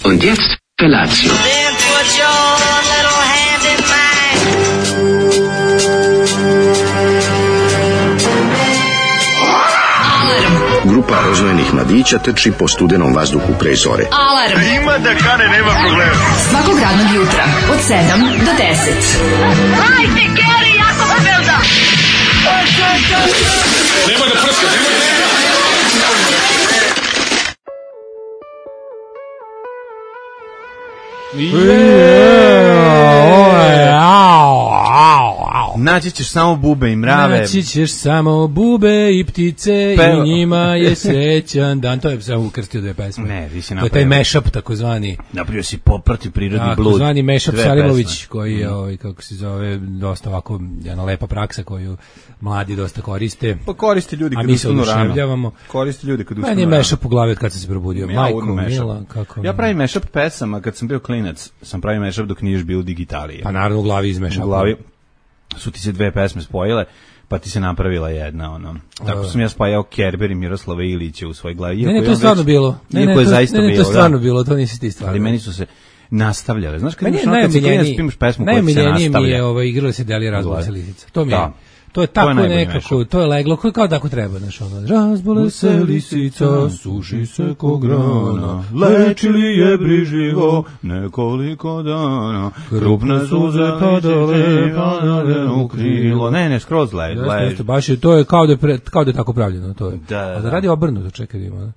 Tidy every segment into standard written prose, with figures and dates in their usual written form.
Und jetzt Felatio. Then put your little hand in mine. Grupa rozvojenih mladića trči po studenom vazduhu pre zore. Alarm. Ima da kane, nema problema. Svakog radnog jutra od 7 do 10. Hajde, Geri, jako se velda. Nema da prska, nema da prska. Naći ćeš samo bube i mrave. Naći ćeš samo bube i ptice i njima je srećan dan. To je samo ukrstio dve pesme. Ne, vi si to je taj mashup takozvani. Napravio si poprati prirodni blud. Takozvani mashup Salimović koji je, kako se zove, dosta ovako jedna lepa praksa koju mladi dosta koriste. Pa koriste ljudi kad ustanu rano. Koriste ljudi kad ustanu rano. Meni je mashup u glavi od kad sam se probudio. Majko mila, kako... Ja pravim mashup pesama kad sam bio klinac. Sam pravio mashup dok nije još bio u digitaliji. Pa naravno u glavi iz mashupa. U glavi su ti se dve pesme spojile, pa ti se napravila jedna, ono. Tako sam ja spajao Kerber i Miroslava Ilića u svoj glavi. Ne, to je stvarno bilo. Ne, to je stvarno bilo, to nisi ti stvarno. Ali meni su se nastavljale. Znaš, kad imaš pesmu koja se nastavlja. Najmiljenije mi je igrala se Delija Razbole se lisica. To mi je. To je tako nekako, to je leglo, kao tako treba, znaš, ono, razbole se lisica, suši se ko grana, lečili je briživo nekoliko dana, krupne suze padale u krilo. Ne, skroz leži. Baš je, to je kao da je tako pravljeno, to je. A da radi obrnuto, čekaj da ima.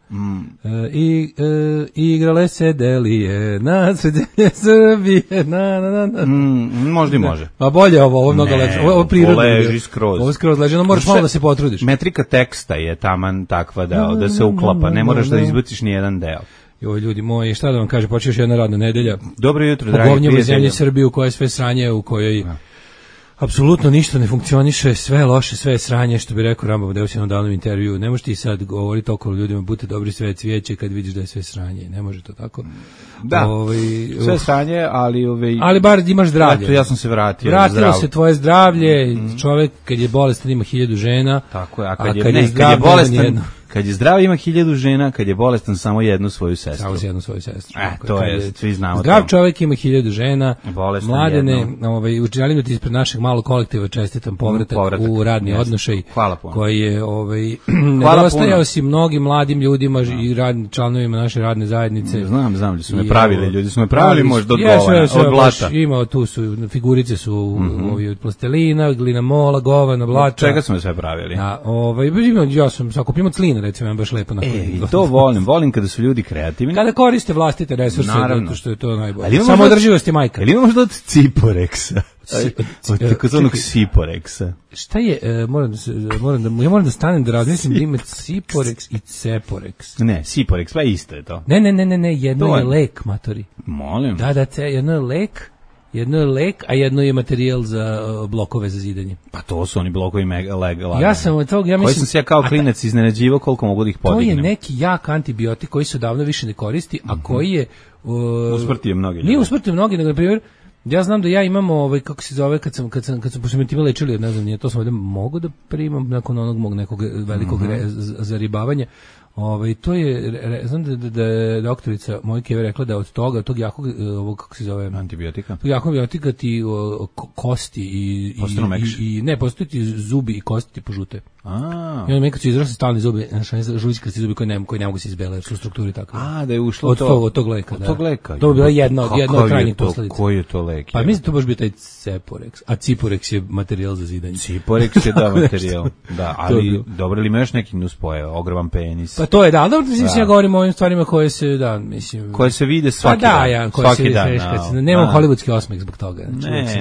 Igrale se Delije na sređenje Srbije, Možda i može. Pa bolje ovo mnogo lepše, ovo prirodno. Ovo skroz leži, no moraš malo da se potrudiš. Metrika teksta je taman takva da se uklapa, ne moraš da izbaciš ni jedan deo. Joj, ljudi moji, šta da vam kažem, počeš jedna radna nedelja. Dobro jutro, dragi prijatelji. Pogovnjamo zemlji Srbiju koja je sve sranje, u kojoj apsolutno ništa ne funkcioniše, sve je loše, sve je sranje, što bi rekao Rambam u jednom davnom intervju. Ne možeš ti sad govoriti okolo ljudima, budite dobri, sve je cvijeće kad vidiš da je sve sranje. Ne može to tako. Da, sve sranje, ali bar imaš zdravlje. Eto, ja sam se vratio. Vratilo se tvoje zdravlje, čovjek kad je bolestan ima 1000 žena. Tako je, a kad je bolestan... Kad je zdrav ima 1000 žena, kad je bolestan samo jednu svoju sestru. Samo jednu svoju sestru. To je, svi znamo. Zdrav čovjek ima 1000 žena. Bolestan Mladene, želim da ti ispred našeg malog kolektiva čestitam povratak u radni odnošaj. Hvala puno. Koji je nedostajao si mnogim mladim ljudima i članovima naše radne zajednice. Znam, su me pravili, ljudi su me pravili možda od blata. Ima, tu su, figurice su od plastelina, glinamola, govana, blata. Čega su me sve pravili? Ja sam sakupimo clina, recimo, je baš lepo. To volim kada su ljudi kreativni. Kada koriste vlastite resurse, zato što je to najbolje. Samo održivost je majka. Ali imamo možda od Ciporeksa? Od takozvanog Ciporeksa. Šta je, moram da stanem da razmislim da ima Ciporex i Ceporex. Ne, Ciporex, pa isto je to. Ne, jedno je lek, matori. Molim. Da, jedno je lek, a jedno je materijal za blokove za zidanje. Pa to su oni blokovi lagani. Ja sam od toga, koji sam se ja kao klinac iznenađivao koliko mogu da ih podignem. To je neki jak antibiotik koji se davno više ne koristi, a koji je... usmrtio mnogi. Nije usmrtio mnogi, nego na primjer, ja znam da ja imam kako se zove, kad sam pošto me time lečili, ne znam, nije to sam ovdje mogu da primam nakon onog mog nekog velikog zaribavanja. To je, znam da je doktorica Mojkeve rekla da od tog jakog, kako se zove, antibiotika. Antibiotika ti kosti i ne, postoji ti zubi i kosti ti požute. I onda kad su izrasli stalni zubi, žuljčkasti zubi koji ne mogu se izbele, jer su u strukturi takve. Da je ušlo od tog leka. Od tog leka. To bi bila jedna od krajnjih posledica. Koji je to lek? Pa mislim da to baš bi taj Ceporex, a Ciporex je materijal za zidanje. Ciporex je da materijal. Da, ali dobro li imaš neki nuspojeva, ogroman penis. Pa to je da, dobro, mislim, ja govorim o ovim stvarima koje se, da, mislim... Koje se vide svaki dan. Pa da, ja, koje se vide svaki dan. Nemam hollywoodski osmeh zbog toga. Znači,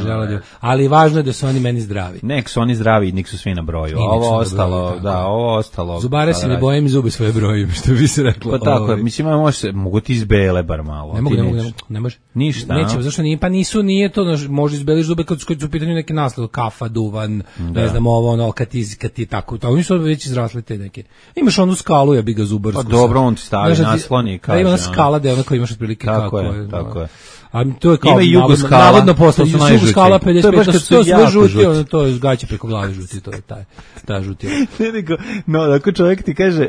ali važno je da su oni meni zdravi. Nek su oni zdravi i nek su svi na broju. Ovo ostalo, ovo ostalo... Zubare se ne bojem i zube svoje broju, što bi se reklo. Pa tako, mislim, mogu ti izbele bar malo. Ne može. Ništa. Neće, zašto nije, pa nije to, može izbeliš zube kad su u pitanju neki naslov, kafa, duvan, ne znam, ovo, kad ti tako, oni su već izrasli te neke. Imaš onu skalu, ja bi ga zubarsku. Pa dobro, on ti stavi nasloni i kaže. Da ima skala, da je ona koja imaš otprilike kako je. Tako je. A to je kao ima Jugoskala, navodno postao su Jugoskala 55, to je sve žuti, to je žgaće preko glave žuti, to je ta žuti. No, ako čovjek ti kaže,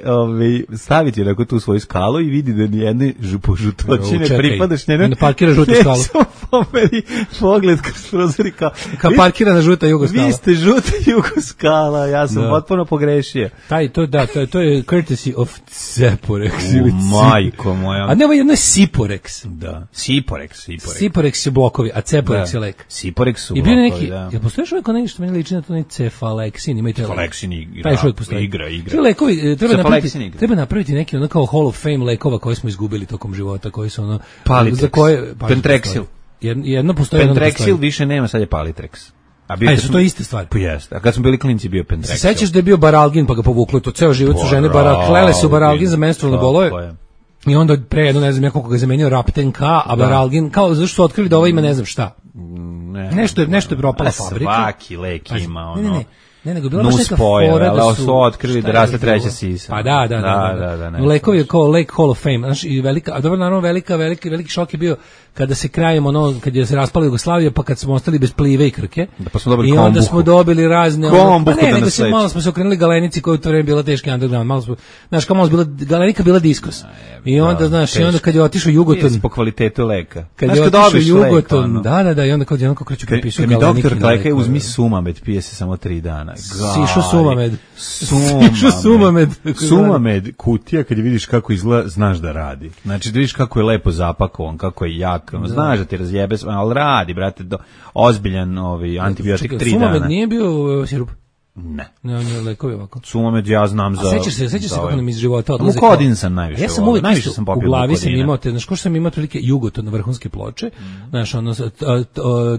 staviti onako tu svoju skalu i vidi da nijedne žutočine pripadaš njene. Ne parkira žutu skalu. Pomeri pogled kroz prozor i kao parkirana žuta Jugoskala. Vi ste žuta Jugoskala, ja sam potpuno pogrešio. To je courtesy of Ceporex. Majko moja. A ne, ovo je jedno Siporex. Da, Siporex. Siporex je blokovi, a Ceporex je lek. Siporex su blokovi, neki, da. Jel postoji što neko što meni liči na to Cefalexin, ima i taj lek. Cefalexin igra. Taj što postoji. Igra. Ti lekovi, treba napraviti neki ono kao Hall of Fame lekova koje smo izgubili tokom života, koji su ono... Palitrex, Pentrexil. Jedno postoji, Pentrexil više nema, sad je Palitrex. A su to iste stvari? Pa jeste. A kad smo bili klinci bio Pentrexil. Se sećaš da je bio Baralgin pa ga povuklo, to ceo život su žene klele su Baralgin za menstrualne bolove. I onda pre jedno, ne znam, kako ga je zamenio Rapten K, a Baralgin, kao zašto su otkrili da ovo ima ne znam šta. Nešto je propala fabrika. Svaki lek ima ono. Ne, nego bila baš neka fora da su otkrili da raste treća sisa. Pa da. Lekovi je kao Lake Hall of Fame, znači i velika, a dobro naravno veliki šok je bio kada se krajem kad je se raspala Jugoslavija, pa kad smo ostali bez Plive i Krke. Pa smo dobili i onda smo dobili razne malo smo se okrenuli Galenici koja u to vreme bila teški underground, malo smo, znaš, kao malo bila Galenika bila diskos. I onda znaš, i onda kad je otišao Jugoton po kvalitetu leka. Kad je otišao Jugoton, da, i onda kad jednom kreću prepisu Galenika. Mi doktor Kleka uzmi Sumamed, pije se samo 3 dana. Sišo Sumamed, kutija, kad vidiš kako izgleda, znaš da radi. Znači, da vidiš kako je lepo zapakovan, kako je jak, znaš da ti razjebe, ali radi, brate, ozbiljan antibiotik 3 dana. Sumamed nije bio sirup? Ne. Ne, on je lekovi ovako. Sumamed ja znam za... A sećaš se kako nam iz života odlaze... Mukodin sam najviše. Ja sam uvijek u glavi sam imao, znaš ko što sam imao prilike Jugoton na vrhunske ploče, znaš, ono,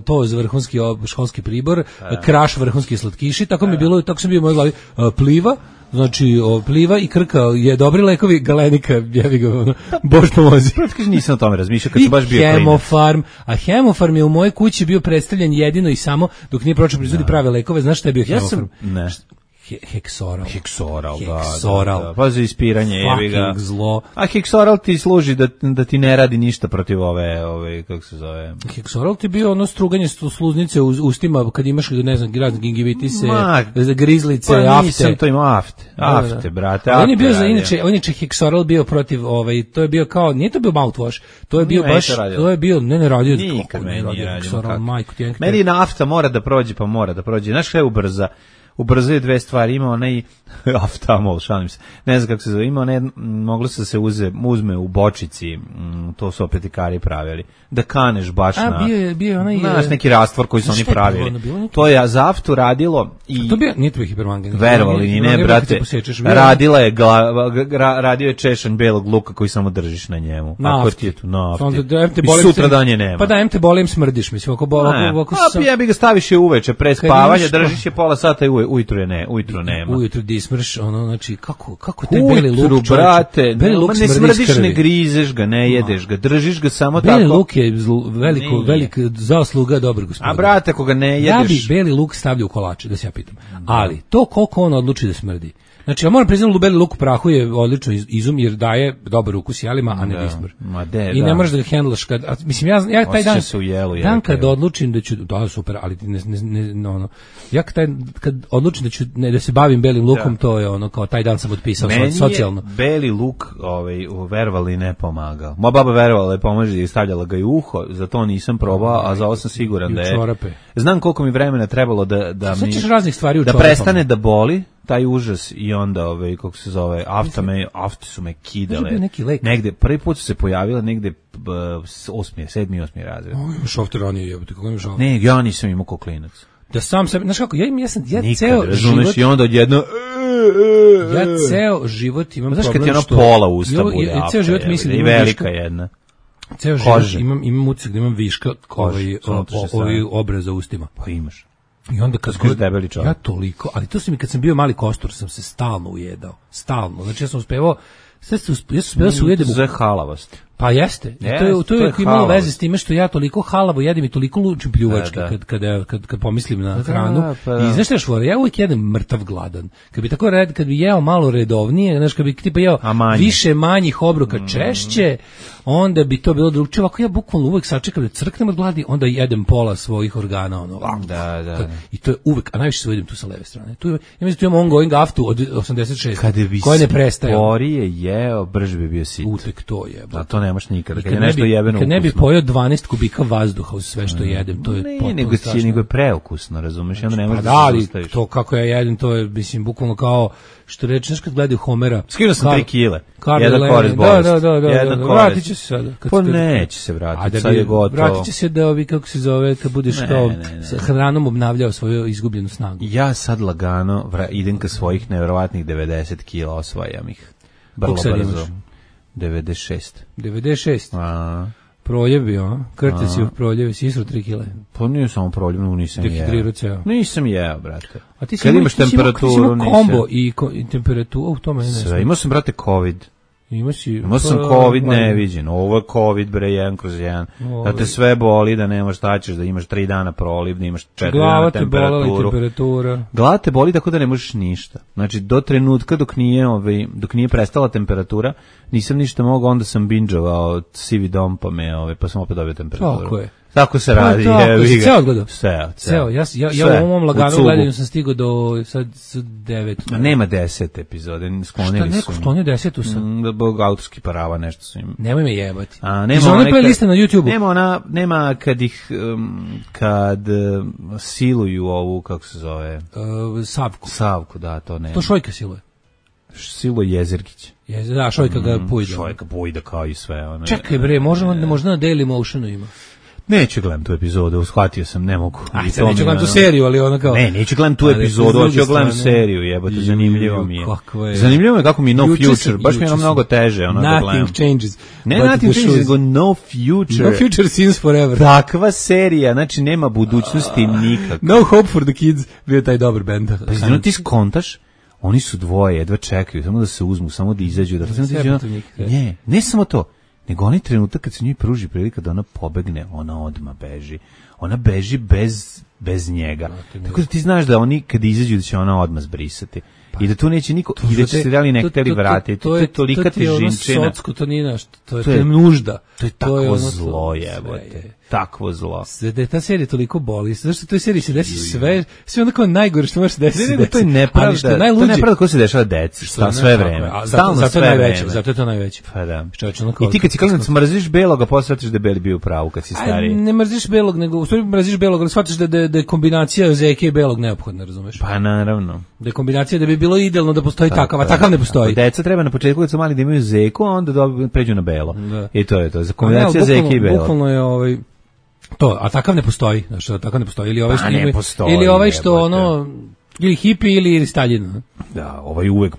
to za vrhunski školski pribor, Kraš vrhunski slatkiši, tako mi je bilo, tako sam bio u mojoj glavi, Pliva, znači Pliva i Krka je dobri lekovi, Galenika, jevi ga, Bož pomozi. Nisam o tome razmišljao kad sam baš bio klinac. Hemofarm, a Hemofarm je u mojoj kući bio predstavljen jedino i samo dok nije počeo proizvodi prave lekove. Znaš šta je bio Hemofarm? Ne. Heksoral, da. Pa za ispiranje, jevi ga. Zlo. A Heksoral ti služi da ti ne radi ništa protiv ove kako se zove. Heksoral ti bio ono struganje sluznice u ustima kad imaš, ne znam, razne gingivitise, grizlice, pa afte. Nisam to imao afte, brate. On je bio za inače Heksoral bio protiv to je bio kao, nije to bio mouthwash, to je bio baš, to je bio, ne radio. Nikad meni nije radio. Meni nafta mora da prođe, znaš šta je ubrzuje 2 stvari, ima onaj aftamol, šalim se, ne znam kako se zove, ima onaj, moglo se uzme u bočici, to su apetikari pravili, da kaneš baš bio onaj... Znaš, neki rastvor koji su oni pravili. To je za aftu radilo i... To nije to bio hipermangan. Verovali ni ne, brate, radio je češanj belog luka koji samo držiš na njemu. Ako ti je tu nafti. I sutra danje nema. Pa da, te bolim smrdiš, mislim, ovako... Ja bi ga staviš je uveče, pre spavanja, držiš je pola sata i ujutru nema. Ujutru dismrš, ono, znači, kako taj beli luk, ujutru, brate, ne smrdiš, ne grizeš ga, ne jedeš ga, držiš ga samo tako. Beli luk je velik zasluga dobrog gospodina. A brate, ako ga ne jedeš... Ja bi beli luk stavljao u kolače, da se ja pitam. Ali, to koliko on odluči da smrdi. Znači, ja moram priznati, beli luk u prahu je odlično izum, jer daje dobar ukus jelima, a ne dismr. I ne moraš da ga hendlaš kad... Mislim, ja taj dan kad odlučim da ću... Da, super, ali ja kad odlučim da ću da se bavim belim lukom, to je ono, kao taj dan sam otpisao socijalno. Meni je beli luk verovali ne pomagao. Moja baba verovala je pomaže i stavljala ga i uho, za to nisam probao, a za ovo sam siguran da je... Znam koliko mi vremena trebalo da prestane da boli taj užas i onda kako se zove afte su me kidale negde prvi put su se pojavile negde 7. 8. razred. Imaš afte ranije, jebote, kako imaš afte? Ne, ja nisam imao ko klinac. Da sam sebe, znaš kako, ja ceo život... i onda odjedno Ja ceo život imam znaš problem što... Znaš kad ti ono pola usta bude. Ja ceo život mislim da imam velika jedna. Ceo život imam utisak da imam viška ovaj obraza ustima. Pa imaš. I onda kad debeli čovjek. Ja toliko, ali to se mi kad sam bio mali kostur sam se stalno ujedao. Stalno. Znači ja sam uspevao ja sam uspevao se ujedem. Za halavost. Pa jeste. To je imalo veze s time što ja toliko halavo jedem i toliko lučim pljuvačke kad pomislim na hranu. I znaš šta švore, ja uvijek jedem mrtav gladan. Kad bi jeo malo redovnije, znaš, kad bi tipa jeo više manjih obroka češće, onda bi to bilo drugčije. Ako ja bukvalno uvijek sačekam da crknem od gladi, onda jedem pola svojih organa. Ono, I to je uvijek, a najviše se ujedem tu sa leve strane. Ja mislim tu imam ongoing aftu od 86. Koja ne prestaje. Kada bi sporije jeo, brže bi bio sit. Utek to je. A to nemaš nikada. Kad ne bi pojeo 12 kubika vazduha uz sve što jedem, to je potpuno strašno. Nego je preukusno, razumeš? I onda ne možeš da se sustaviš. To kako ja jedem, to je, mislim, bukvalno kao što reče, znaš kad gledaju Homera. Skinuo sam 3 kile. Jedan korist bolest. Da. Vratit će se sada. Pa neće se vratiti, sad je gotovo. Vratit će se da ovi, kako se zove, kad budeš kao sa hranom obnavljao svoju izgubljenu snagu. Ja sad lagano idem ka svojih nevjerovatnih 90 kila, osvajam ih. Vrlo brzo. 96. Proljev bio, krteci u proljevi, si isro 3 kile. Pa nije samo proljev, nisam jeo. Nisam jeo, brate. A ti si imao kombo i temperaturu, to mene ne znam. Imao sam, brate, COVID. Imao sam COVID neviđen, ovo je COVID bre 1/1, da te sve boli, da nemaš šta ćeš, da imaš 3 dana proliv, da imaš 4 dana temperaturu. Glava te boli tako da ne možeš ništa. Znači do trenutka dok nije prestala temperatura, nisam ništa mogao, onda sam binđovao Sivi dom pa sam opet dobio temperaturu. Tako je. Tako se radi. Ceo odgledao? Ceo. Ja u ovom laganom gledanju sam stigao do sad 9. Nema 10 epizode, sklonili su. Šta neko sklonio 10 sam? Bog autorski parava, nešto su im. Nemoj me jebati. Iz one playliste na YouTubeu. Nema kad ih, kad siluju ovu, kako se zove? Savku, da, to nema. To Šojka siluje. Siluje Jezergić. Da, Šojka ga pujda. Šojka pujda kao i sve. Čekaj bre, možda na Daily Motionu ima. Neću gledam tu epizodu, shvatio sam, ne mogu. Neću gledam tu seriju, ali ona kao... Ne, neću gledam tu epizodu, hoću gledam seriju, jebote, zanimljivo mi je. Zanimljivo je kako mi No Future, baš mi je mnogo teže, ono da gledam. Nothing changes. Ne, Nothing changes, nego No Future. No Future since forever. Takva serija, znači nema budućnosti nikako. No Hope for the Kids, bio taj dobar band. Pa ti skontaš, oni su dvoje, jedva čekaju, samo da se uzmu, samo da izađu. Ne samo to. Nego onaj trenutak kad se njoj pruži prilika da ona pobegne, ona odmah beži. Ona beži bez njega. Tako da ti znaš da oni kad izađu da će ona odmah zbrisati. I da tu neće niko, i da će se dali nekteli vratiti. To je tolika težinčina. To je socko, to nije naš, to je nužda. To je takvo zlo, jebote. Takvo zlo. Da ta serija toliko boli. Zašto u toj seriji se desi sve onako najgore što može se desiti. Ne, to je nepravda. To je nepravda koja se dešava deci. Sve vreme. Stalno sve vreme. Zato je to najveće. Pa da. I ti kad si klinac mrziš belog, a posle shvatiš da je beli bio u pravu kad si stariji. Ne mrziš belog, nego u stvari mrziš belog, ali shvatiš da je kombinacija zeke i belog neophodna, razumeš? Pa naravno. Da je kombinacija da bi bilo idealno da postoji takav, a takav ne postoji. Deca treba na početku kad su mali da imaju zeku, a onda pređu na belo. I to je to. Za kombinacija zeke i belog. Bukvalno je to, a takav ne postoji, znači takav ne postoji, ili ovaj što ono ili hipi ili Staljin. Da, ovaj uvek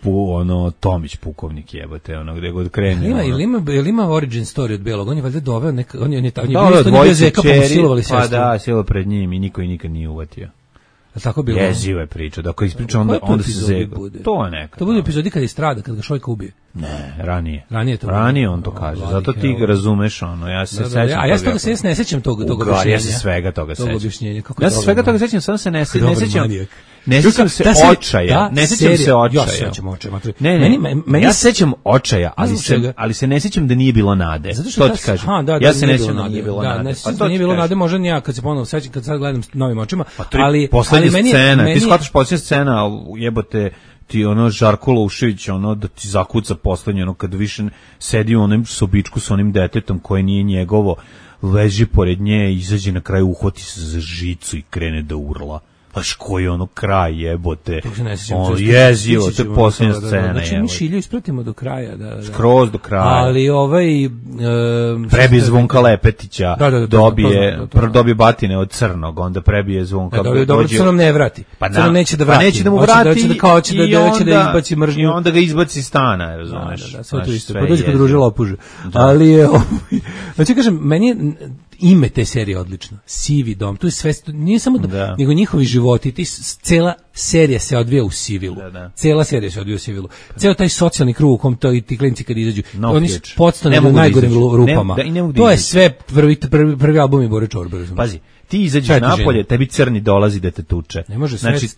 Tomić pukovnik jebote, ono gde god krene. Ili ima origin story od belog, on je valjda doveo on je bio zeka pa silovali sestru. Pa da, silo pred njim i niko nikad nije uvatio. Tako bilo. Jeziva je priča, da ako ispriča onda se zega. To je neka. To bude epizodi kad je strada, kad ga Šojka ubije. Ne, ranije. Ranije on to kaže. Zato ti ga razumeš, ono, ja se sećam. A ja se toga ne sećam tog objašnjenja. Ja se svega toga sećam. Ja se svega toga sećam, samo se ne sećam. Ne sećam se očaja. Ne sećam se očaja. Ja se sećam očaja, ali se ne sećam da nije bilo nade. Što ti kažem? Ja se ne sećam da nije bilo nade. Ne sećam da nije bilo nade, možda ni ja kad se ponovo sećam, kad sad gledam novim očima, ali scena, ti shvataš posljednja scena, jebote, ti Žarko Loušević, da ti zakuca poslednje, kad više sedi u onom sobičku sa onim detetom koje nije njegovo, leži pored nje, izađe na kraju, uhvati se za žicu i krene da urla. Baš koji ono kraj jebote. On jezivo, to je posljednja scena. Znači mi Šilju ispratimo do kraja. Skroz do kraja. Ali prebije Zvonka Lepetića, dobije batine od Crnog, onda prebije Zvonka. Dobro, Crnom ne vrati. Crnom neće da vrati. Pa neće da mu vrati hoće da izbaci mržnju. I onda ga izbaci iz stana, razumeš. Da, sve to isto. Pa dođe kod druže lopuže. Ali je, znači kažem, meni je ime te serije odlično. Sivi dom, tu je sve, nije samo nego njihovi životi, cela serija se odvija u Sivilu. Cela serija se odvija u Sivilu. Ceo taj socijalni krug u kom ti klinci kad izađu, oni su podstane u najgorim rupama. To je sve prvi album i Bore Čorbe. Pazi, ti izađeš napolje, tebi crni dolazi da te tuče. Ne može znači,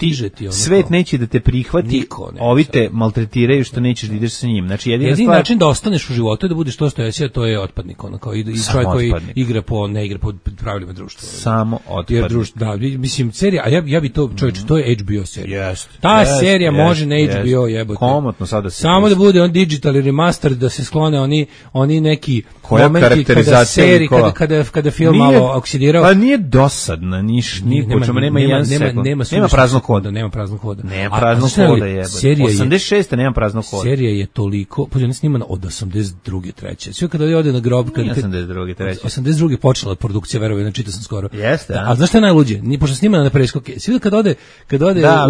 svet neće da te prihvati, ovi te maltretiraju što nećeš da ideš sa njim. Znači, jedini način da ostaneš u životu je da budeš to što jesi, to je otpadnik, kao i čovjek koji ne igra po pravilima društva. Samo otpadnik. Da, mislim, serija, a ja bi to, čovječe, to je HBO serija. Ta serija može na HBO jebote. Komotno sada se. Samo da bude on digital remaster, da se sklone oni neki momenti kada film malo oksidirao. Pa nije dosadna, nema jedan sekund. Nema praznog hoda. Nema praznog hoda. Nema praznog hoda jebote. 86. nema praznog hoda. Serija je toliko, pa ona snimana od 82. treće. Sve kada ode na grob, kad 82. treće. 82. počela produkcija, verujem, čitao sam skoro. Jeste. A znaš šta je najluđe? Ni pošto snimana na preskoke. Sve kad ode u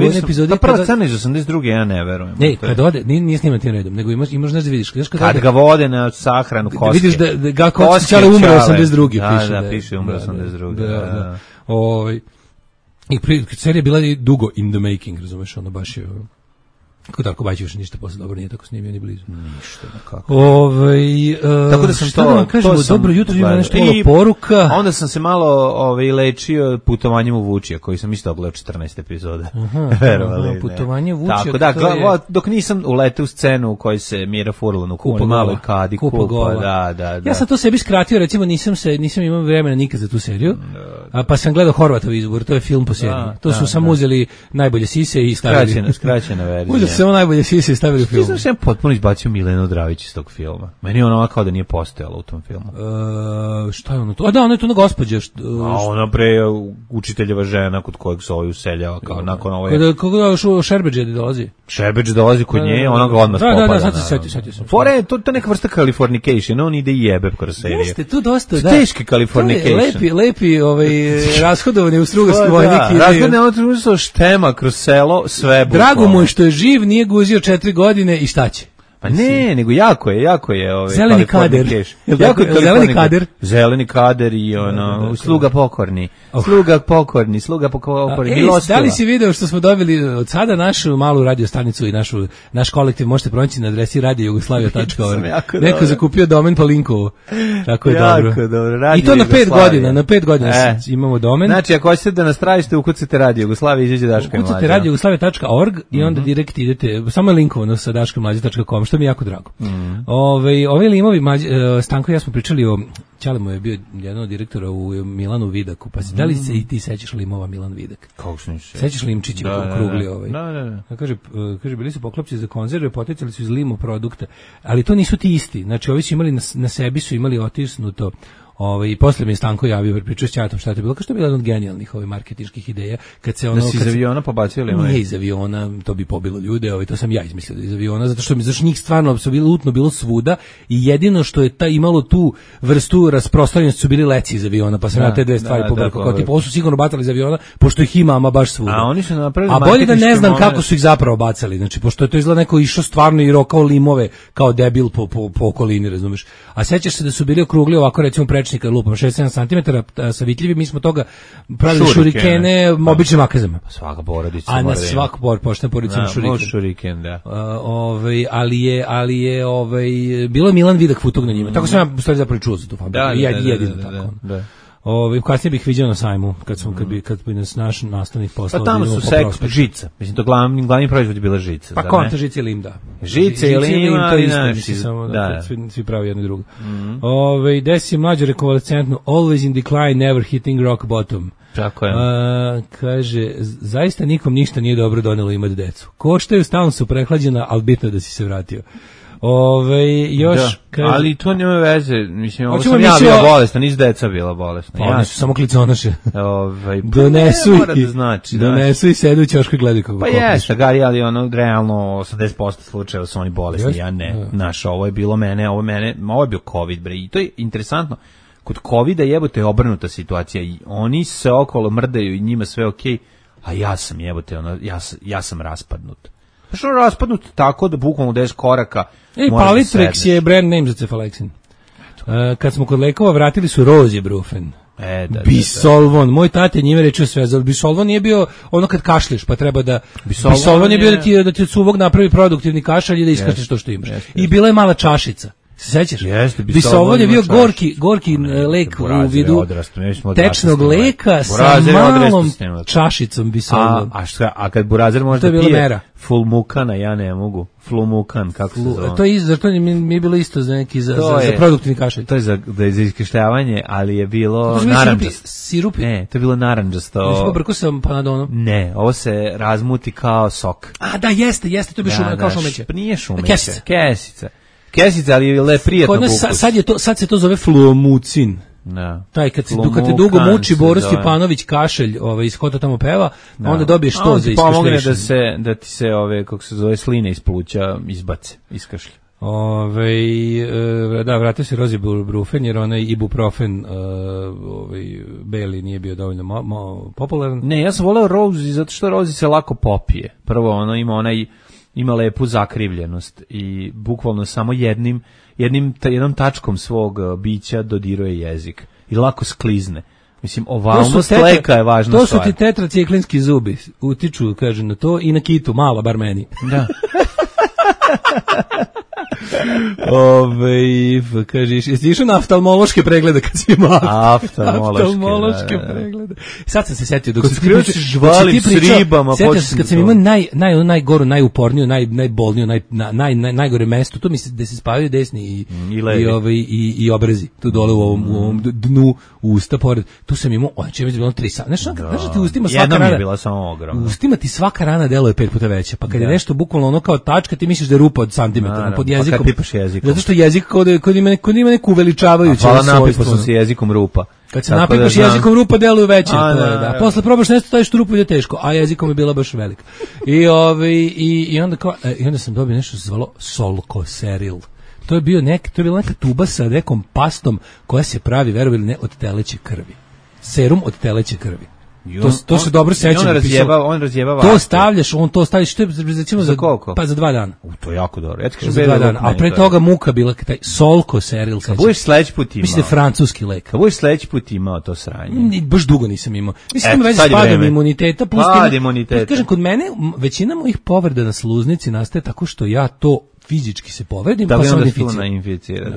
jednu epizodu, ta prva scena iz 82. ja ne verujem. Ne, kad ode, nije snimana tim redom, nego imaš znaš da vidiš, kad ga vode na sahranu koske. Vidiš da ga Kostićale umre 82. piše. Da, piše umre 82. I serija bila dugo in the making, razumeš, ono baš je Kako Darko Bajić još ništa posle dobro nije tako snimio ni blizu. Ništa, kako. Tako da sam to kažemo, dobro jutro, ima nešto malo poruka. Onda sam se malo lečio putovanjem u Vučija, koji sam isto ogledao 14 epizoda. Putovanje Vučija. Tako da, dok nisam uleteo u scenu u kojoj se Mira Furlan u kojoj maloj kadi kupa. Da. Ja sam to sebi skratio, recimo nisam imao vremena nikad za tu seriju, pa sam gledao Horvatov izbor, to je film po seriji. To su samo uzeli najbolje sise i stavili. Skraćena verzija. Samo najbolje sise stavili u film. Ti znaš, ja potpuno izbacio Milenu Dravić iz tog filma. Meni je ona kao da nije postojala u tom filmu. Šta je ono to? A da, ona je to na gospođa. Ona pre učiteljeva žena kod kojeg se ovaj useljava kao nakon ove... Kako Šerbeđe dolazi? Šerbeđe dolazi kod nje, ona ga odmah spopada. Da, sad se setio sam. Fore, to je neka vrsta Californication, on ide i jebe kroz seriju. Jeste, tu dosta, da. Teški Californication. Lepi rashodovani u Strugarski vojnik. Rashodovani on tružio štema kroz selo, sve bukvalno. Drago mu je što je živ, nije guzio 4 godine i šta će? Pa ne, nego jako je zeleni kader. Zeleni kader i sluga pokorni. Sluga pokorni. Da li si video što smo dobili od sada našu malu radiostanicu i naš kolektiv možete pronaći na adresi radiojugoslavia.org. Neko zakupio domen po linku. Tako je dobro. I to na 5 godina imamo domen. Znači, ako hoćete da nas tražite, ukucite Radio Jugoslavia, izađe Daško i Mlađa. Ukucite radiojugoslavia.org i onda direkt idete, samo je linkovano sa daškomlađa.com, što mi je jako drago. Ovi limovi, Stanko i ja smo pričali o Ćalemo je bio jedan od direktora u Milanu Vidaku, pa da li se i ti sećaš limova Milan Vidak? Kako se neće? Sećaš limčići krugli Da. Kaže, bili su poklopci za konzerve, poticali su iz limo produkta, ali to nisu ti isti. Znači, ovi su imali na sebi su imali otisnuto. I posle mi je Stanko javio, pričao s Ćatom šta je to bilo, kao što je bila jedna od genijalnih marketinških ideja, kad se ono... Da si iz aviona pobacio ili nije iz aviona, to bi pobilo ljude, to sam ja izmislio iz aviona, zato što njih stvarno apsolutno bilo svuda i jedino što je imalo tu vrstu rasprostranjenosti su bili leci iz aviona, pa sam ja te dve stvari pobrkao, kao tipa, ovo su sigurno bacali iz aviona, pošto ih ima, ama baš svuda. A oni su napravili a bolje da ne znam kako su ih zapravo bacali, znači, pošto je to izgleda neko išao stvarno i rokao limove kao debil po okolini, razumeš. A sećaš se da su bili okrugli ovako, recimo, prečnika lupom 6-7 cm sa vitljivi, mi smo toga pravili šurikene običnim makazama. Svaka porodica. A na svaku poštena porodica ima šuriken, da. Ali je bilo Milan Vidak futog na njima. Tako sam ja u stvari zapravo čuo za tu fabriku. Jedino tako. Da. Kasnije bih vidio na sajmu kad bi nas naš nastavnik poslao. Pa tamo su žica. Mislim, to glavni proizvod je bila žica. Pa konta žica i lim, da. Žica i lim, to isto, samo da svi pravi jedno i drugo. Desi je mlađe rekonvalescentno, always in decline, never hitting rock bottom. Tako je. Kaže, zaista nikom ništa nije dobro donelo imati decu. Koštaju, stalno su prehlađena, ali bitno da si se vratio. Još da, kaže, ali to nema veze, mislim, ovo sam ja bila bolesna, nisu deca bila bolesna. Pa oni su samo kliconoše. Donesu i znači, donesu i sedu u ćošku i gledaju kako. Pa jeste, ali ono realno 80% slučajeva su oni bolesni, ja ne. Znaš, ovo je bilo ovo je bio COVID, bre, i to je interesantno. Kod covida jebote je obrnuta situacija i oni se okolo mrdaju i njima sve okej, a ja sam jebote, ja sam raspadnut. Što raspadnut tako da bukvalno 10 koraka. Palitrix je brand name za cefalexin. Kad smo kod lekova vratili su Rozibrufen. Bisolvon, moj tate njime rečio sve, za Bisolvon nije bio ono kad kašliš, pa treba da Bisolvon je bio da ti od suvog napravi produktivni kašalj i da iskačeš to što imaš. I bila je mala čašica. Se sećaš? Bisolvon je bio gorki lek u vidu tečnog leka sa malom čašicom Bisolvon. A kad burazer može da pije Fulmukana, ja ne mogu. Flumukan, kako se zove? To mi je bilo isto za neki za produktivni kašalj. To je za iskešljavanje, ali je bilo narandžasto. Sirupi? Ne, to je bilo narandžasto. Nismo brko sa panadonom? Ne, ovo se razmuti kao sok. A da, jeste, to bi kao šumeće. Nije šumeće. Kesica, ali je prijatno bukus. Sad se to zove fluomucin. Da. Taj kad te dugo muči Boris Stjepanović kašelj, iz Hota tamo peva, onda dobiješ to za iskašlješenje. Pomogne da ti se kako se zove sline iz pluća izbace, iskašlje. Da, vratio se Rozibrufen jer onaj ibuprofen beli nije bio dovoljno popularan. Ne, ja sam voleo Rozi zato što Rozi se lako popije. Prvo ono ima lepu zakrivljenost i bukvalno samo jednom tačkom svog bića dodiruje jezik i lako sklizne. Mislim, ovalnost leka je važna stvar. To su ti tetraciklinski zubi, utiču, kaže, na to i na kitu, malo, bar meni. Da. Kažeš, jesi išao na oftalmološke preglede kad si imao? Oftalmološke preglede. Sad sam se setio dok se žvalim s ribama. Setio sam kad sam imao najgoru, najuporniju, najbolniju, najgore mesto, to misli da se spavaju desni i obrazi, tu dole u ovom dnu usta pored. Tu sam imao, je bilo 3 sata. Znaš da ti ustima svaka rana? Jedna mi je bila samo ogromna. Ustima ti svaka rana deluje 5 puta veća, pa kad je nešto bukvalno ono kao tačka, ti misliš da je rupa od santimetara pod jezikom. Pa kad pipaš jezikom. Zato što jezik kod ima neku uveličavajuću svojstvo. Hvala, napipao sam se jezikom rupa. Kad se napipaš jezikom rupa, deluje veće. Posle probaš nešto, staviš tu rupu i ide teško, a jezikom je bila baš velika. I onda sam dobio nešto se zvalo Solkoseril. To je bila neka tuba sa nekom pastom koja se pravi, verovali ne, od teleće krvi. Serum od teleće krvi. To se dobro sećam. On razjeba to stavljaš, to staviš, što je recimo za koliko? Pa za 2 dana. To je jako dobro. Ja za 2 dana. A pre toga muka bila taj Solkoseril. Kad budeš sledeći put imao. Mislim francuski lek. Kad budeš sledeći put imao to sranje. Baš dugo nisam imao. Mislim već s padom imuniteta plus kažem, kod mene većina mojih povreda na sluznici nastaje tako što ja to fizički se povredim, pa sam inficiran.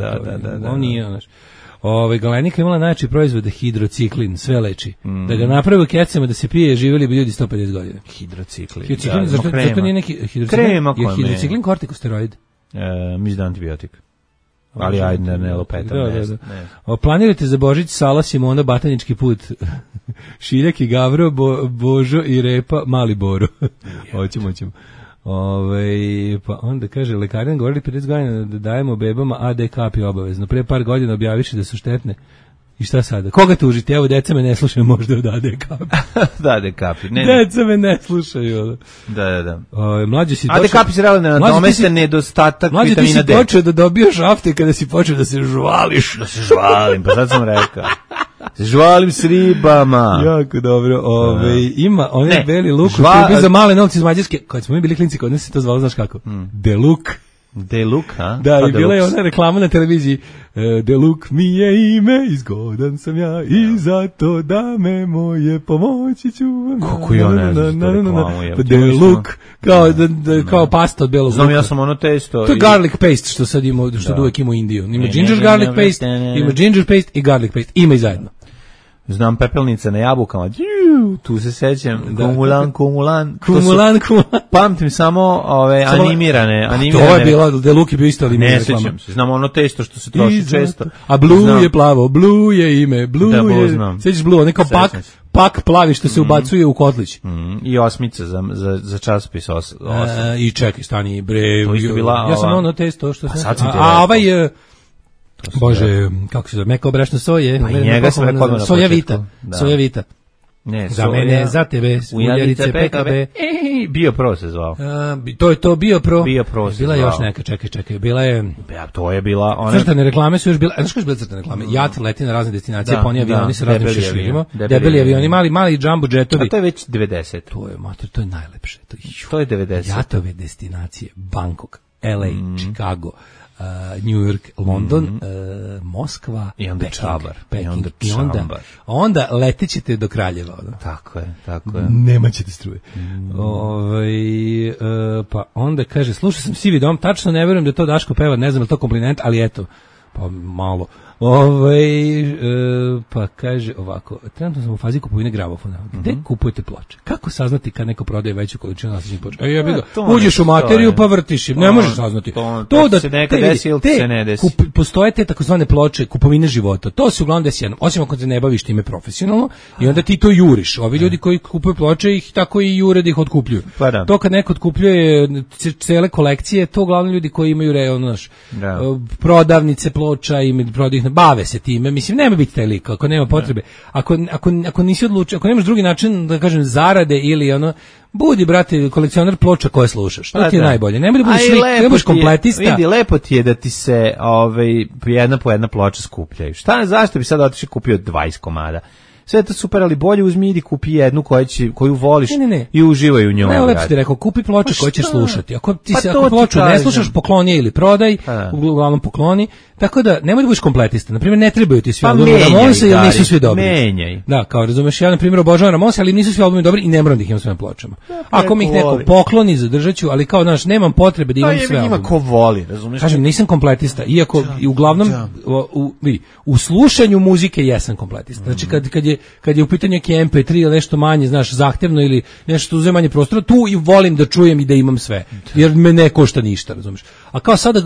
Da. On nije, znaš. Galenika imala najjači proizvod hidrociklin, sve leči. Da ga naprave u kecama da se pije, živjeli bi ljudi 150 godina. Hidrociklin, zato nije neki hidrociklin kortikosteroid. Mislim da antibiotik. Ali ajde ne lopetam. Da. Planirate za Božić Sala, Simona, Batanički put, Šiljak i Gavro, Božo i Repa, Mali Boro. Hoćemo. Pa onda kaže, lekari nam govorili 50 godina da dajemo bebama AD kapi obavezno. Pre par godina objaviši da su štetne. I šta sada? Koga tužiti? Evo, deca me ne slušaju možda od AD kapi. Da, AD kapi. Deca me ne slušaju. Da. Mlađe si AD kapi se realno nadomeste nedostatak vitamina D. Mlađe ti si počeo da dobijaš afte kada si počeo da se žvališ. Da se žvalim, pa sad sam rekao. Se žvalim s ribama. Jako dobro. Ima onaj beli luk koji je bio za male novci iz Mađarske. Kad smo mi bili klinci, kod nas se to zvalo, znaš kako? Deluk. Deluk, ha? Da, i bila je ona reklama na televiziji. Deluk mi je ime, izgodan sam ja i zato da me moje pomoći ću. Kako ja ne znam što reklamu je. Deluk, kao pasta od belog luka. Znam, ja sam ono testo. To je garlic paste što sad ima, što uvek ima u Indiju. Ima ginger garlic paste, ima ginger paste i garlic paste. Ima i zajedno. Znam Pepelnica na jabukama. Tu se sećam. Kumulan. Pamtim samo ove animirane. To je bilo, Deluki bio isto animirane. Ne sećam se. Znam ono testo što se troši često. A Blue je plavo, Blue je ime, Blue je... Sećaš Blue, neko pak plavi što se ubacuje u kotlić. I osmica za časopis I čekaj, stani, bre. To isto bila... Ja sam ono testo što se... A ovaj... Bože, kako se zove, meko brašno soje. Njega sam rekao na početku. Soja vita. Ne, za mene, za tebe, uljarice PKB. Bio pro se zvao. To je to Bio pro. Bio pro se bila je još neka, čekaj, bila je... Ja, to je bila... Ona... Crtane reklame su još bile... Znaš koje su bile crtane reklame? Jat leti na razne destinacije, poni avioni sa raznim šeširima. Debeli avioni, mali jumbo jetovi. A to je već 90. To je najlepše. To je 90. Jatove destinacije, Bangkok, LA, Chicago, New York, London, Moskva, i onda Peking, onda letećete do Kraljeva. Tako je. Nemaćete struje. Pa onda kaže, slušao sam Sivi dom, tačno ne verujem da to Daško peva, ne znam je to kompliment, ali eto, pa malo. Pa kaže ovako, trenutno sam u fazi kupovine gramofona. Gde kupujete ploče? Kako saznati kad neko prodaje veću količinu nasleđenih ploča? Uđeš u materiju pa vrtiš im, ne možeš saznati. To da se neka desi ili se ne desi. Postoje te takozvane ploče kupovine života. To se uglavnom desi jednom, osim ako se ne baviš time profesionalno i onda ti to juriš. Ovi ljudi koji kupuju ploče ih tako i jure da ih otkupljuju. To kad neko otkupljuje cele kolekcije, to uglavnom ljudi koji imaju prodavnice ploča i prodaju bave se time, mislim, nema biti taj lik, ako nema potrebe. Ako nisi odlučio, ako nemaš drugi način, da kažem, zarade ili ono, budi, brate, kolekcionar ploča koje slušaš. To ti je najbolje. Nemoj da budeš lik, ne budeš kompletista. Vidi, lepo ti je da ti se jedna po jedna ploča skupljaju. Zašto bi sad otišao kupio 20 komada? Sve je to super, ali bolje uzmi idi kupi jednu koju voliš i uživaj u njoj. Ne, lepo ti rekao, kupi ploče koje ćeš slušati. Ako ploču ne slušaš, pokloni je ili prodaj, uglavnom pokloni. Tako da, nemoj da budeš kompletista. Naprimjer, ne trebaju ti svi albumi Ramonsa ili nisu svi dobri. Menjaj. Da, kao razumeš, ja na primjer obožavam Ramonsa, ali nisu svi albumi dobri i ne moram da ih imam sve na pločama. Ako mi ih neko pokloni, zadržat ću, ali kao, znaš, nemam potrebe da imam sve albume. Ima ko voli, razumeš? Kažem, nisam kompletista, iako i uglavnom u slušanju muzike jesam kompletista. Znači, kad je u pitanju neki MP3 ili nešto manje, znaš, zahtevno ili nešto uzme manje prostora, tu i volim da čujem i da imam sve. Jer me ne košta ništa, razumeš? A kao sada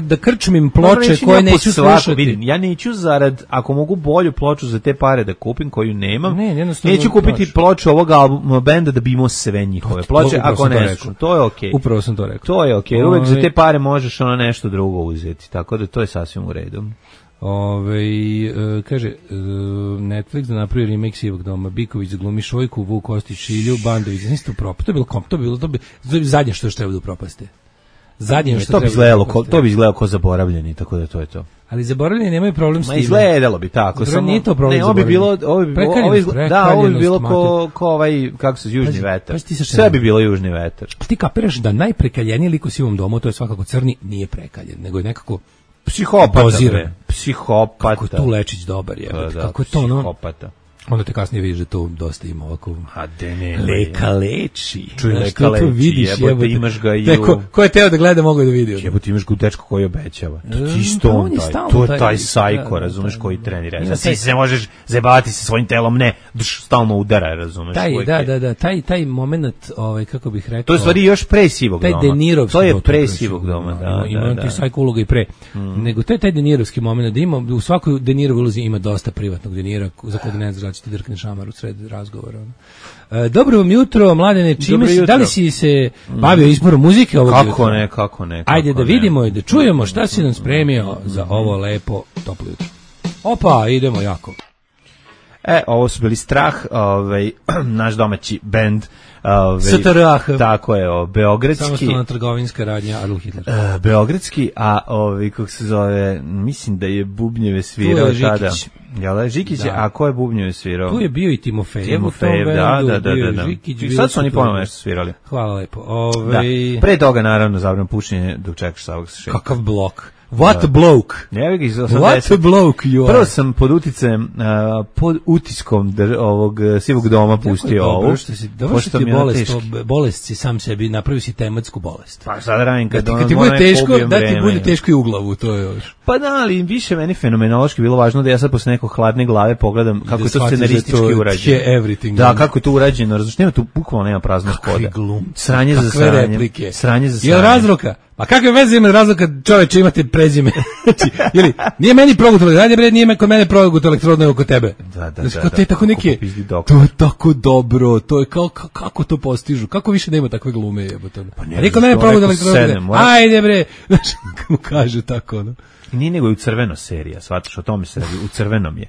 da krčmim ploče koje neću slušati. Ja neću zarad, ako mogu bolju ploču za te pare da kupim koju nemam, neću kupiti ploču ovog benda da bi imao sve njihove ploče, ako ne, to je okej. Upravo sam to rekao. To je okej, uvek za te pare možeš ono nešto drugo uzeti, tako da to je sasvim u redu. Kaže Netflix da napravi remake Sivog doma, Biković zaglumi Šojku, Vuk Kostić Šilju, Bandović, znaš to propast, to je bilo zadnje što treba da upropaste. Zadnje što to bi izgledalo kao zaboravljeni, tako da to je to. Ali zaboravljeni nemaju problem s tim. Izgledalo bi tako, samo nije to problem. Ovo bi bilo ko ovaj, kako se Južni vetar. Sve bi bilo Južni vetar. Ti kapiraš da najprekaljeniji lik u Sivom domu, to je svakako Crni, nije prekaljen, nego je nekako psihopata. Kako je tu Lečić dobar je. Kako je to psihopata. Onda te kasnije vidiš da to dosta ima ovako... Leka leči. Čuj, leka leči, jebote, imaš ga i ko je teo da gleda, mogu da vidi. Jebote, imaš ga u dečku koji obećava. To je taj sajko, razumeš, koji trenira. Znači, ti se možeš zajebavati sa svojim telom, ne, stalno udara, razumeš. Taj moment, kako bih rekao... To je stvari još pre Sivog doma. Taj Denirovski. To je pre Sivog doma, da. Ima ti sajko uloga i pre. Nego to je taj Denirovski moment, da ima, u svakoj Denirovoj ulozi ima dosta privatnog Denira, za kog ne znaš da će ti drkne šamar u sred razgovora. Dobro vam jutro, Mladene, da li si se bavio izborom muzike ovog jutra? Kako ne. Ajde da vidimo i da čujemo šta si nam spremio za ovo lepo toplo jutro. Opa, idemo jako. Ovo su bili Strah, naš domaći bend. STRAH. Tako je, beogradski. Samostalna trgovinska radnja Adolf Hitler. Beogradski, a kako se zove, mislim da je bubnjeve svirao tada. Žikić, a ko je bubnjeve svirao? Tu je bio i Timofejev, da. I sad su oni ponovno nešto svirali. Hvala lepo. Pre toga, naravno, zabrano pušenje dok čekaš Savog Šeka. Kakav blok. What a bloke. What a bloke you are. Prvo sam pod uticajem, pod utiskom ovog sivog doma pustio ovu. Dobro što ti je bolest si sam sebi, napravio si tematsku bolest. Pa sad radim kad ti bude teško, da ti bude teško i u glavu, to je još. Pa da, ali više meni fenomenološki bilo važno da ja sad posle nekog hladne glave pogledam kako je to scenaristički urađeno. Da, kako je to urađeno, razumiješ, nema tu bukvalno nema praznog hoda. Sranje za sranje. Sranje za sranje. Jel razroka? Pa kakve veze ima razloga čoveče imate prezime? Ili nije meni progutalo, radi bre, nije kod mene progutalo elektrodno oko tebe. Da. To je tako neki. To je tako dobro, to je kako to postižu? Kako više nema takve glume jebote. Pa nije kod mene progutalo elektrodno. Ajde bre. Znači mu kaže tako ono. Nije nego je u crveno serija, shvataš, o tome se radi, u crvenom je.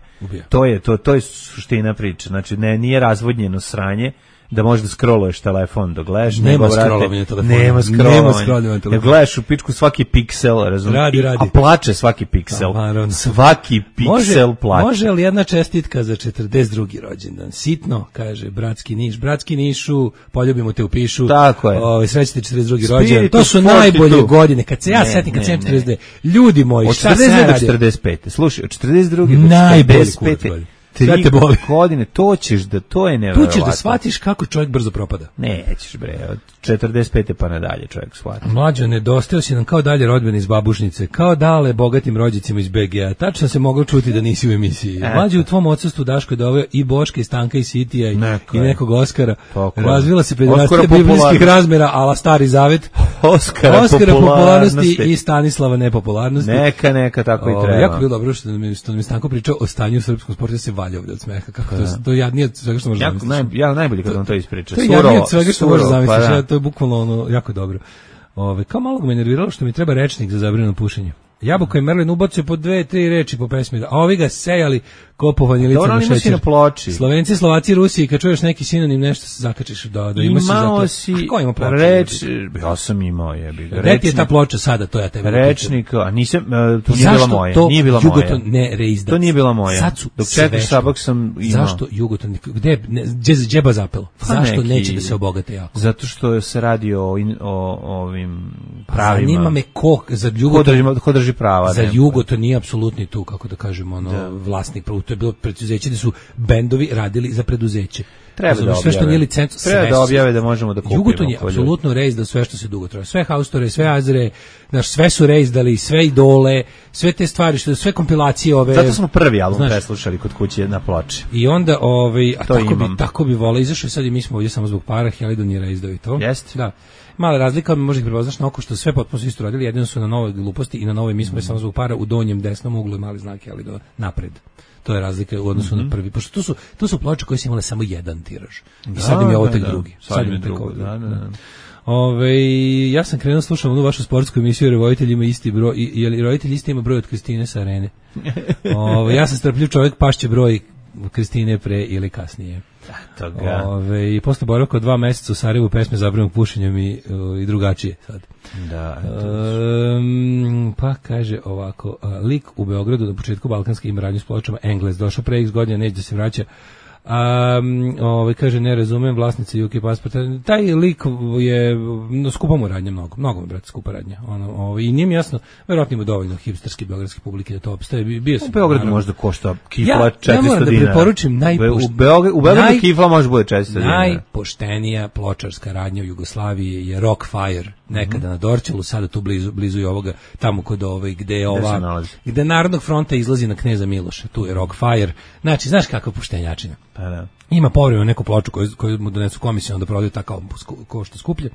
To je suština priče, znači nije razvodnjeno sranje, da možeš da scrolluješ telefon dok gledaš. Nema scrollovanja telefona. Nema scrollovanja telefona. Gledaš u pičku svaki piksel, razumiješ? Radi. A plače svaki piksel. Svaki piksel plače. Može li jedna čestitka za 42. rođendan? Sitno, kaže Bratski Niš. Bratski Nišu, poljubimo te u pišu. Tako je. Srećite 42. rođendan. To su najbolje godine. Kad se ja setim, kad sam 42. Ljudi moji, šta se radi? Od 42. Slušaj, od 42. do 45. 3 godine, to ćeš da, to je nevjerovatno. Tu ćeš da shvatiš kako čovjek brzo propada. Nećeš bre, od 45. pa nadalje čovjek shvati. Mlađo, nedostao si nam kao dalje rodbeni iz babušnice, kao dale bogatim rođicima iz BG-a. Tačno se moglo čuti da nisi u emisiji. Mlađo, u tvom odsustvu Daško je doveo i Boška, i Stanka, i Sitija, i nekog Oskara. Razvila se pederastija biblijskih razmera, ala Stari Zavet. Oskara popularnosti i Stanislava nepopularnosti. Neka, tako i treba. Jako bilo dobro što mi Stanko pričao o stanju u srpskom sportu, da se valja ovdje od smeha. Kako to jadnije od svega što možeš zamisliti. Ja najbolje kad on to ispriča. To je jadnije od svega što možeš zamisliti. To je bukvalno ono jako dobro. Kao malo me nerviralo što mi treba rečnik za zabranjeno pušenje. Jabuka i Merlin ubacio po 2-3 reči po pesmi, a ovi ga sejali kopovanje lica na šećer. Slovenci, Slovaci, Rusiji, kad čuješ neki sinonim nešto se zakačiš da imaš imao si zato. A ko ima ploču? Ja sam imao jebi. Gde ti je ta ploča sada, to ja tebe rečnik, a nisam, to nije bila moja. Nije bila moja. Jugoton ne reizdac. To nije bila moja. Dok čekaš Sabak sam imao. Zašto Jugoton? Gde džeba zapelo? Zašto neće da se obogate jako? Zato što se radi o ovim pravima. Zanima me ko za Jugoton prava. Za Jugo to nije apsolutni tu, kako da kažemo, vlasnik, to je bilo preduzeće da su bendovi radili za preduzeće. Treba da objave. Sve što nije licencu, treba da objave da možemo da kupimo. Jugoton je apsolutno reizdao sve što se dugo traje. Sve Haustore, sve Azre, sve su reizdali, sve Idole, sve te stvari, sve kompilacije ove. Zato smo prvi album preslušali kod kuće na ploči. I onda tako bi voleo, izašao sad i mi smo ovdje samo zbog para, Helidon je reizdao i to. Jeste. Da. Mala razlika, možda ih prepoznaš na oko što sve potpuno isto radili, jedino su na Novoj gluposti i na Novoj mi smo samo zbog para u donjem desnom uglu mali znak Helidona napred. To je razlika u odnosu na prvi, pošto to su ploče koje su imale samo jedan tiraž. I sad im je ovo tek drugi. Sad im je tek ovo drugi. Ja sam krenuo slušam onu vašu sportsku emisiju, jer roditelj ima isti broj, jer roditelj isti ima broj od Kristine sa Arene. Ja sam strpljiv čovjek, pašće broj Kristine pre ili kasnije. I posle boravka od 2 meseca u Sarajevu pesme zabranjenog pušenjem i drugačije sad. Da. Pa kaže ovako, lik u Beogradu na početku balkanske ima radnju s pločama, Engles došao pre x godina, neće da se vraća. Kaže, ne razumem, vlasnici UK pasporta. Taj lik je skupa mu radnja mnogo brate, skupa radnja. I nije mi jasno, verovatno ima dovoljno hipsterske beogradske publike da to opstaje. U Beogradu možda košta kifla 400 dinara. Ja moram da preporučim u Beogradu kifla može bude 400 dinara. Najpoštenija pločarska radnja u Jugoslaviji je Rockfire. Nekada na Dorćolu, sada tu blizu i ovoga, tamo kod gde Narodnog fronta izlazi na Kneza Miloša, tu je Rockfire. Znači, znaš kakva poštenjačina? Pa da. Ima povremeno neku ploču koju mu donesu komisiju, onda prodaju tako košta skuplje.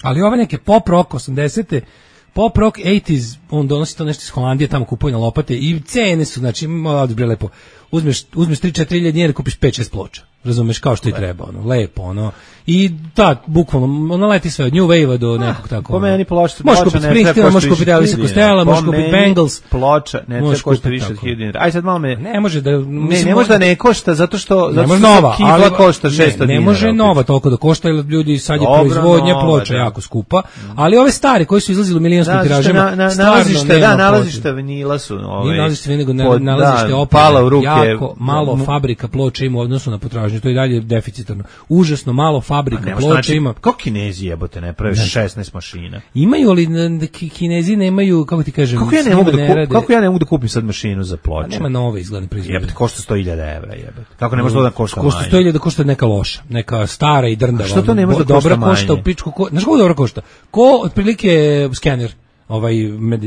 Ali ove neke pop rock 80-te, pop rock 80s, on donosi to nešto iz Holandije, tamo kupuje na lopate i cene su, znači, odbre lepo. Uzmeš 3-4 hiljade dinara, kupiš 5-6 ploča. Razumeš, kao što i treba, lepo, i bukvalno, leti sve od New Wave-a do nekog tako. Po meni ploča možeš kupiti Springsteen, možeš kupiti Elvisa Costello, možeš kupiti Bangles. Ploča ne treba košta više od 1000 dinara. Aj sad malo me... Ne može da... Ne može da ne košta, zato što nova, kifla košta 600 dinara. Ne može nova toliko da košta, jer ljudi sad je proizvodnja ploča jako skupa, ali ove stari koji su izlazili u milionskim tiražima, nalazište vinila su... Nije nalazište vinila, nego nalazište opere, jako malo fabrika ploča ima u odnosu na potražnju. potražnju, to je dalje deficitarno. Užasno malo fabrika ploča ima. Kako Kinezi jebote ne prave 16 mašina? Imaju, ali Kinezi nemaju, kako ti kažem, kako ja ne mogu da kupim sad mašinu za ploče? Nema nove izgledne proizvode. Jebote, košta 100.000 evra, jebote. Kako ne može to da košta manje? Košta 100.000 da košta neka loša, neka stara i drndava. Što to ne može da košta manje? Dobra košta u pičku, znaš kako dobro košta? Ko otprilike skener,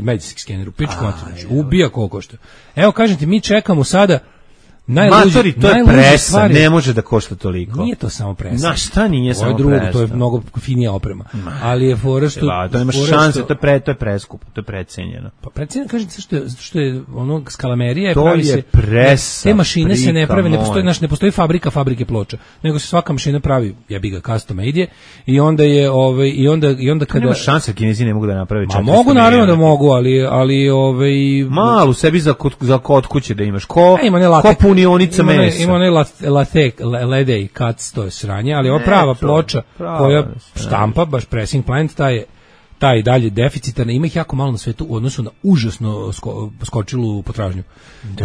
medicinski skener u pičku, ubija koliko košta. Evo, kažem ti, mi čekamo sada Matori, to je presa, ne može da košta toliko. Nije to samo presa. Znaš, šta nije samo presa? To je mnogo finija oprema. Ali je fora što... To nemaš šanse, to je preskupo, to je precenjeno. Pa precenjeno, kažem ti, što je ono, skalamerija, to pravi je se... presa, te mašine se ne prave, ne postoji fabrike ploča, nego se svaka mašina pravi, jebi ga, custom made je, i onda je, i onda kada... Nema šanse, Kinezi ne mogu da naprave 400 mogu, naravno da mogu, ali malu sebi za kod kuće da imaš, ko punionica mesa. Ima onaj ledej kac, to je sranje, ali ova prava ploča koja štampa, baš pressing plant, taj dalje deficitarna, ima ih jako malo na svetu u odnosu na užasno skočilu potražnju. Da.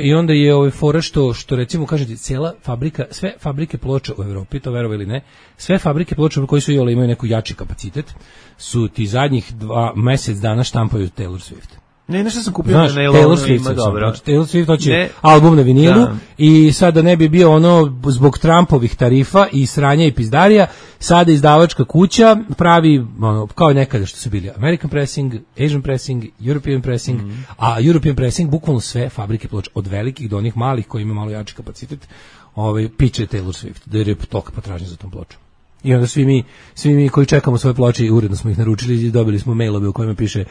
I onda je fora što recimo, kažete, cijela fabrika, sve fabrike ploča u Evropi, to verovo ili ne, sve fabrike ploča koji su imaju neku jači kapacitet, su ti zadnjih mesec dana štampaju Taylor Swift. Ne, nešto sam kupio na nailonu, ima dobro. Taylor Swift hoće album na vinilu i sada ne bi bio ono zbog Trumpovih tarifa i sranja i pizdarija, sada izdavačka kuća pravi ono, kao nekada što su bili American Pressing, Asian Pressing, European Pressing, a European Pressing bukvalno sve fabrike ploča, od velikih do onih malih koji imaju malo jači kapacitet, piče Taylor Swift, da je toliko potražnje za tom pločom. I onda svi mi koji čekamo svoje ploče i uredno smo ih naručili i dobili smo mailove u kojima piše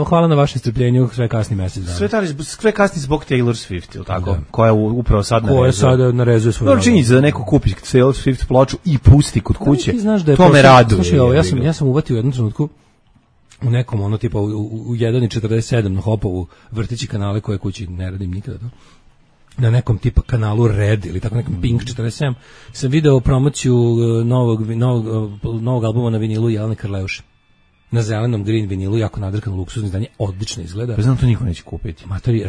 hvala na vašem strpljenju, sve kasni mesec dana. Sve kasni zbog Taylor Swift, ili tako? Da. Koja upravo sad narezuje. Koja sada narezuje svoju. Dobro, činjenica da neko kupi Taylor Swift ploču i pusti kod kuće, da to me raduje. Slušaj, ja sam uvatio u jednom trenutku u nekom ono tipa u 1.47 na Hopovu vrtići kanale koje kući ne radim nikada to. Na nekom tipa kanalu Red ili tako nekom Pink 47 sam video promociju novog albuma na vinilu Jelene Karleuše. Na zelenom green vinilu, jako nadrkano luksuzno izdanje, odlično izgleda. Pa znam, to niko neće kupiti. Matori,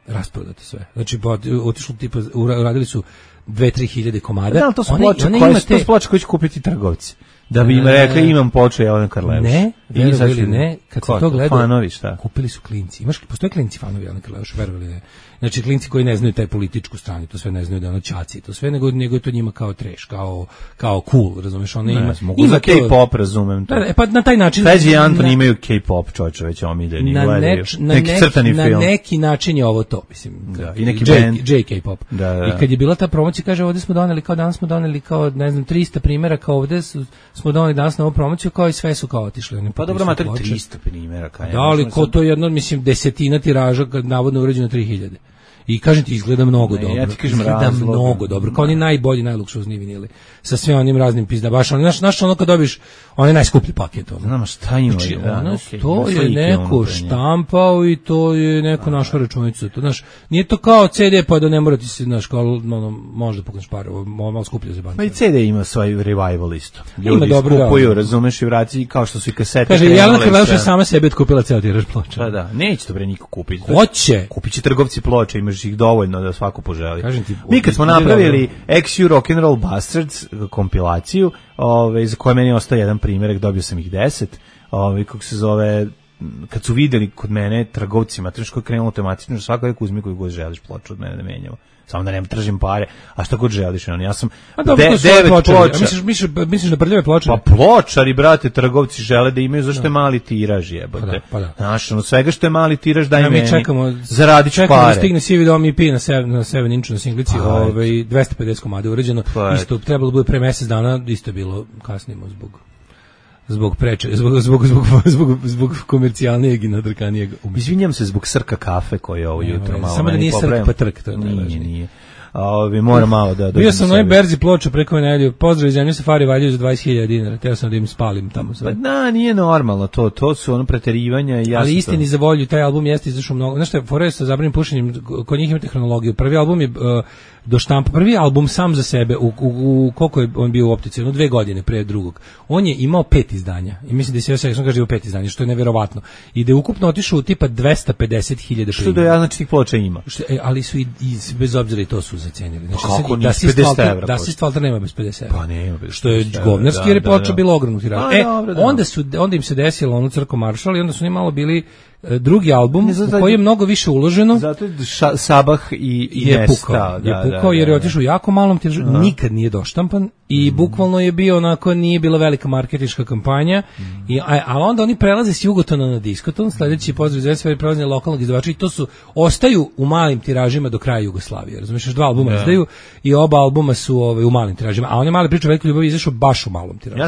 rasprodato sve. Znači, otišlo tipa, uradili su 2-3 hiljade komada. Da, to su ploče koje će kupiti trgovci. Da bi im rekli imam ploču Jelene Karleuše. Ne, ili ne, kad se to gleda, fanovi, šta? Kupili su klinci. Postoje klinci fanovi Jelene Karleuše, verovali ne. Znači klinci koji ne znaju taj političku stranu, to sve ne znaju da ono ćaci, to sve nego je to njima kao trash, kao cool, razumeš, ona ima za K-pop, razumem to. Pa na taj način Feđi i Antoni imaju K-pop, čoveče, već omiljeni, gledaju. Neki crtani film. Na neki način je ovo to, mislim. Da, i neki band. J-K-pop. Da. I kad je bila ta promocija, kaže, ovdje smo doneli, kao danas smo doneli, kao, ne znam, 300 primjera, kao ovdje smo doneli danas na ovu promociju, kao i sve su kao otišli. Pa dobro, mater, 300 primjera. Da, ali ko to jedno, mislim, desetina tiraža, navodno urađeno 3000. I kažem ti, izgleda mnogo dobro. Ja ti kažem mnogo dobro. Kao oni najbolji, najluksuzniji vinili. Sa sve onim raznim pizda. Baš znaš ono kad dobiš onaj najskuplji paket. Znam šta ima. Znači, to je neko štampao i to je neko našao računicu. To, znaš, nije to kao CD pa da ne mora ti se, znaš, kao možda pukneš pare, malo skuplje za banke. Pa i CD ima svoj revival isto. Ljudi skupuju, razumeš, i vraci kao što su i kasete. Kaže, Jelena Karleuše sama sebi otkupila ceo tiraž ploča. Pa da, neće to bre niko kupiti. Hoće. Kupit će trgovci ploča, imaš ih dovoljno da svako poželi. Mi kad smo napravili XU Rock'n'Roll Bastards kompilaciju, za koje meni ostaje jedan primjerak, dobio sam ih 10, kako se zove, kad su videli kod mene trgovcima, teško je krenulo tematično, svako je uzmi koju god želiš ploču od mene da menjamo. Samo da ne tražim pare, a šta god želiš. Ja sam 9 ploča. Misliš na prljave ploče? Pa pločari, brate, trgovci žele da imaju, zašto je mali tiraž, jebote. Znaš, svega što je mali tiraž, daj meni. Zaradit ću pare. Čekamo da stigne sivi dom EP na 7 inču na singlici, 250 komada urađeno. Isto, trebalo bude pre mesec dana, isto je bilo kasnimo zbog komercijalnijeg i nadrkanijeg umetnika. Izvinjam se zbog Srka kafe koji je ovo jutro malo. Samo da nije Srk pa Trk, to je najvažnije. Nije. Moram malo da... Bio sam na ovoj berzi ploča preko nedelju, pozdrav iz zemlje Safari valjaju za 20.000 dinara, teo sam da im spalim tamo sve. Pa da, nije normalno, to su ono preterivanja i ali istini za volju, taj album jeste izašao mnogo, znaš što je, fora je sa zabranim pušenjem, kod njih imate hronologiju, prvi album je do štampa. Prvi album sam za sebe, u koliko je on bio u optici, 2 godine pre drugog, on je imao 5 izdanja. I mislim da se još kaže da je 5 izdanja, što je neverovatno. I da je ukupno otišao u tipa 250.000 što do ja znači tih ploča ima. Ali su i bez obzira i to su zacenili. Znači, kako nije 50 evra? Da se Valter nema bez 50 evra. Pa nema bez 50 što je govnarski, jer je ploča bila ogromnog tiraža. Onda im se desilo ono Crko Maršal i onda su oni malo bili drugi album u koji je mnogo više uloženo. Zato je Sabah i je pukao jer je otišao jako malom tiražu, nikad nije doštampan i bukvalno je bio onako, nije bila velika marketinška kampanja, ali onda oni prelaze s Jugotona na Diskoton, sledeći pozdrav za sve prelaze lokalnog izdavača i to su, ostaju u malim tiražima do kraja Jugoslavije, razumiješ, 2 albuma izdaju i oba albuma su u malim tiražima, a on je mali priča o velikoj ljubavi izašao baš u malom tiražu.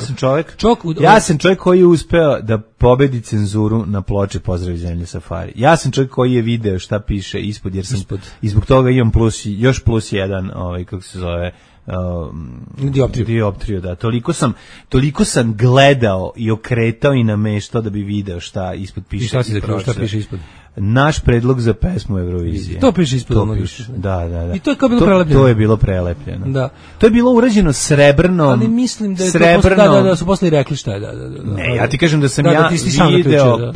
Ja sam čovjek koji je uspeo da pobedi cenzuru na ploči Pozdrav iz zemlje Safari. Ja sam čovjek koji je video šta piše ispod, jer sam i zbog toga imam još plus jedan, kako se zove, dioptriju, da. Toliko sam gledao i okretao i nameštao da bi video šta ispod piše. I šta si zaključio, šta piše ispod? Naš predlog za pesmu Eurovizije. To piše ispod onoga. Da. I to je kao bilo prelepljeno. To je bilo prelepljeno. Da. To je bilo urađeno srebrnom. Ali mislim da je srebrnom, to da su posle rekli šta je. Ne, ja ti kažem da sam video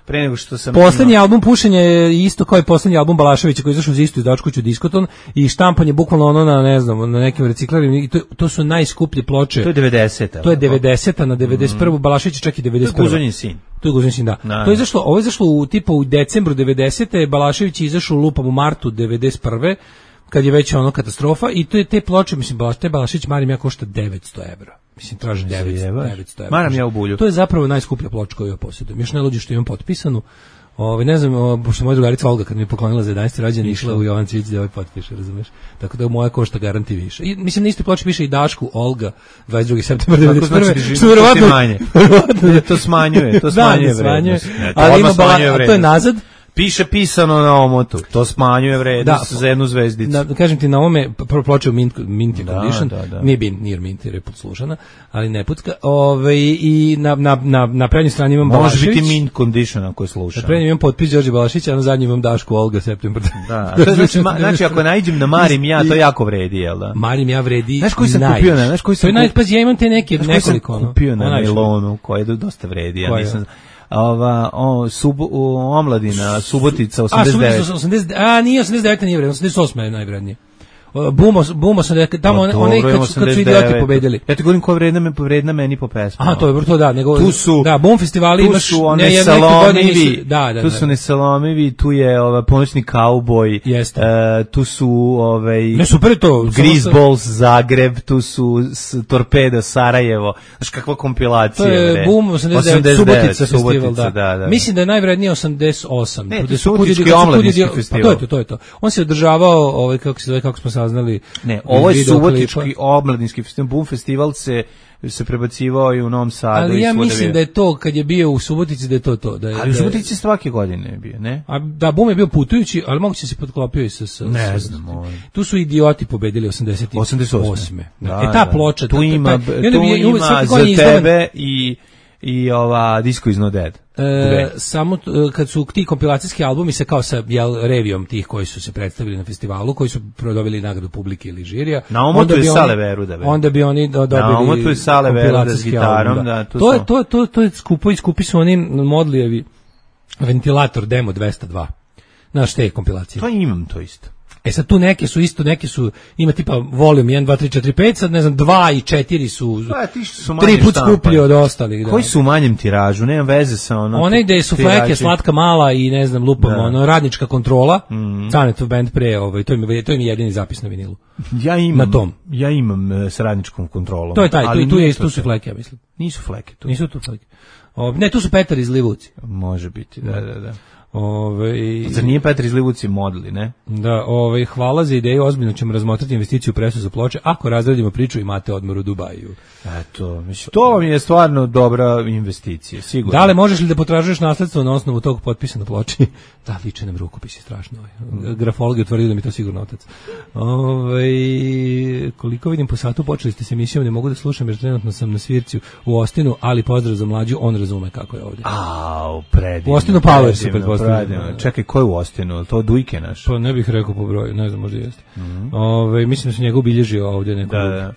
pre nego što sam... Poslednji album Pušenja je isto kao i poslednji album Balaševića koji je izašao uz istu izdavačku kuću Diskoton i štampanje bukvalno ono na, ne znam, na nekim reciklarima i to su najskuplje ploče. To je 90-a. To je 90-a na 91. Balašević čak i 91. To je Guzonin sin. To je Guzonin sin, da. To je izašlo, ovo je izašlo u decembru 90-te, Balašević je izašao lupam u martu 91. kad je već ono katastrofa i to je te ploče, mislim, Balašević Marim ja košta 900 evra. Mislim, traži 900 evra. Maram ja u bulju. To je zapravo najskuplja ploča koju ja posjedujem. Još najluđe što imam potpisanu. Ne znam, pošto moja drugarica Olga kad mi je poklonila za 11. rođendan išla u Jovan Cvijić da potpiše, razumeš? Tako da moja košta garanti više. I mislim na istoj ploči piše i Dašku Olga 22. septembar 1991. Što verovatno manje. To smanjuje vrednost. Ali ima a to je nazad. Piše pisano na omotu, to smanjuje vrednost za jednu zvezdicu. Kažem ti, na ovome ploče u mint condition, nije mint jer je podslušana, ali ne pucka. I na prednjoj strani imam Balašević. Može biti mint condition ako je slušan. Na prednjoj imam potpis Đorđe Balaševića, a na zadnji imam Dašku Olga septembar. Da, znači ako nađem na Marim ja, to jako vredi, jel da? Marim ja vredi. Znaš koji sam kupio? Ja imam te neke nekoliko. Sam kupio na nailonu, koji je dosta vredi, ja nisam... omladina, Subotica, 89. Nije 89, nije vredno, 88 je najvrednije. Bumo sam tamo onaj kad su idioti pobedili. Ja ti govorim ko je vredna meni po pesmu. Aha, to je to da, nego tu su Bum festivali imaš, tu su one Salomivi, tu su ne Salomivi, tu je Ponoćni kauboj, tu su ne super to, Greaseballs Zagreb, tu su Torpedo Sarajevo. Znaš kakva kompilacija. To je Bum 89, Subotica festival, da. Mislim da je najvrednije 88. Ne, to je Subotički omladinski festival. To je to. On se održavao, kako smo saznali. Ne, ovo je Subotički omladinski festival. Bum festival se prebacivao i u Novom Sadu. Ali ja mislim da je to, kad je bio u Subotici, da je to. Ali u Subotici svake godine je bio, ne? Da, Bum je bio putujući, ali moguće se potklopio i sa... Ne znam. Tu su idioti pobedili 88. Ta ploča... Tu ima za tebe i ova Disco is not dead. Samo kad su ti kompilacijski albumi se kao sa revijom tih koji su se predstavili na festivalu, koji su dobili nagradu publike ili žirija. Na omotu je Sale Veruda. Onda bi oni dobili na omotu je Sale Veruda s gitarom. To je skupi su oni Modlijevi ventilator demo 202. Znaš te kompilacije? To imam to isto. Sad tu neke su, ima tipa volume 1, 2, 3, 4, 5, sad ne znam, 2 i 4 su 3 put skuplji od ostalih. Koji su u manjem tiražu, nema veze sa ono... One gde su fleke, slatka mala i ne znam, lupamo, radnička kontrola, Canetov band pre, to im je jedini zapis na vinilu. Ja imam s radničkom kontrolom. To je taj, tu su fleke, ja mislim. Nisu fleke tu. Nisu tu fleke. Ne, tu su Petar iz Livuci. Može biti, da. Zar nije Petar iz Livuci modli, ne? Da, hvala za ideju, ozbiljno ćemo razmotrati investiciju u presu za ploče, ako razradimo priču imate odmor u Dubaju. Eto, mislim, to vam je stvarno dobra investicija, sigurno. Da li možeš li da potražuješ nasledstvo na osnovu tog potpisa na ploči? Da, liče nam rukopis je strašno. Grafolog je utvrdio da mi to sigurno otac. Koliko vidim po satu, počeli ste s emisijom, ne mogu da slušam jer trenutno sam na svirci u Ostinu, ali pozdrav za mlađu, on razume kako je ovdje. Predivno. U Ostinu Power se pretpostavlja. Ostinu. Čekaj, ko je u Ostinu? To Dujke naš? Pa ne bih rekao po broju, ne znam, možda jeste. Mislim da se njega obilježio ovdje neko. Da.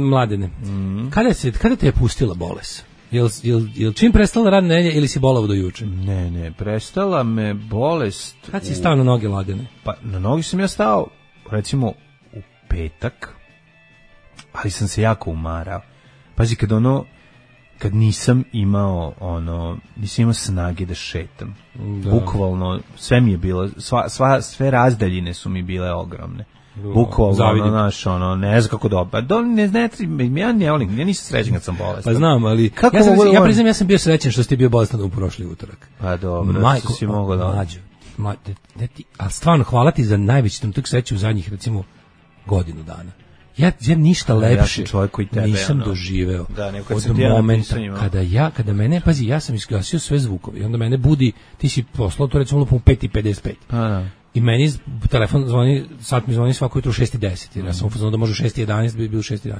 Mladene, kada te je pustila bolest? Jel čim prestala radna nedelja ili si bolao do juče? Ne, prestala me bolest. Kad si stao na noge, Mladene? Pa na noge sam ja stao, recimo, u petak, ali sam se jako umarao. Pazi, kad nisam imao snage da šetam. Da. Bukvalno, sve mi je bilo, sve razdaljine su mi bile ogromne. Bukvalno, ne znam kako dobro. Ja ne volim, ja nisam srećen kad sam bolestan. Pa znam, ali ja priznam, ja sam bio srećen što si ti bio bolestan u prošli utorak. Pa dobro, što si mogao da... A stvarno, hvala ti za najveći trenutak sreće u zadnjih, recimo, godinu dana. Ja ništa lepše nisam doživeo od momenta kada mene, pazi, ja sam isgasio sve zvukove i onda mene budi, ti si poslao to recimo lupom u 5:55. I meni telefon zvoni, sat mi zvoni svako jutro u 6:10, jer ja sam upoznao da može u 6:11, bi bilo 6:11.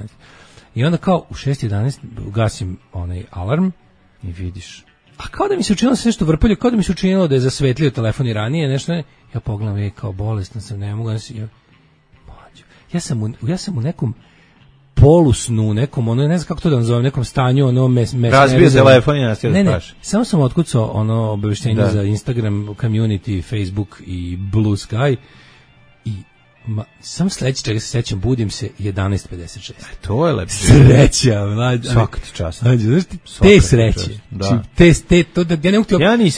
I onda kao u 6:11 gasim onaj alarm i vidiš. A kao da mi se učinilo da se nešto vrpolje, kao da mi se učinilo da je zasvetlio telefon i ranije, nešto ne. Ja pogledam, kao bolestan sam, ne mogu, ja sam u nekom polusnu, nekom, ne znam kako to da nazovem, nekom stanju, razbio telefon i nas je da spaš. Samo sam otkucao obaveštenje za Instagram, Community, Facebook i Blue Sky i sam sledeći čega se sećam, budim se 11:56. To je lepše. Sreća, mlađe. Svaka ti čast. Te sreće.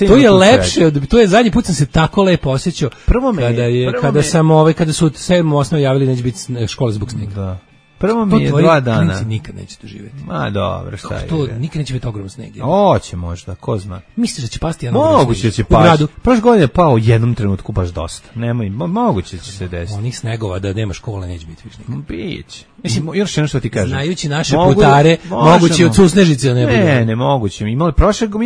To je lepše, to je zadnji put sam se tako lepo osjećao kada su 7. osnovi javili neće biti škole zbog snega. Da. Prvo mi je 2 dana. To nikad neće doživjeti. Ma dobro, šta je? To nikad neće biti ogromno sneg. Hoće možda, ko zna. Misliš da će pasti jedan moguće će pasti. Prošle godine je pao u jednom trenutku baš dosta. Nemoj, moguće će se desiti. Onih snegova da nema škole neće biti više nikad. Biće. Mislim, još jedno što ti kažem. Znajući naše putare, moguće od Susnežice ne bude. Ne, moguće. Mi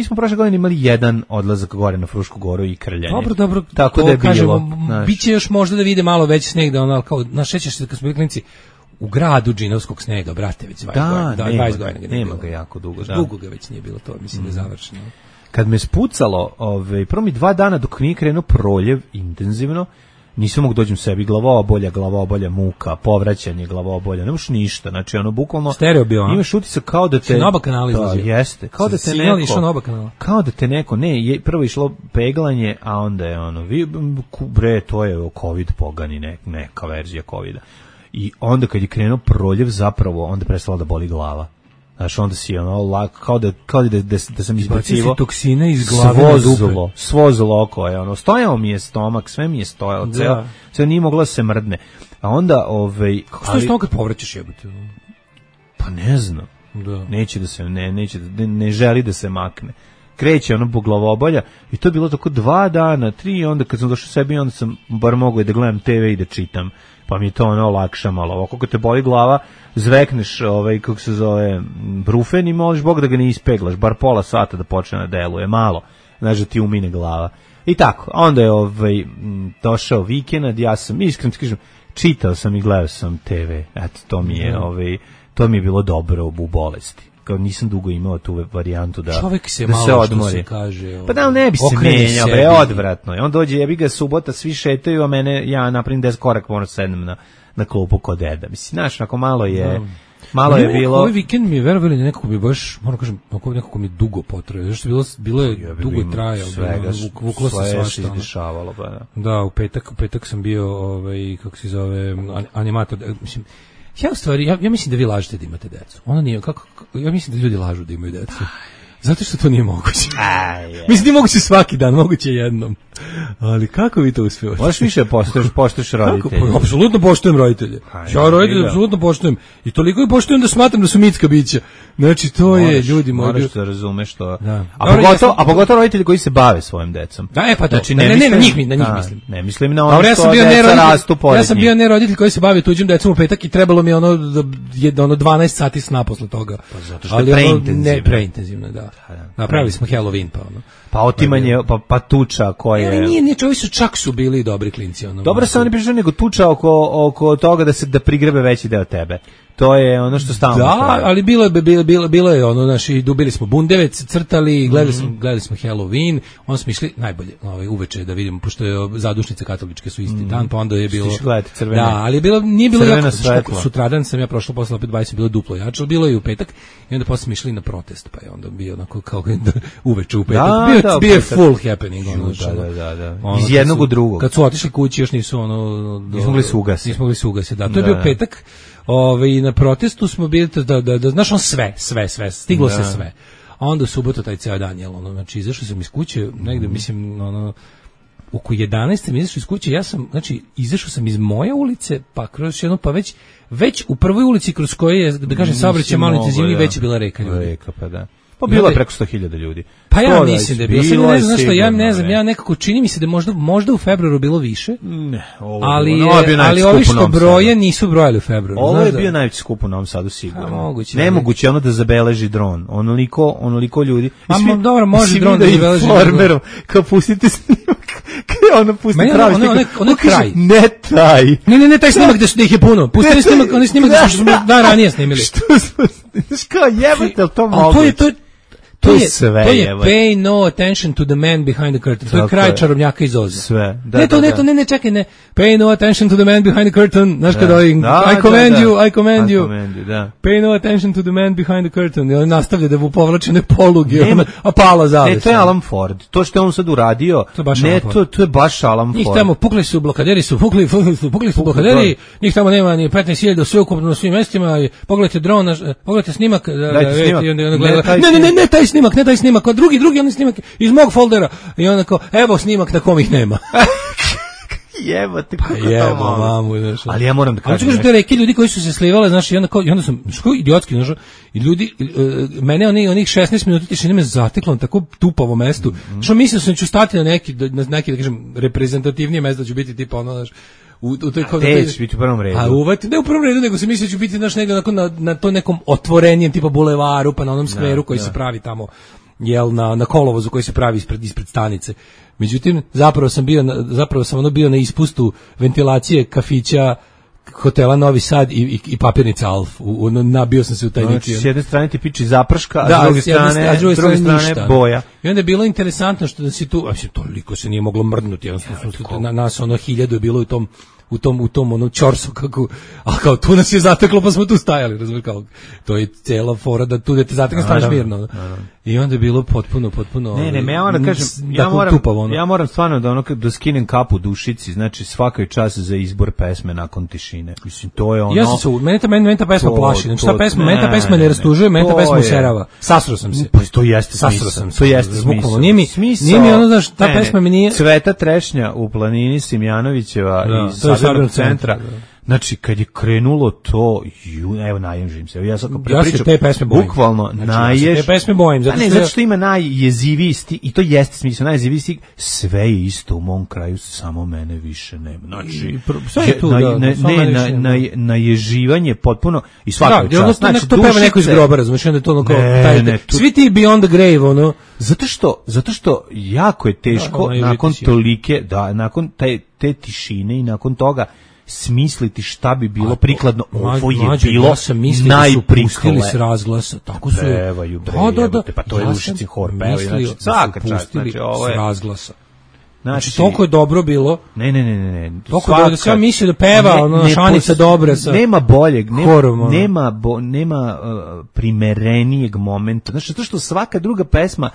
smo prošle godine imali jedan odlazak gore na Frušku goru i krljanje. Dobro. Tako da je bilo. Biće još možda da vide malo veći sneg, da ono kao našećeš se kad smo bili klinci. U gradu džinovskog snega, brate, već 20 godina. Nema ga jako dugo. Dugo ga već nije bilo, to mislim da je završeno. Kad me spucalo, prvo mi 2 dana dok nije krenuo proljev intenzivno, nisam mogu dođem sebi, glavobolja, muka, povraćanje glavobolja, nemaš ništa, znači bukvalno stereo bio, imaš utisak kao da te na oba kanala izlazio. Jeste, kao da te neko, prvo išlo peglanje, a onda je to je COVID pogani, neka verzija COVID-a. I onda kad je krenuo proljev, zapravo onda prestala da boli glava. Znaš, onda si kao da sam izbacivo toksine iz glave na dupe. Svozlo oko je, stojao mi je stomak, sve mi je stojalo, sve nije moglo da se mrdne. A onda, kako stoji stomak kad povraćaš jebote? Pa ne znam. Da. Neće da se, ne želi da se makne. Kreće po glavobolja i to je bilo tako 2 dana, 3, onda kad sam došao sebi, onda sam bar mogao da gledam TV i da čitam. Pa mi je to lakša malo. Ovako kad te boli glava, zvekneš kako se zove, brufen i moliš Bog da ga ne ispeglaš, bar pola sata da počne da deluje, malo, znaš da ti umine glava. I tako, onda je došao vikend, ja sam, iskreno ti kažem, čitao sam i gledao sam TV, eto, to mi je bilo dobro u bolesti. Kao nisam dugo imao tu varijantu da čovjek se da malo se odmori. Se kaže, pa da ne bi se menjao, odvratno. On dođe, jebi ga subota, svi šetaju, a ja napravim 10 korak, moram sednem na klupu kod deda. Mislim, znaš, ako malo je bilo. Ovaj vikend mi je verovali nekako mi baš, moram kažem, nekako mi je dugo potrajao. Zašto bilo je dugo trajalo, vuklo se svašta. Izdešavalo, pa da. Da, u petak sam bio, kako se zove, animator, mislim. Ja u stvari, ja mislim da vi lažete da imate decu. Ona nije, ja mislim da ljudi lažu da imaju decu. Zato što to nije moguće. Mislim da je moguće svaki dan, moguće jednom. Ali kako vi to uspijete? Možeš više poštuješ roditelje. Apsolutno poštujem roditelje. Ja roditelje apsolutno poštujem. I toliko i poštujem da smatram da su mitska bića. Znači, to je, ljudi moji. Moraš da razumeš to. A pogotovo roditelji koji se bave svojim decom. Da, pa to. Znači, na njih mislim. Ne mislim na ono što deca rastu pored njih. Ja sam bio ne roditelj koji se bavi tuđim decom u petak i trebalo mi 12 sati sna posle toga. Pa zato što je preintenzivno, da. Napravili smo Halloween, pa ono. Pa otimanje, pa tuča koje... Nije, čovi su bili dobri klinci. Dobro se oni prišli, nego tuča oko toga da prigrebe veći deo tebe. To je ono što stalno. Da, ali bilo je ono, naši dubili smo bundevec, crtali, gledali smo Halloween, onda smo išli najbolje, uveče da vidimo, pošto je zadušnice katoličke su isti dan, pa onda je bilo. Stiš gledati crvene. Da, ali nije bilo jako, sutradan sam ja prošla posle opet 20 bilo duplo jače, bilo je i u petak i onda posle smo išli na protest, pa je onda bio onako kao uveče u petak. Bio je full happening. Da. Iz jednog u drugog. Kad su otišli kući još nisu nismo mogli se ugasiti. Da, to je bio petak. Na protestu smo bili da znaš on sve, stiglo se sve. A onda u subotu taj ceo dan znači izašao sam iz kuće, negde mislim oko 11 sam izašao iz kuće, izašao sam iz moje ulice, pa kroz jednu, pa već u prvoj ulici kroz koje je, da kažem, saobraćaj malo intenzivniji, već je bila reka ljudi. Reka, pa da. Pa bilo je preko 100.000 ljudi. Pa ja mislim da je bilo. Sad ne znam što, ja ne znam, ja nekako čini mi se da možda u februaru bilo više. Ne, ali ovi što broje nisu brojali u februaru. Ovo je bio najveći skup u Novom Sadu sigurno. Nemoguće ono da zabeleži dron. Onoliko ljudi. Dobro, može dron da zabeleži. Farmerom, kao pustite snimak. Ono pusti pravi snimak. Ono kraj. Ne taj. Ne taj snimak da ih je puno. Pustili snimak, oni snimak da smo dan ranije snimili. Što smo, kao jebate, to moguće. To je sve. To je pay no attention to the man behind the curtain. To je kraj čarobnjaka iz Oza. Sve. Ne, čekaj, ne. Pay no attention to the man behind the curtain. Znaš kada I command you. Pay no attention to the man behind the curtain. I on nastavlja da mu povlači ne poluge, a pala zavisa. Ne, to je Alan Ford. To što je on sad uradio, to je baš Alan Ford. Njih tamo pukli su blokaderi, njih tamo nema ni 15.000 sveukupno na svim mestima. Pogledajte dron, pogledajte snimak. Ne, taj snimak, a drugi onaj snimak iz mog foldera i onako, evo snimak na kom ih nema. Jebate, kako to mamu, znaš. Ali ja moram da kažem. Te reke ljudi koji su se slivale, znaš, i onda sam, što idiotski, znaš, i ljudi, mene onih 16 minuta tišine me zateklo na tako tupavo mestu, što mislio sam ću stati na neki, da kažem, reprezentativnije mesto, da ću biti tipa ono, znaš, u toj biti u prvom redu. Ne u prvom redu, nego se mislio da ću biti negde na to nekom otvorenjem tipa bulevaru, pa na onom skveru koji se pravi tamo, na kolovozu koji se pravi ispred stanice. Međutim, zapravo sam bio na ispustu ventilacije kafića hotela Novi Sad i papirnica Alf. Nabio sam se u taj neki. S jedne strane ti piči zaprška, a s druge strane boja. I onda je bilo interesantno što da si tu, toliko se nije moglo mrdnuti, jednostavno nas 1000 je bilo u tom ono čorsu kako, a kao tu nas je zateklo pa smo tu stajali, razumiješ, kao to je cela fora da tu da te zatekne staneš mirno. I onda je bilo potpuno Ne, ja moram da kažem, ja moram stvarno da skinem kapu dušici, znači svaka čast za izbor pesme nakon tišine. Mislim, to je ono. Ja sam mene ta pesma plaši, znači mene ta pesma ne rastužuje, mene ta pesma userava. Sasro sam se. Pa to jeste smisao. To jeste smisao. Nije mi ono, znaš, ta pesma mi nije. Cveta trešnja u planini Simjanovićeva iz Sadornog centra. Znači, kad je krenulo to, evo naježim se. Ja sad ja se te pesme bojim. Bukvalno, ja se te pesme bojim. Zato što ima najjeziviji stig, i to jeste smisao, najjeziviji stig, sve je isto u mom kraju, samo mene više nema. Znači, sve je tu, naježivanje potpuno, i svaka čast. Znači, to peva neko iz groba, razumiješ, onda je to ono kao, svi ti Beyond the Grave, ono. Zato što jako je teško, nakon te tišine i nakon toga, smisliti šta bi bilo prikladno. Ovo je bilo najprikladnije s razglasa, tako su pa to je Ušićin hor pevaju, svaka čast, ovo je s razglasa. Znači, toliko je dobro bilo. Ne. Toliko dobro da sam mislio da peva, Šanica dobra sa nema boljeg, nema primerenijeg momenta. Znači, zato što svaka druga pesma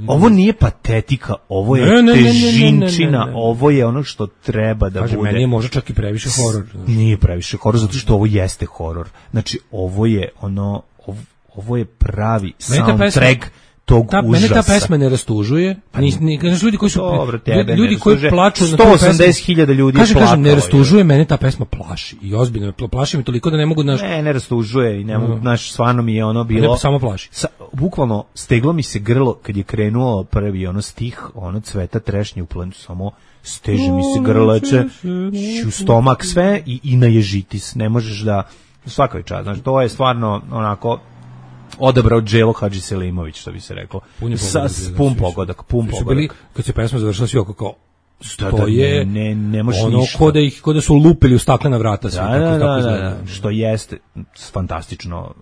ovo nije patetika, ovo je težinčina, ovo je ono što treba da bude. Meni je možda čak i previše horor. Nije previše horor, zato što ovo jeste horor. Znači, ovo je pravi soundtrack tog užasa. Mene ta pesma ne rastužuje. Ljudi koji su ljudi koji plaču na 180.000 ljudi je plakalo. Kažem, ne rastužuje, mene ta pesma plaši. I ozbiljno plaši me toliko da ne mogu Ne rastužuje i ne mogu, stvarno mi je ono bilo. Ne samo plaši. Bukvalno steglo mi se grlo kad je krenuo prvi stih, Cveta trešnje u planu, samo steže mi se grlače, stomak sve i naježitis. Ne možeš da svaka čast. Znači, to je stvarno onako odabrao Đelo Hadžiselimović, što bi se reklo. Pun pogodak. Kad se pesma završila, svi oko kao, stoje, ne možeš ono ništa. ko da su lupili u staklena vrata. Da, što jeste fantastično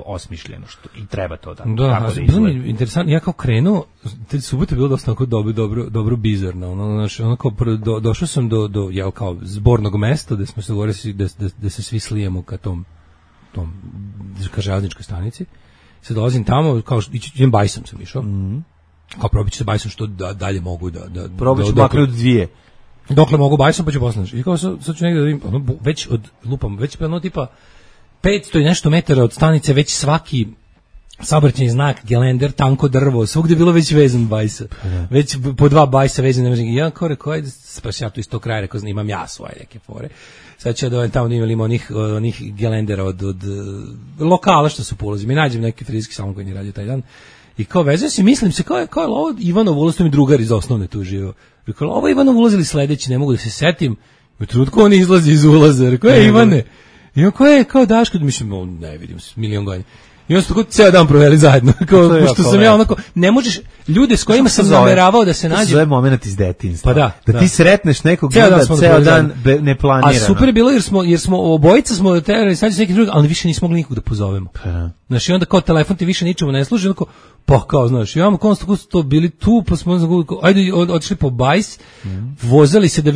osmišljeno, što i treba to tako da izgleda. Interesantno, ja kao krenuo, te subote je bilo dosta dobro bizarno, ono kao došao sam do ja kao zbornog mesta gde smo se govorili da se svi slijemo ka tom železničkoj stanici. Sad dolazim tamo, kao idem bajsom sam išao. Kao probiću se bajsom što dalje mogu da probiću makar od 2. Dokle mogu bajsom pa ću posle. I kao sad ću negde da vidim, već ono tipa 500 i nešto metara od stanice, već svaki saobraćajni znak, gelender, tanko drvo, svugde je bilo već vezan bajsa. Već po 2 bajsa vezane. I ja kao rekao, ajde, spaš ja tu iz tog kraja, rekao, imam ja svoje neke fore. Sad ću da tamo imamo onih gelendera od lokala što su po ulazi. Mi nađem neki frizijski salon koji nije radio taj dan. I kao vezuje se, mislim se, kao je ovo Ivanov ulaz, to mi drugar iz osnovne tu živio. Rekao, ovo je Ivanov ulaz ili sledeći, ne mogu da se setim. U trenutku on izlazi iz ulaza. Rekao, Ivane. I on kao Daško, mislim, ne vidim, milion godina. I on su tako ceo dan proveli zajedno. Kao, što sam ja onako, ne možeš, ljude s kojima sam nameravao da se nađem. To zove moment iz detinjstva. Pa da. Ti sretneš nekog da ceo dan neplanirano. A super je bilo jer smo obojica smo terali sad neki drugi, ali više nismo mogli nikog da pozovemo. Znaš, i onda kao telefon ti više ničemu ne služi, onako, pa kao, znaš, imamo konstantno bili tu, pa smo ajde otišli po bajs, vozali se da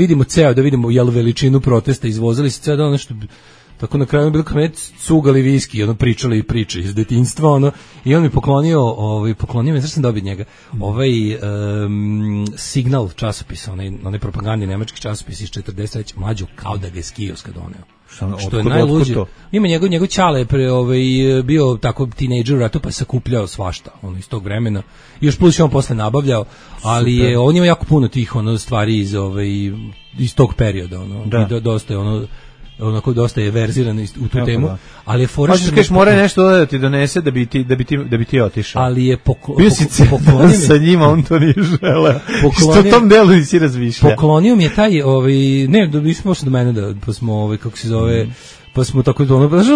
vidimo jel veličinu protesta, izvozali se ceo dan nešto. Tako na kraju je bilo kao cugali viski, ono pričali priče iz detinjstva, ono, i on mi poklonio mi, znaš sam dobio njega, Signal časopis, onaj propagandni nemački časopis iz 43. mlađo, kao da ga je s kioska doneo. Što je najluđe. Ima njegov ćale bio tako tinejdžer u ratu, pa je sakupljao svašta iz tog vremena. I još plus je on posle nabavljao, ali on ima jako puno tih stvari iz tog perioda. I dosta je onako dosta je verziran u tu temu, ali je fora što kažeš mora nešto da ti donese da bi ti otišao. Ali je poklonio sa njima, on to nije želeo. Što tom delu nisi razmišljao. Poklonio mi je taj ne, nismo pošli do mene pa smo kako se zove, pa smo tako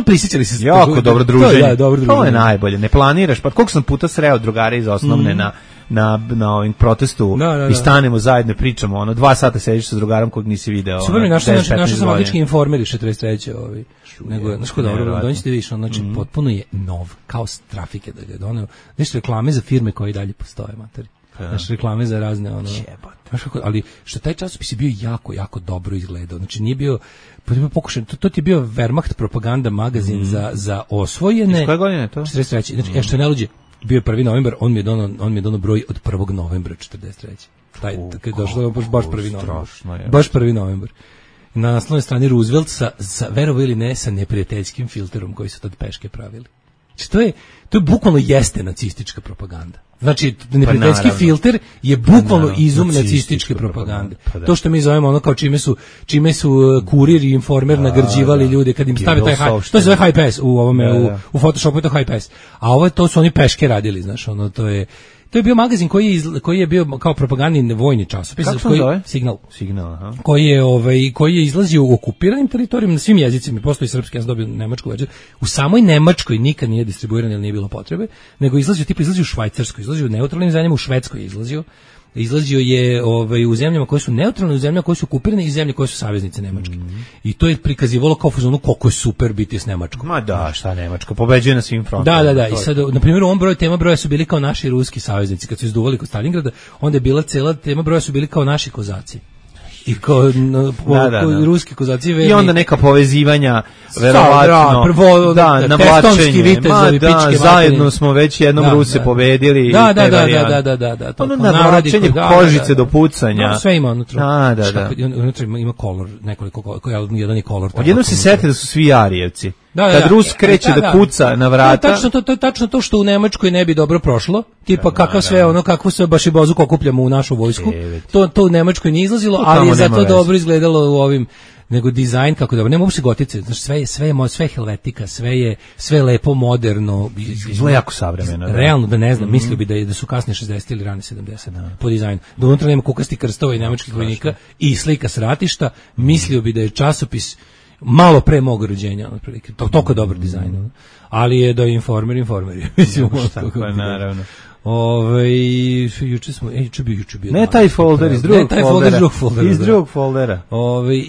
prisjećali se jako dobro druženje. To je najbolje. Ne planiraš, pa koliko sam puta sreo drugare iz osnovne na ovim protestu i stanemo zajedno i pričamo, 2 sata sediš sa drugarom kog nisi video. Super mi, našao sam odlični Informer 43. Nego, znaš ko dobro, dođite više, znači potpuno je nov, kao s trafike da ga je doneo. Nešto reklame za firme koje i dalje postoje, materi. Znaš, reklame za razne, ali što taj časopis je bio jako, jako dobro izgledao. Znači nije bio, pokušaj, to ti je bio Wehrmacht propaganda magazin za osvojene. Iz koje godine je to? 43. Znači, što je najluđe, bio je 1. novembar, on mi je donao broj od 1. novembra 43. Taj, kad je došlo, baš 1. novembar. Baš 1. novembar. Na naslovnoj strani Roosevelt sa verovo ili ne, sa neprijateljskim filterom koji su tad peške pravili. Znači, to je bukvalno jeste nacistička propaganda. Znači, neprijateljski filter je bukvalno izum nacističke propagande. To što mi zovemo kao čime su kurir i informer nagrđivali ljude kad im stave taj to se zove high pass u Photoshopu, je to high pass. A to su oni peške radili, znaš, to je bio magazin koji je bio kao propagandni vojni časopis. Kako se zove? Signal, aha. Koji je izlazio u okupiranim teritorijama na svim jezicima, postoji srpski, ja sam dobio nemačku verziju. U samoj Nemačkoj nikad nije distribuiran jer nije bilo potrebe, nego izlazio u Švajcarskoj, izlazio u neutralnim zemljama, u Švedskoj je izlazio je u zemljama koje su neutralne, u zemljama koje su okupirane i zemlje koje su saveznice Nemačke. I to je prikazivalo kao fazonu koliko je super biti s Nemačkom. Ma da, šta Nemačka, pobeđuje na svim frontovima. Da, i sad, na primjer, u ovom tema broja su bili kao naši ruski saveznici, kad su izduvali kod Stalingrada, onda je bila cela tema broja su bili kao naši kozaci. I kao ruski kozaci verni. I onda neka povezivanja, verovatno. Prvo, navlačenje. Zajedno smo već jednom Ruse pobedili. Da. Ono navlačenje kožice do pucanja. Sve ima unutra. Unutra ima kolor, nekoliko, jedan je kolor. Odjednom se sete da su svi Arijevci. Kad Rus kreće da kuca na vrata. To je tačno to što u Nemačkoj ne bi dobro prošlo. Tipa kakvo se baš i bozuko okupljamo u našu vojsku. To u Nemačkoj nije izlazilo, ali je zato dobro izgledalo u ovim, nego dizajn kako dobro. Nema uopšte gotice, znači sve je helvetika, sve je lepo, moderno, izgleda jako savremeno. Realno da ne znam, mislio bi da su kasne 60 ili rane 70 po dizajnu. Da unutra nema kukasti krstova i nemačkih vojnika i slika s ratišta, mislio bi da je časopis malo pre mog rođenja, otprilike. Toliko dobar dizajn. Ali je da Informer. Mislim, naravno. Juče bio. Ne taj folder iz drugog foldera.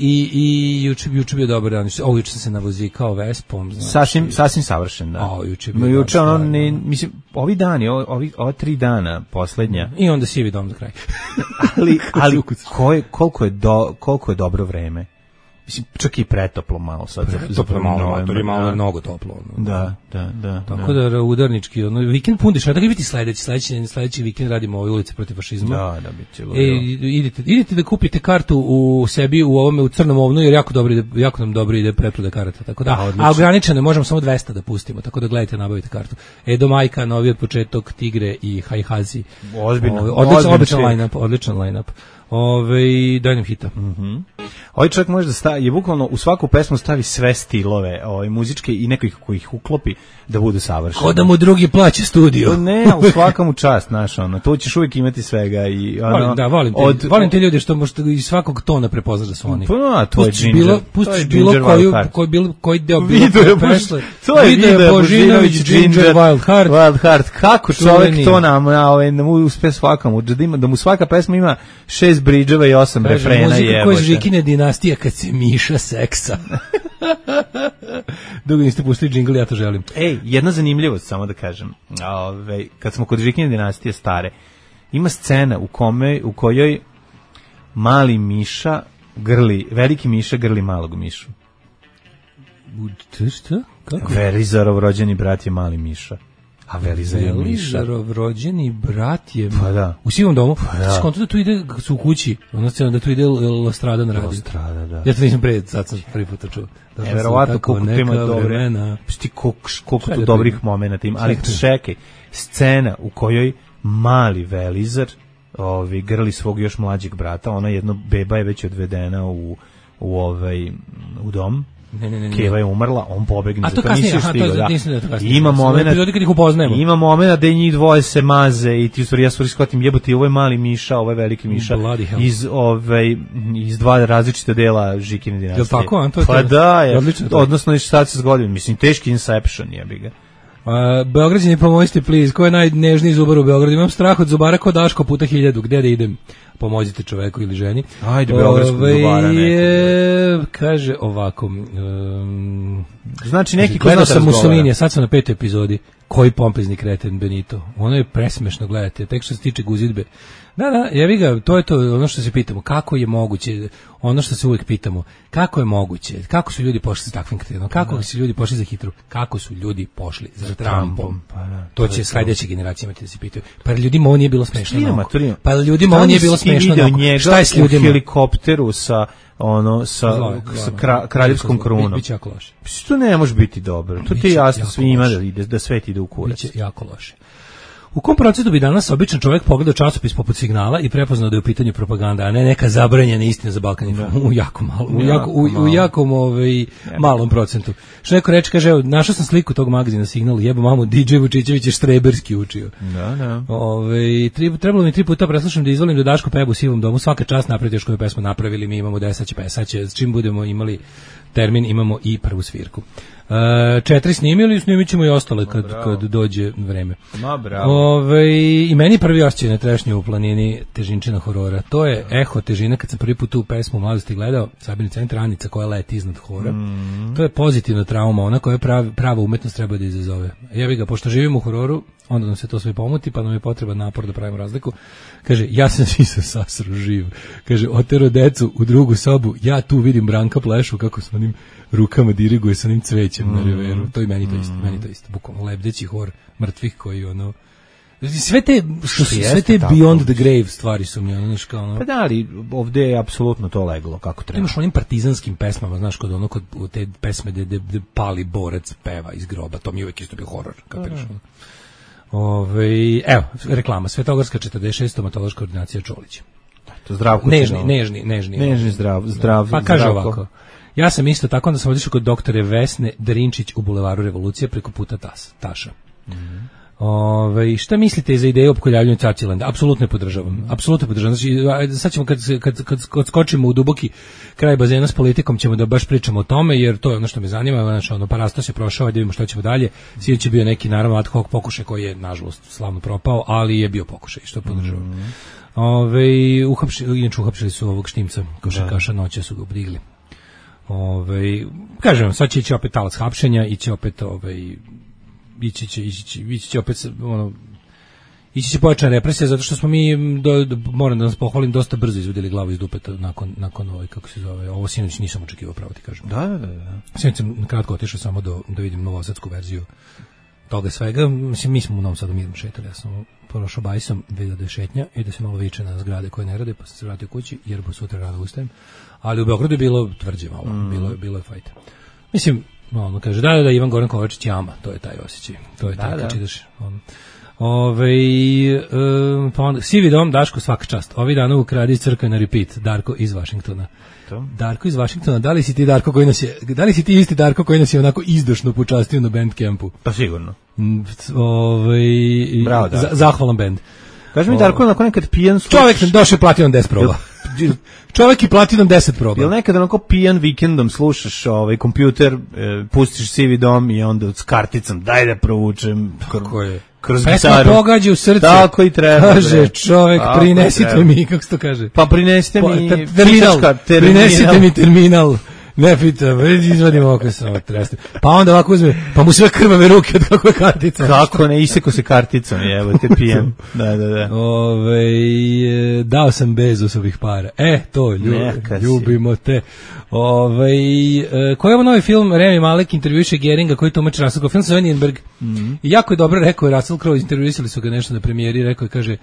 I juče bio dobar dan. Juče sam se navozikao Vespom, znači. Sasvim savršen, da. Juče ono ne, mislim, ovi dani, ova 3 dana poslednja. I onda sivi dom za kraj. ali koliko je dobro vreme. Mislim, čak i pretoplo malo sad. Pretoplo malo, to je malo mnogo toplo. Da. Tako da udarnički, vikend pun dešava, da ga biti sledeći vikend radimo ove ulice protiv fašizma. Da, bit će. Idete da kupite kartu u sebi u Crnom ovnu, jer jako nam dobro ide preproda karata. Tako da, a ograničeno možemo samo 200 da pustimo, tako da gledajte, nabavite kartu. Edo Majka, novi od početok, Tigre i Hajhazi. Odličan line-up. Daj nam hita. Ovaj čovjek može da je bukvalno u svaku pesmu stavi sve stilove muzičke i nekih koji ih uklopi da budu savršeni. Ko da mu drugi plaća studio. Ne, u svakom čast, tu ćeš uvijek imati svega. Volim te ljudi što možete iz svakog tona prepoznaš da su oni. Pa, to je Ginger. Pustiš bilo koji deo pesme. To je Video Božinović, Ginger, Wild Heart. Kako čovjek to nam uspe svakom, da mu svaka pesma ima 6 bridževa i 8 refrena. Muzika koja je Žikine dinastija kad se miša seksa. Dugo niste pustili džingl, ja to želim. Jedna zanimljivost, samo da kažem. Kad smo kod Žikine dinastije stare, ima scena u kojoj mali miša veliki miša grli malog mišu. Šta? Kako? Verizarov rođeni brat je mali miša. A Velizarov rođeni brat je u sivom domu. Skonto da tu ide u kući, da tu ide Lastrada na radio. Da. Ja to nisam sad sam prvi put čuo. Verovatno koliko ima dobre. Koliko tu dobrih momenata ima, ali čekaj, scena u kojoj mali Velizar grli svog još mlađeg brata, ona jedno beba je već odvedena u dom. Ne. Keva je umrla, on pobegne. A to kasnije, Ima momena da njih dvoje se maze i ti u stvari, ja stvari shvatim, jebote, ovo je mali miša, ovo je veliki miša iz dva različita dela Žikine dinastije. Je tako, Anto? Pa da, odnosno šta se zgodilo, mislim, teški Inception jebi ga. Beograđani, pomozite, please, ko je najnežniji zubar u Beogradu? Imam strah od zubara ko Daško puta 1000, gde da idem? Pomozite čoveku ili ženi. Ajde, beogradskog zubara nekog. Kaže ovako. Znači neki gledao sam Mussolinija, sad sam na 5. epizodi. Koji pompezni kreten Benito. Ono je presmešno, gledajte, tek što se tiče guzidbe. Da, jevi ga, to je to ono što se pitamo, kako je moguće, ono što se uvijek pitamo, kako je moguće, kako su ljudi pošli za takvim kretenom, kako su ljudi pošli za Hitlerom, kako su ljudi pošli za Trumpom. To će sledeće generacije imati da se pitaju. Pa ljudima ovo nije bilo smešno. Pa ljudima ovo nije bilo smešno. Šta je s ljudima? U helikopteru sa kraljevskom krunom. Biće jako loše. To ne može biti dobro. To ti je jasno svima da svet ide u kurac. Biće jako loše. U kom procentu bi danas običan čovjek pogledao časopis poput Signala i prepoznao da je u pitanju propaganda, a ne neka zabranjena istina za Balkan Info? U jako malo. U jakom malom procentu. Što neko reče, kaže, evo, našao sam sliku tog magazina Signal, jebo mamu, DJ Vučićević je štreberski učio. Da. Trebalo mi 3 puta preslušam da izvolim da Daško peva u sivom domu, svaka čast napred još koju pesmu napravili, mi imamo 10 sad čim budemo imali termin, imamo i prvu svirku. 4 snimili, snimit ćemo i ostale kad dođe vreme. I meni prvi osjećaj na trešnju u planini težinčina horora. To je eho težina kad sam prvi put tu pesmu u mladosti gledao, Sabina centra Anica koja leti iznad hora. To je pozitivna trauma, ona koja prava umetnost treba da izazove. Jebi ga, pošto živimo u hororu, onda nam se to sve pomuti, pa nam je potreban napor da pravimo razliku. Kaže, ja sam svi sasro živ. Kaže, otero decu u drugu sobu, ja tu vidim Branka Plešu kako s onim rukama diriguje sa onim cvećem na reveru. To i meni to isto. Bukvalno lebdeći hor mrtvih koji sve te beyond the grave stvari su mi Pa da, ali ovde je apsolutno to leglo kako treba. Imaš onim partizanskim pesmama, znaš, kod te pesme gde pali borac peva iz groba, to mi uvijek isto bio horor, kapiraš. Evo, reklama, Svetogorska 46, stomatološka ordinacija Čolić. Zdravko Nežni, zdrav. Pa kaže ovako, ja sam isto tako, onda sam otišao kod doktore Vesne Drinčić u Bulevaru Revolucije preko puta Taša. Šta mislite za ideju opkoljavljanju Cacilanda? Apsolutno je podržavam. Znači, sad ćemo kad skočimo u duboki kraj bazena s politikom ćemo da baš pričamo o tome, jer to je ono što me zanima. Znači, Parastos je prošao, da vidimo šta ćemo dalje. Sinoć je bio neki, naravno, ad hoc pokušaj koji je, nažalost, slavno propao, ali je bio pokušaj, što podržavam. Uhapšili su ovog Štimca, košarkaša, noće su ga obrigli. Kažem, sad će ići opet talac hapšenja, ići opet ići će opet ići će pojačana represija, zato što smo mi moram da nas pohvalim, dosta brzo izvodili glavu iz dupeta nakon kako se zove, ovo sinoć nisam očekivao, pravo ti kažem. Da. Sinoć sam kratko otišao samo da vidim novosadsku verziju toga svega. Mislim, mi smo u Novom Sadu mirno šetali, ja sam prošao bajsom, vidio da je šetnja i da se malo viče na zgrade koje ne rade, pa sam se vratio kući jer bo sutra rano ustajem. Ali u Beogradu je bilo tvrđe malo, bilo je fajta. Mislim, kaže, da, Ivan Goran Kovačić jama, to je taj osjećaj. To je taj kad čitaš. Pa onda, Sivi dom, Daško, svaka čast. Ovi dana u Kradi iz crkve na repeat, Darko iz Vašingtona. Darko iz Vašingtona, da li si ti isti Darko koji nas je onako izdašno počastio na Bandcampu? Pa sigurno. Bravo, Darko. Zahvalan band. Kaži mi, Darko, onako nekad pijan sluš... Čovjek došao je platio nam 10 proba. Čovjek je platio nam 10 proba. Jel nekad onako pijan vikendom slušaš kompjuter, pustiš Sivi dom i onda s karticom daj da provučem kroz pesma gitaru. Pogađa u srce. Tako i treba. Kaže čovjek, prinesite mi, kako se to kaže? Pa prinesite mi terminal. Prinesite mi terminal. Ne pitam, izvadim oko samo treste. Pa onda ovako uzme, pa mu sve krvave ruke od kako je kartica. Kako ne, iseko se karticom, evo te pijem. Da. Dao sam Bezosovih para. To, ljubimo te. Koji je ovo novi film? Rami Malek intervjuše Geringa koji tumači Russell Crowe. Film se zove Nienberg. I jako je dobro rekao je Russell Crowe, intervjuisali su ga nešto na premijeri, rekao je, kaže,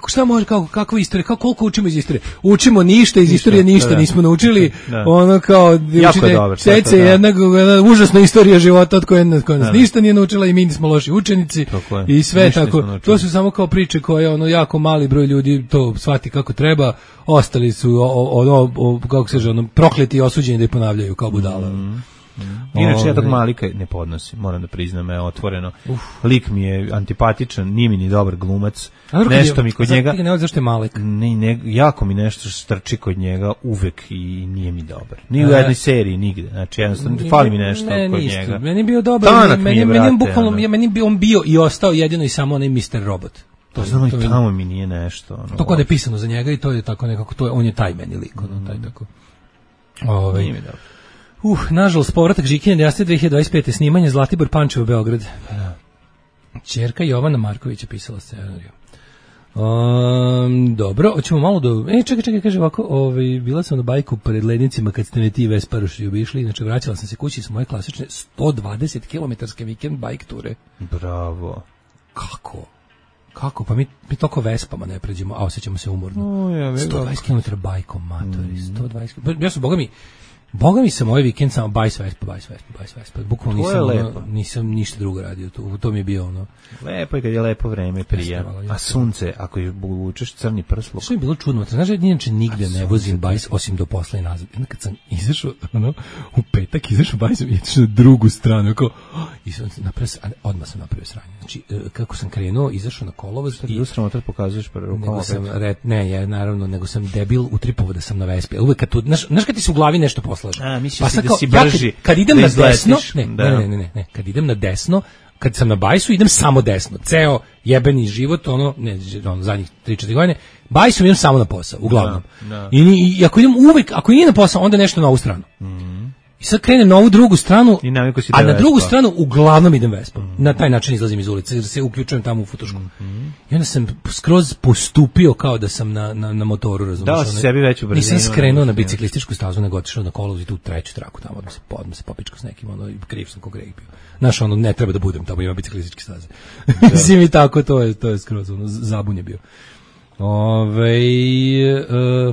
šta može, kakva istorija, koliko učimo iz istorije? Učimo ništa, iz istorije ništa nismo naučili. Ono kao učite jedna užasna istorija života od koje nas ništa nije naučila i mi nismo loši učenici i sve tako. To su samo kao priče koje jako mali broj ljudi to shvati kako treba. Ostali su kako se kaže, prokleti i osuđeni da je ponavljaju kao budala. Inače, ja tog Malika ne podnosim, moram da priznam, otvoreno. Lik mi je antipatičan, nije mi ni dobar glumac. Nešto mi kod njega... Zašto je Malik? Jako mi nešto strči kod njega uvek i nije mi dobar. Ni u jednoj seriji, nigde. Znači, jednostavno, fali mi nešto kod njega. Meni je bio dobar, meni bi on bio i ostao jedino i samo onaj Mr. Robot. To znam, i tamo mi nije nešto. To kod je pisano za njega i to je tako nekako, on je taj meni lik, taj tako. Nije mi dobro. Nažalost, povratak Žikine Dijaste 2025. Snimanje Zlatibor Pančevo, Beograd. Ćerka Jovana Marković je pisala scenariju. Dobro, hoćemo malo do... Čekaj, kaže ovako, bila sam na bajku pred Lednicima kad ste me ti Vesparuši obišli, inače vraćala sam se kući s moje klasične 120 km vikend bajk ture. Bravo. Kako? Pa mi toliko Vespama ne pređemo, a osjećamo se umorno. 120 km bajkom, matori, 120 Ja su, Boga mi sam ovaj vikend samo bajs Vespa. Bukvalno nisam ništa drugo radio. To mi je bio ono. Lepo je kad je lepo vreme prije. A sunce, ako je vučeš crni prsluk. Što je bilo čudno. Znaš da inače nigde ne vozim bajs osim do posla i nazad. Kad sam izašao, u petak izašao bajsom i išao na drugu stranu. Odmah sam napravio sranje. Znači, kako sam krenuo, izašao na kolovoz. Sad je usramo, tad pokazuješ rukama. Nego sam debil utripovao da sam na Vespi. Uvek kad tu, znaš kad ti se u glavi nešto poslaže. Mislio si da si brži. Kad idem na desno, ne, kad idem na desno, kad sam na bajsu, idem samo desno. Ceo jebeni život, zadnjih 3-4 godine, bajsom idem samo na posao, uglavnom. I ako idem uvek, ako nije na posao, onda nešto na ovu stranu. I sad krenem na ovu drugu stranu, a na drugu stranu uglavnom idem Vespom. Na taj način izlazim iz ulice, jer se uključujem tamo u futušku. I onda sam skroz postupio kao da sam na motoru, razumiješ? Dao si sebi veću brzinu. Nisam skrenuo na biciklističku stazu, nego otišao na kolovoz i tu treću traku tamo, odmah se popičkao s nekim, kriv sam kog reg bio. Znaš, ne treba da budem, tamo ima biciklističke staze. Mislim i tako, to je skroz, zabun je bio.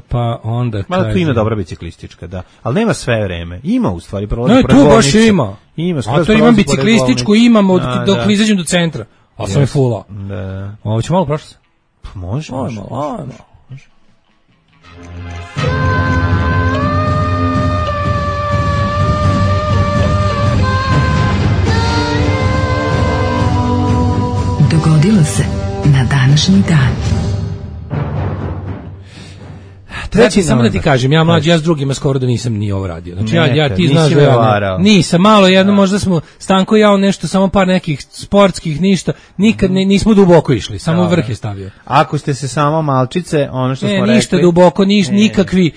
Pa onda tu ima dobra biciklistička, da. Ali nema sve vreme. Ima u stvari prolazi pored bolnice. Tu baš ima. A to imam biciklističku, imam dok izađem do centra. A sam je fula. Da. Ovo će malo prošlo se? Može. dogodilo se na današnji dan. Treći, samo da ti kažem, ja mlađi, ja s drugima skoro da nisam ni ovo radio. Znači, ja ti znaš da ja nisam, malo jedno, možda smo, Stanko i ja nešto, samo par nekih sportskih, ništa, nikad nismo duboko išli, samo vrh je stavio. Ako ste se samo malčice, ono što smo rekli... Ništa duboko, nikakvi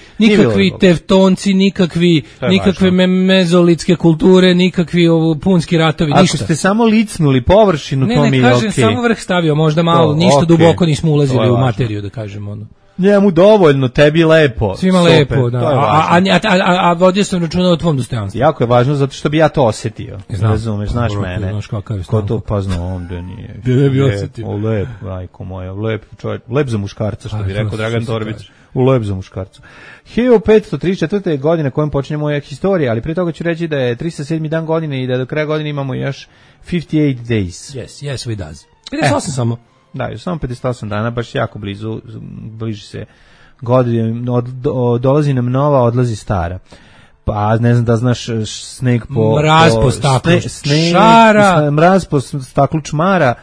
tevtonci, nikakve mezolitske kulture, nikakvi punski ratovi, ništa. Ako ste samo licnuli površinu, to mi je okej. Ne, kažem, samo vrh stavio, možda malo, ništa duboko nismo ulazili u materiju, da kažem, ono. Njemu dovoljno, tebi lepo. Svima lepo, da. A vodio sam računa o tvom dostojanstvu. Jako je važno, zato što bi ja to osjetio. Razumeš, znaš mene. Znaš kakav je Ko to pozna ovdje nije. Gde ne bi osjetio? Lep, majko moja, lep čovjek. Lep za muškarca, što bi rekao Dragan Torbić. Lep za muškarcu. 1534. godine kojom počinje moja historija, ali prije toga ću reći da je 307. dan godine i da do kraja godine imamo još 58 days. Yes, we does. 58 samo. Da, još samo 58 dana, baš jako bliži se godina, dolazi nam nova, odlazi stara. Pa ne znam da znaš sneg po... Mraz po staklu čmara. Mraz po staklu čmara,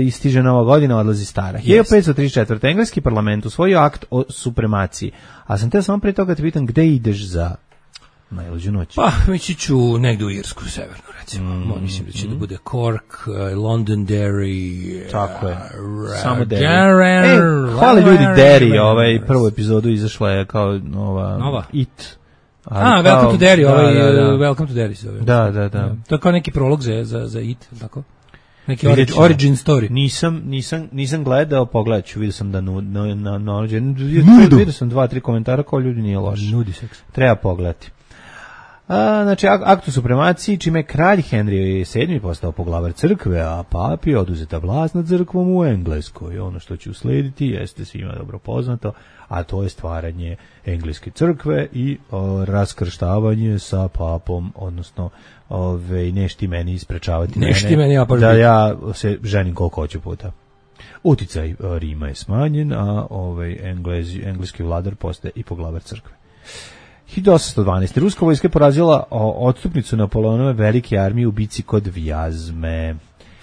istiže nova godina, odlazi stara. 1534. Engleski parlament usvojio akt o supremaciji. A sam te samo prije toga te pitam gde ideš za najluđu noć? Pa, mići ću negdje u Irsku, severnu, recimo. Mislim da će da bude Cork, Londonderry, tako je. Samo Derry. Hvala ljudi Derry, prvu epizodu izašla je kao nova It. Welcome to Derry, Welcome to Derry se zove. Da. To je kao neki prolog za It, tako? Neki origin story. Nisam gledao, pogledat ću, vidio sam da vidio sam 2-3 komentara kao ljudi nije loš. Nudi seks. Treba pogledati. Znači, akt o supremaciji, čime je kralj Henry VII postao poglavar crkve, a papi oduzeta vlast nad crkvom u Engleskoj. Ono što će uslediti jeste svima dobro poznato, a to je stvaranje engleske crkve i raskrštavanje sa papom, odnosno nešti meni isprečavati mene da ja se ženim koliko hoću puta. Uticaj Rima je smanjen, a engleski vladar postaje i poglavar crkve. 1812. Ruska vojska je porazila odstupnicu Napoleonove velike armije u bici kod Vjazme.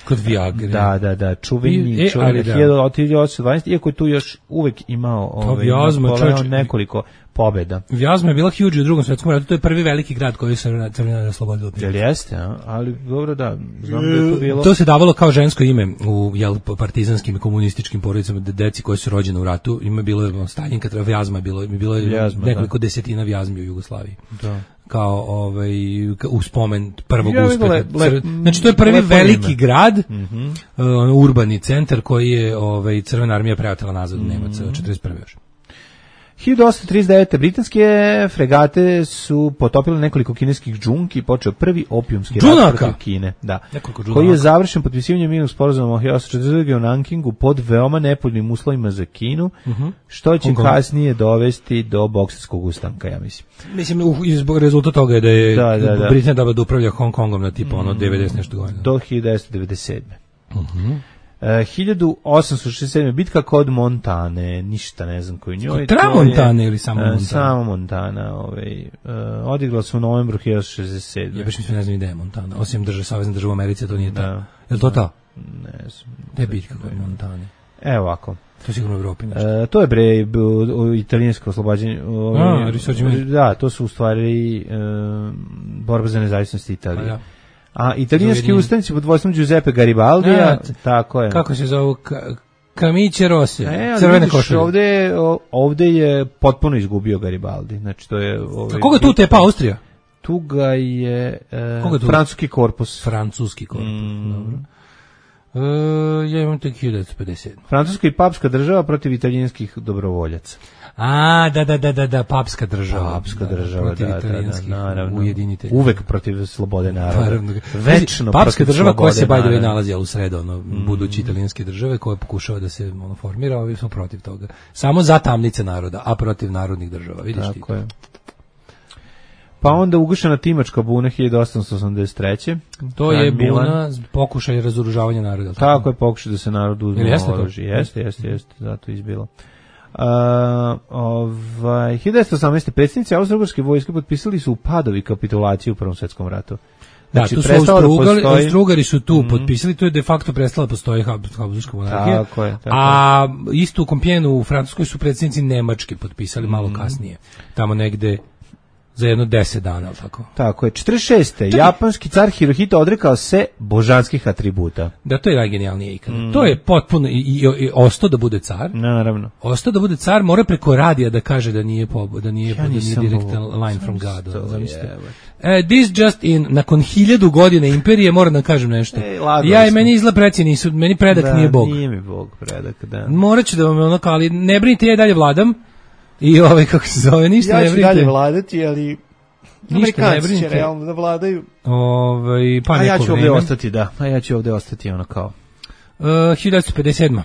Kod Viagre. Da, čuveni 1812, iako je tu još uvek imao Napoleon nekoliko pobjeda. Vjazma je bila huge u Drugom svjetskom ratu, to je prvi veliki grad koji je Crvena oslobodila. Jel jeste, ali dobro da, znam da je to bilo. To se davalo kao žensko ime u partizanskim i komunističkim porodicama, deci koji su rođene u ratu, ima bilo Staljinka, Vjazma je bilo nekoliko desetina Vjazmi u Jugoslaviji. Da. Kao u spomen prvog uspeha. Znači to je prvi veliki grad, urbani centar koji je Crvena armija preotela nazad u Nemaca 41. još. 1839. britanske fregate su potopile nekoliko kineskih džunki i počeo prvi opijumski rat protiv Kine. Da. Koji je završen potpisivanjem mirnog sporazuma o 1840. u Nankingu pod veoma nepovoljnim uslovima za Kinu, što će kasnije dovesti do Boksarskog ustanka, ja mislim. Mislim, zbog rezultata toga je da je Britanija dobila da upravlja Hong Kongom na tipa 90 nešto godina. Do 1997. 1867. bitka kod Montane, ništa ne znam koju njoj. Montane ili samo Montana? Samo Montana, odigrala se u novembru 1967. Ja baš mislim ne znam ideja Montana, osim Savezne države Americe, to nije ta. Je li to ta? Ne znam. Gde je bitka kod Montane? Evo ovako. To je sigurno u Evropi nešto. To je italijansko oslobađanje. Da, to su u stvari borba za nezavisnost Italije. A italijanski ustanici pod vodstvom Giuseppe Garibaldija, tako je. Kako se zovu? Camicie Rosse, crvene košulje. Ovde je potpuno izgubio Garibaldi. Znači to je A koga tu tepa Austrija? Tu ga je francuski korpus. Francuski korpus, dobro. Ja imam tek 1957. Francuska i papska država protiv italijanskih dobrovoljaca. Da, papska država. Papska država, protiv italijanskih ujedinitelja. Uvek protiv slobode naroda. Večno papska država koja se by the way nalazi u sredo, budući italijanske države koja pokušava da se formira, ovi smo protiv toga. Samo za tamnice naroda, a protiv narodnih država, vidiš ti. Tako je. Pa onda ugašena Timačka buna 1883. To je buna pokušaj razoružavanja naroda. Tako je, pokušaj da se narod uzme oružje. Jeste, zato je izbilo. 1918. predsjednici Austro-Ugarske vojske potpisali su u Padovi kapitulaciju u Prvom svjetskom ratu. Znači, tu su Austro-Ugari su tu potpisali, to je de facto prestala postoji Habsburška monarhija. Tako je. A isto u Kompijenu u Francuskoj su predsjednici Nemačke potpisali malo kasnije. Tamo negde za jedno 10 dana, tako. Tako je. 46. Japanski car Hirohito odrekao se božanskih atributa. Da, to je najgenijalnije ikada. To je potpuno i ostao da bude car. Naravno. Ostao da bude car, mora preko radija da kaže da nije direktan line from God. This just in, nakon 1000 godina imperije, moram da kažem nešto. Ja i meni izla preci nisu, meni predak nije Bog. Nije mi Bog predak, da. Morat ću da vam ono kao, ali ne brinite, ja i dalje vladam. I kako se zove, ništa ne brinite. Ja ću dalje vladati, ali Amerikanci će realno da vladaju. Pa a ja ću ovdje ostati, da. A ja ću ovdje ostati, ono kao. 1957.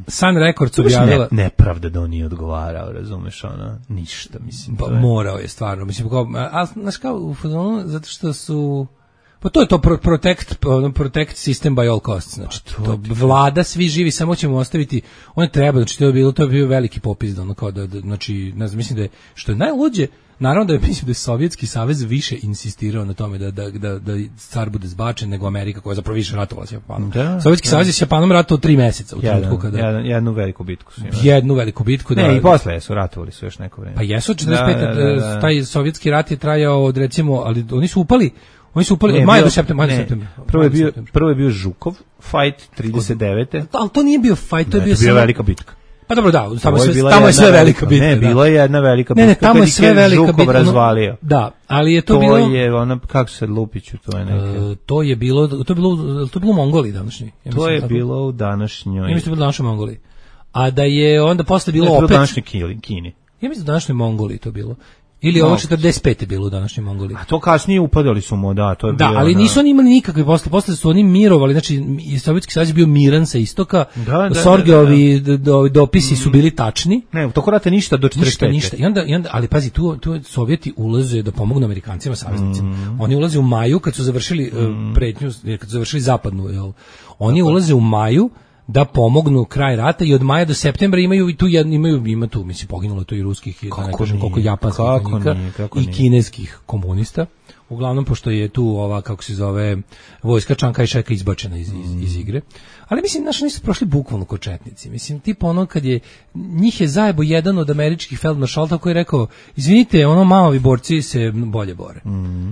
Sun Records objavila... Nepravda da on nije odgovarao, razumeš, ono, ništa, mislim. Pa morao je, stvarno, mislim, a znaš kao, u fazonu, zato što su... Pa to je to protect system by all costs, znači to vlada, svi živi, samo ćemo ostaviti, on treba, znači to je bio veliki popis, da ono kao da znači, ne znam, mislim da je, što je najluđe, naravno da je, mislim da je Sovjetski savez više insistirao na tome da car bude zbačen nego Amerika koja je zapravo više ratovala s Japanom. Sovjetski savez je s Japanom ratovao 3 meseca u trenutku kada... Jednu veliku bitku su imali. Jednu veliku bitku, da... Ne, i posle su ratovali su još neko vreme. Pa jesu, 45. Taj sovjetski rat je trajao od, recimo, ali oni su upali maj do septembra. Prvo je bio Žukov fight 39. Ali to nije bio fight, to je bio velika bitka. Pa dobro, da, tamo je sve velika bitka. Ne, bila je jedna velika bitka. Ne, tamo je sve velika bitka. Žukov razvalio. Da, ali je to bilo... To je ono, kako se Lupiću, to je neke... To je bilo u Mongoliji današnjoj. To je bilo u današnjoj... Ja mislim da je bilo u današnjoj Mongoliji. A da je onda posle bilo opet... To je bilo u današnjoj Kini. Ja mislim da u današnjoj Mongoliji to bilo. Ili ovo 45. bilo u današnjoj Mongoliji. A to kasnije upadali su mu, da. To je da, ali nisu oni imali nikakve posle su oni mirovali, znači Sovjetski savez bio miran sa istoka, Sorgeovi dopisi su bili tačni. Ne, u toku rata ništa do 45. Ništa. I onda, ali pazi, tu Sovjeti ulaze da pomognu Amerikancima, saveznicima. Oni ulaze u maju, kad su završili pretnju, kad su završili zapadnu, jel? Oni ulaze u maju da pomognu kraj rata i od maja do septembra ima tu, mislim, poginulo to i ruskih, koliko japanskih vojnika i kineskih komunista. Uglavnom, pošto je tu ova, kako se zove, vojska Čang Kaj-šeka izbačena iz igre. Ali mislim, naši nisu prošli bukvalno ko četnici. Mislim, tipa ono kad je, njih je zajebo jedan od američkih feldmaršalta koji je rekao, izvinite, ono malovi borci se bolje bore.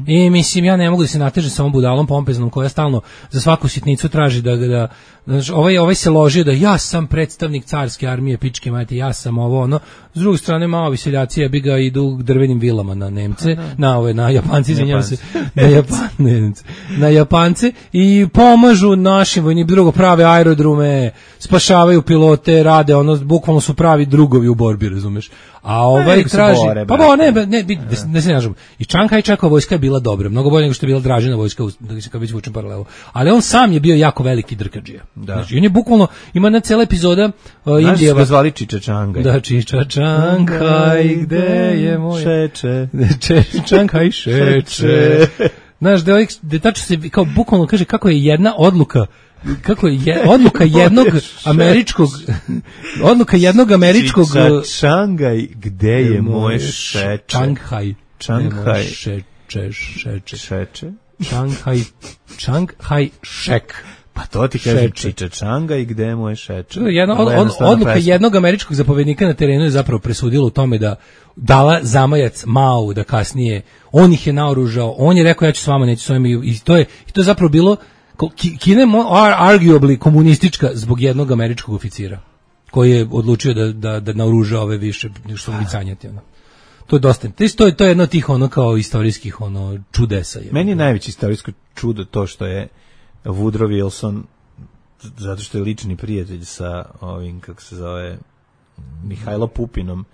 I mislim, ja ne mogu da se natežem sa ovom budalom pompeznom koja stalno za svaku sitnicu traži da znači, ovaj se ložio da ja sam predstavnik carske armije, pičke majte, ja sam ovo, ono. S druge strane, malovi seljaci ja bi ga idu drvenim vilama na Nemce, na Japanci, izvinjam se, na Japance i pomažu našim vojnim, drugo prave aerodrome, spašavaju pilote, rade, ono, bukvalno su pravi drugovi u borbi, razumeš? A ovaj traži, ne se nažem. I Čang Kaj-šekova vojska je bila dobra, mnogo bolje nego što je bila Dražina vojska, kad već vučem paralelu. Ali on sam je bio jako veliki drkadžija. Znači, on je bukvalno, ima na cela epizoda Indijeva. Znaš ga zvali Čiča Čangaj. Da, Čiča Čangaj, gde je moj... Šeče. Čangaj šeče. Znaš, da tačno se, kao bukvalno kaže kako je jedna odluka odluka jednog američkog Čangaj, gde je moj šeče? Čanghaj šek. Pa to ti kaže Čiča Čangaj, gde je moj šeče? Odluka jednog američkog zapovjednika na terenu je zapravo presudila u tome da dala zamajac Mao da kasnije, on ih je naoružao, on je rekao ja ću s vama, neću s vama, i to je zapravo bilo, Kina je arguably komunistička zbog jednog američkog oficira koji je odlučio da naoruža ove više što vicanjati. To je dosta. To je jedno od tih ono kao istorijskih čudesa. Meni je najveće istorijsko čudo to što je Woodrow Wilson, zato što je lični prijatelj sa ovim, kako se zove, Mihajlo Pupinom,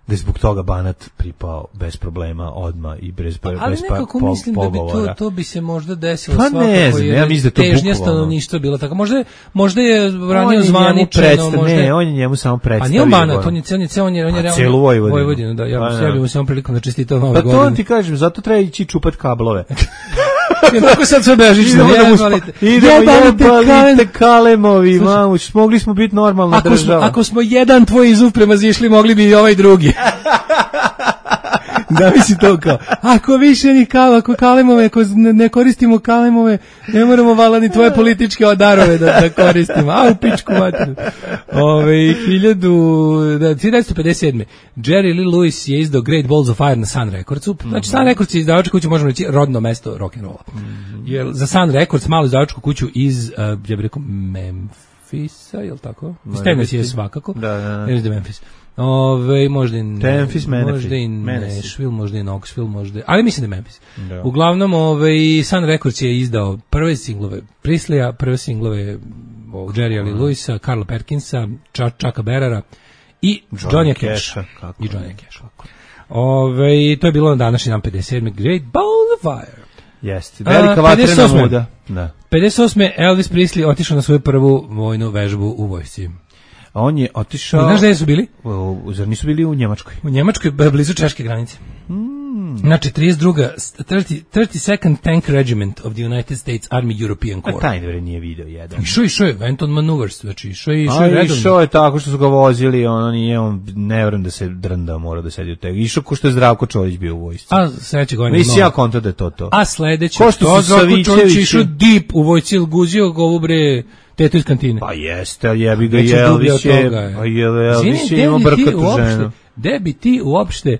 da je zbog toga Banat pripao bez problema odma i bez pogovora. Ali nekako mislim da bi to bi se možda desilo pa svakako, ne znam, ja mislim da to težnja stanovništva bila tako. Možda je ranije zvaničeno, možda... Ne, on je njemu samo predstavio. Pa nije on Banat, on je realno... Cijelu Vojvodinu, da. Ja bih mu samo prilikom da čestitao Nove godine. Pa to ti kažem, zato treba ići čupat kablove. Tako sad sve bežično. Idemo jebalite kalemovi, mamuć, mogli smo biti normalna država. Ako smo jedan tvoj izuf premazišli, mogli bi i ovaj drugi. Da misli to kao, ako više ni ako kalemove, ako ne koristimo kalemove, ne moramo vala ni tvoje političke darove da koristimo. A u pičku materinu. 1957. Jerry Lee Lewis je izdao Great Balls of Fire na Sun Recordsu. Znači Sun Records je izdavačka kuća, možemo reći, rodno mesto rock'n'rolla. Jer za Sun Records, malu izdavačku kuću iz, ja bih rekao, Memphisa, je li tako? Iz Tennessee je svakako. Da. Iz Memphis. Možda i Nashville, možda i Knoxville, možda, ali mislim da je Memphis. Da. Uglavnom, Sun Records je izdao prve singlove Prisleya, prve singlove Jerrya Lee Lewisa, Carla Perkinsa, Chucka Berrera i Johnny Casha. I Johnny Casha. To je bilo na današnji dan 57. Great Balls of Fire. Jeste, velika vatrena muda. 58. Elvis Presley otišao na svoju prvu vojnu vežbu u vojsci. A on je otišao... Znaš gde su bili? Zar nisu bili u Njemačkoj? U Njemačkoj, blizu češke granice. Znači, 32nd Tank Regiment of the United States Army European Corps. A taj dvore nije video jedan. Išao je, went on maneuvers, znači išao je redom. Išao je tako što su ga vozili, on ne vjerujem da se drndao, mora da sedi u tega. Išao ko što je Zdravko Čolić bio u vojsci. A sledeće godine... Nisi ja konto da je to. A sledeće... Ko što su Savićević išao deep u vojci, guzio gabre... Teto iz kantine. Pa jeste, ali jebi ga Elvis je... Pa Elvis je imao brkatu ženu. Gde bi ti uopšte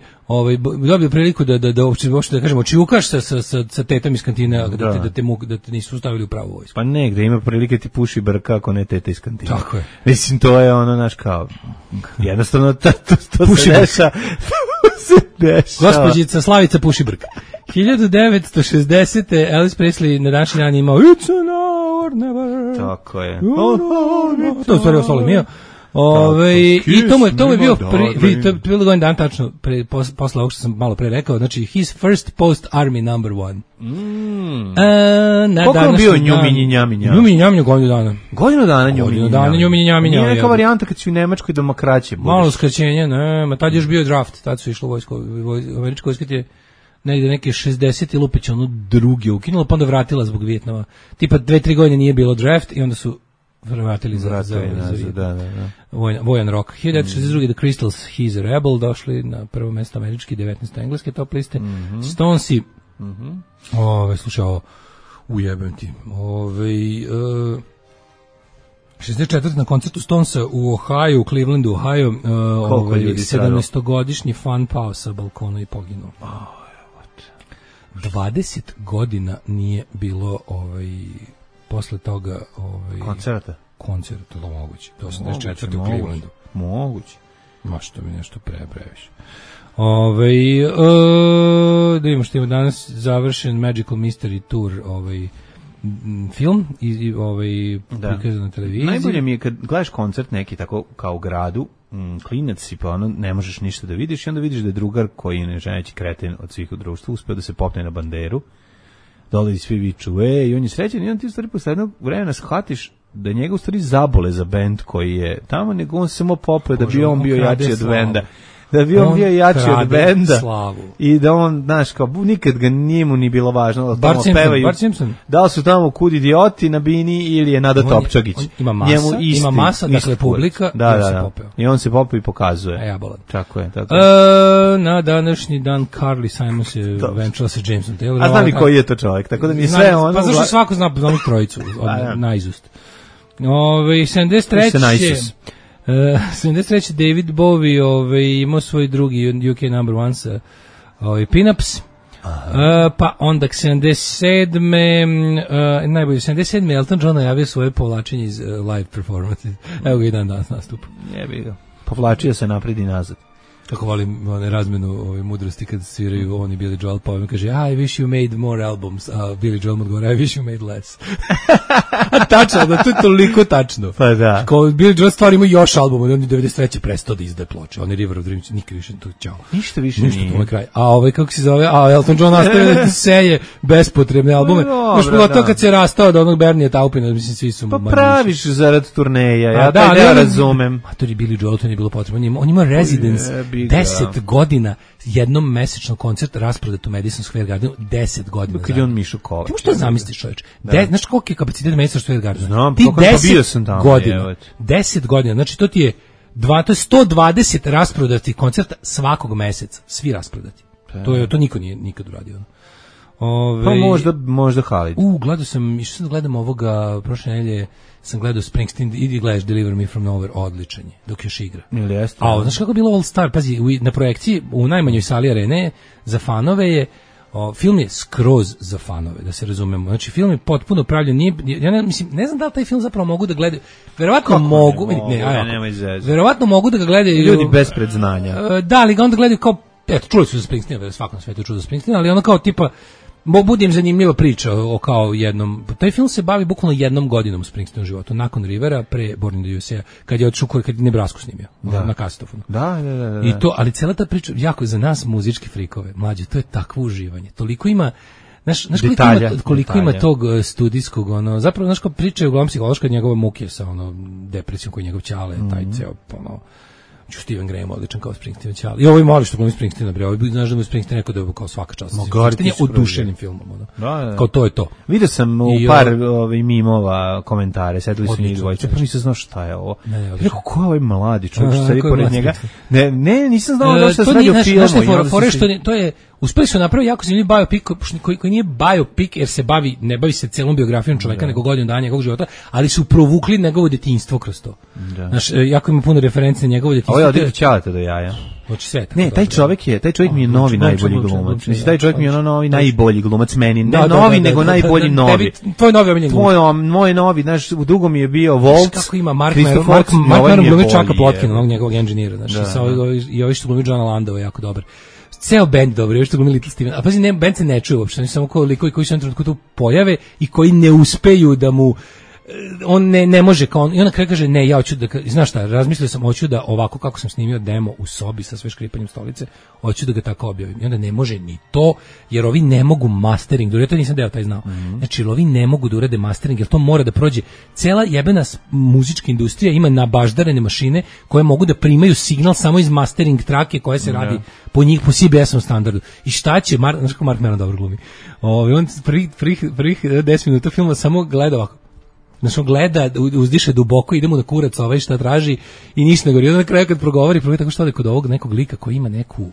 dobio priliku da uopšte da kažemo čiukaš sa tetom iz kantine da te nisu stavili u pravu vojsku. Pa ne, gde ima prilike ti puši brka ako ne teta iz kantine. Tako je. Mislim, to je naš kao jednostavno to se deša. Gospođica Slavica puši brka. 1960. Elvis Presley na današnji dan imao It's an hour never. Tako je. To je stvari ostalo mio. I to mu je bio bilo godin dan tačno posle ovog što sam malo pre rekao, znači his first post army number one. Koliko je bio Njuminji Njaminja? Njuminji Njaminja godinu dana. Godinu dana Njuminji Njaminja. Nije neka varijanta kad si u Nemačkoj demokracije. Malo skraćenje, ne, tad je još bio draft, tad su išlo vojsko, američko vojsko ti je negde neke 60 i Lupić drugi ukinula, pa onda vratila zbog Vijetnama. Tipa 2-3 godine nije bilo draft i onda su vratili za Vojan Rock. 1962. The Crystals, He's a Rebel, došli na prvo mesto američki, 19. engleske top liste. Stonesi, slušaj ovo, ujebem ti, 64. na koncertu Stonesa u Ohio, u Clevelandu, Ohio, 17-godišnji fan pao sa balkona i poginuo. 20 godina nije bilo posle toga koncerta, to je moguće. To 84. u Clevelandu. Moguće. Ma što mi nešto previše. Da vidimo što ima danas završen Magical Mystery Tour film i prikazan na televiziji. Najbolje mi je kad gledaš koncert neki tako kao u gradu, klinac si pa ne možeš ništa da vidiš i onda vidiš da je drugar koji je nežeći kreten od svih u društvu uspeo da se popne na banderu, dole i svi viču, i on je srećan i on ti u stvari posle jednog vremena shvatiš da njega u stvari zabole za bend koji je tamo, nego on se samo popeo da bi on bio jači od benda. Da bi on bio jači od benda i da on, znaš, kao nikad ga nije mu ni bilo važno da tamo pevaju. Da li su tamo kud idioti na bini ili je Nada Topčagić. Ima masa, dakle publika se popeo. I on se popeo i pokazuje. Ja bolan. Tako je. Na današnji dan Carly Simons je venčala sa Jamesom Taylor. A znam i koji je to čovjek, tako da mi je sve ono... Pa zašto svako zna onih trojicu, naizust. 73. 73. David Bowie imao svoj drugi UK number one sa Pin-Ups. Pa onda 77. Najbolje 77. Elton John najavio svoje povlačenje iz live performance. Evo ga i dan danas nastup. Jebi ga. Povlačio se napred i nazad. Kako volim razmenu mudrosti kad sviraju oni Billy Joel, pa on kaže I wish you made more albums, a Billy Joel mu odgovara I wish you made less. A tačno, da to je toliko tačno. Pa da. Kao Billy Joel stvari ima još albuma, on je 93. prestao da izdaje ploče, on je River of Dreams, nikad više to ćao. Ništa više nije. Ništa, kraj. A kako se zove, Elton John nastavio da seje bespotrebne albume. Još bilo to kad se rastao od onog Bernija Taupina, mislim svi su... Pa praviš zarad turneja, ja taj ne razumem. A to je Billy Joel, to nije bilo potrebno. On ima Residence, 10 godina, jednom mesečno koncert rasprodat u Madison Square Gardenu, 10 godina. Kad je on Mišo Kovač. Ti možeš to zamisliš, čovječ? Znaš koliki je kapacitet Madison Square Gardena? Znam, ti pa bio sam tamo. 10 godina, znači to ti je 120 rasprodatih koncerta svakog meseca, svi rasprodati. To niko nije nikad uradio. Pa možda Halid. Gledao sam, išao sam da gledam ovoga, prošle nedelje sam gledao Springsteen, idi gledaš Deliver Me From Nowhere, odličan je, dok još igra. Ili jeste? A znaš kako je bilo All Star, pazi, na projekciji u najmanjoj sali arene za fanove je, film je skroz za fanove, da se razumemo. Znači, film je potpuno pravljen, ne znam da li taj film zapravo mogu da gledaju, verovatno mogu, verovatno mogu da ga gledaju ljudi bez predznanja. Da, ali ga onda gledaju kao, eto, čuli su za Springsteen, svakom svetu čuli za Springsteen, ali ono kao tipa, bude im zanimljiva priča o kao jednom, taj film se bavi bukvalno jednom godinom Springsteenom životu, nakon Rivera, pre Born in the USA, kad je otišao, kad je Nebrasku snimio, na kasetofonu. Da. I to, ali cela ta priča, jako za nas muzičke frikove, mlađe, to je takvo uživanje, toliko ima, znaš koliko ima tog studijskog, zapravo, znaš kao priča je uglavnom psihološka njegove muke sa depresijom koji njegov ćale, taj ceo, Steven Graham odličan kao Springsteen ćali. I ovo je mali što glumi Springsteena, bre. Ovo znaš da mu Springsteen rekao da je kao svaka čast. Springsteen je oduševljenim filmom, Da. Kao to je to. Vidio sam u par mimova komentare, sedeli su njih dvojice, pa nisam znao šta je ovo. Rekao, ko je ovaj mladi čovjek što sedi pored njega? Ne, nisam znao da se radi o filmu. To je uspeli su napraviti jako zanimljiv biopic koji nije biopic jer se ne bavi se celom biografijom čoveka nego godinu dana njegovog života, ali su provukli njegovo detinjstvo kroz to. Znaš, jako ima puno referenci na njegovo detinjstvo. Ovo je odlično ćalate do jaja. Ne, taj čovjek mi je novi najbolji glumac. Mislim, taj čovjek mi je novi najbolji glumac meni. Ne novi, nego najbolji novi. Tvoj novi omiljen glumac. Moj novi, znaš, u drugom je bio Waltz. Kako ima Mark Maron glumi Chucka Plotkin, onog njegovog engineera. Znaš, i ovi što glumi Johna Landova jako dobar. Ceo bend dobro, još što glumi Little Steven. A pazi, bend se ne čuje uopšte, samo kao likovi koji se na trenutku tu pojave i koji ne uspeju da mu on ne može kao on, i onda kaže ne, ja hoću da, znaš šta, razmislio sam, hoću da ovako kako sam snimio demo u sobi sa sve škripanjem stolice, hoću da ga tako objavim. I onda ne može ni to, jer ovi ne mogu mastering, ja to nisam deo taj znao. Znači, ovi ne mogu da urade mastering, jer to mora da prođe. Cela jebena muzička industrija ima nabaždarene mašine koje mogu da primaju signal samo iz mastering trake koja se radi po CBS-om standardu. I šta će, znaš kako Mark Maron dobro glumi? On prvih 10 minuta filma samo gleda ovako. Znači on gleda, uzdiše duboko, idemo na kurac šta traži i ništa ne govori. I onda na kraju kad progovori tako što je kod ovog nekog lika koji ima neku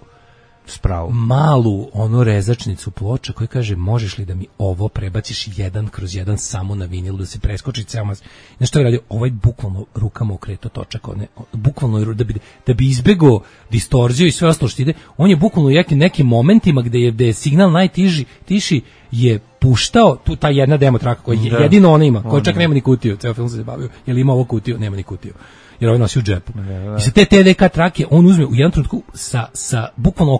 spravu, malu rezačnicu ploča koji kaže možeš li da mi ovo prebaciš 1/1 samo na vinil da se preskoči ceo mas. Znaš što je radio? Ovaj bukvalno rukama okreto točak, bukvalno da bi izbegao distorziju i sve ostalo što ide, on je bukvalno u nekim momentima gde je signal najtiši je puštao tu ta jedna demo traka koja jedino ona ima, koja čak nema ni kutiju, ceo film se bavio, jer ima ovo kutiju, nema ni kutiju. Jer ovaj nosi u džepu. I sa te TDK trake on uzme u jednom trenutku sa bukvalno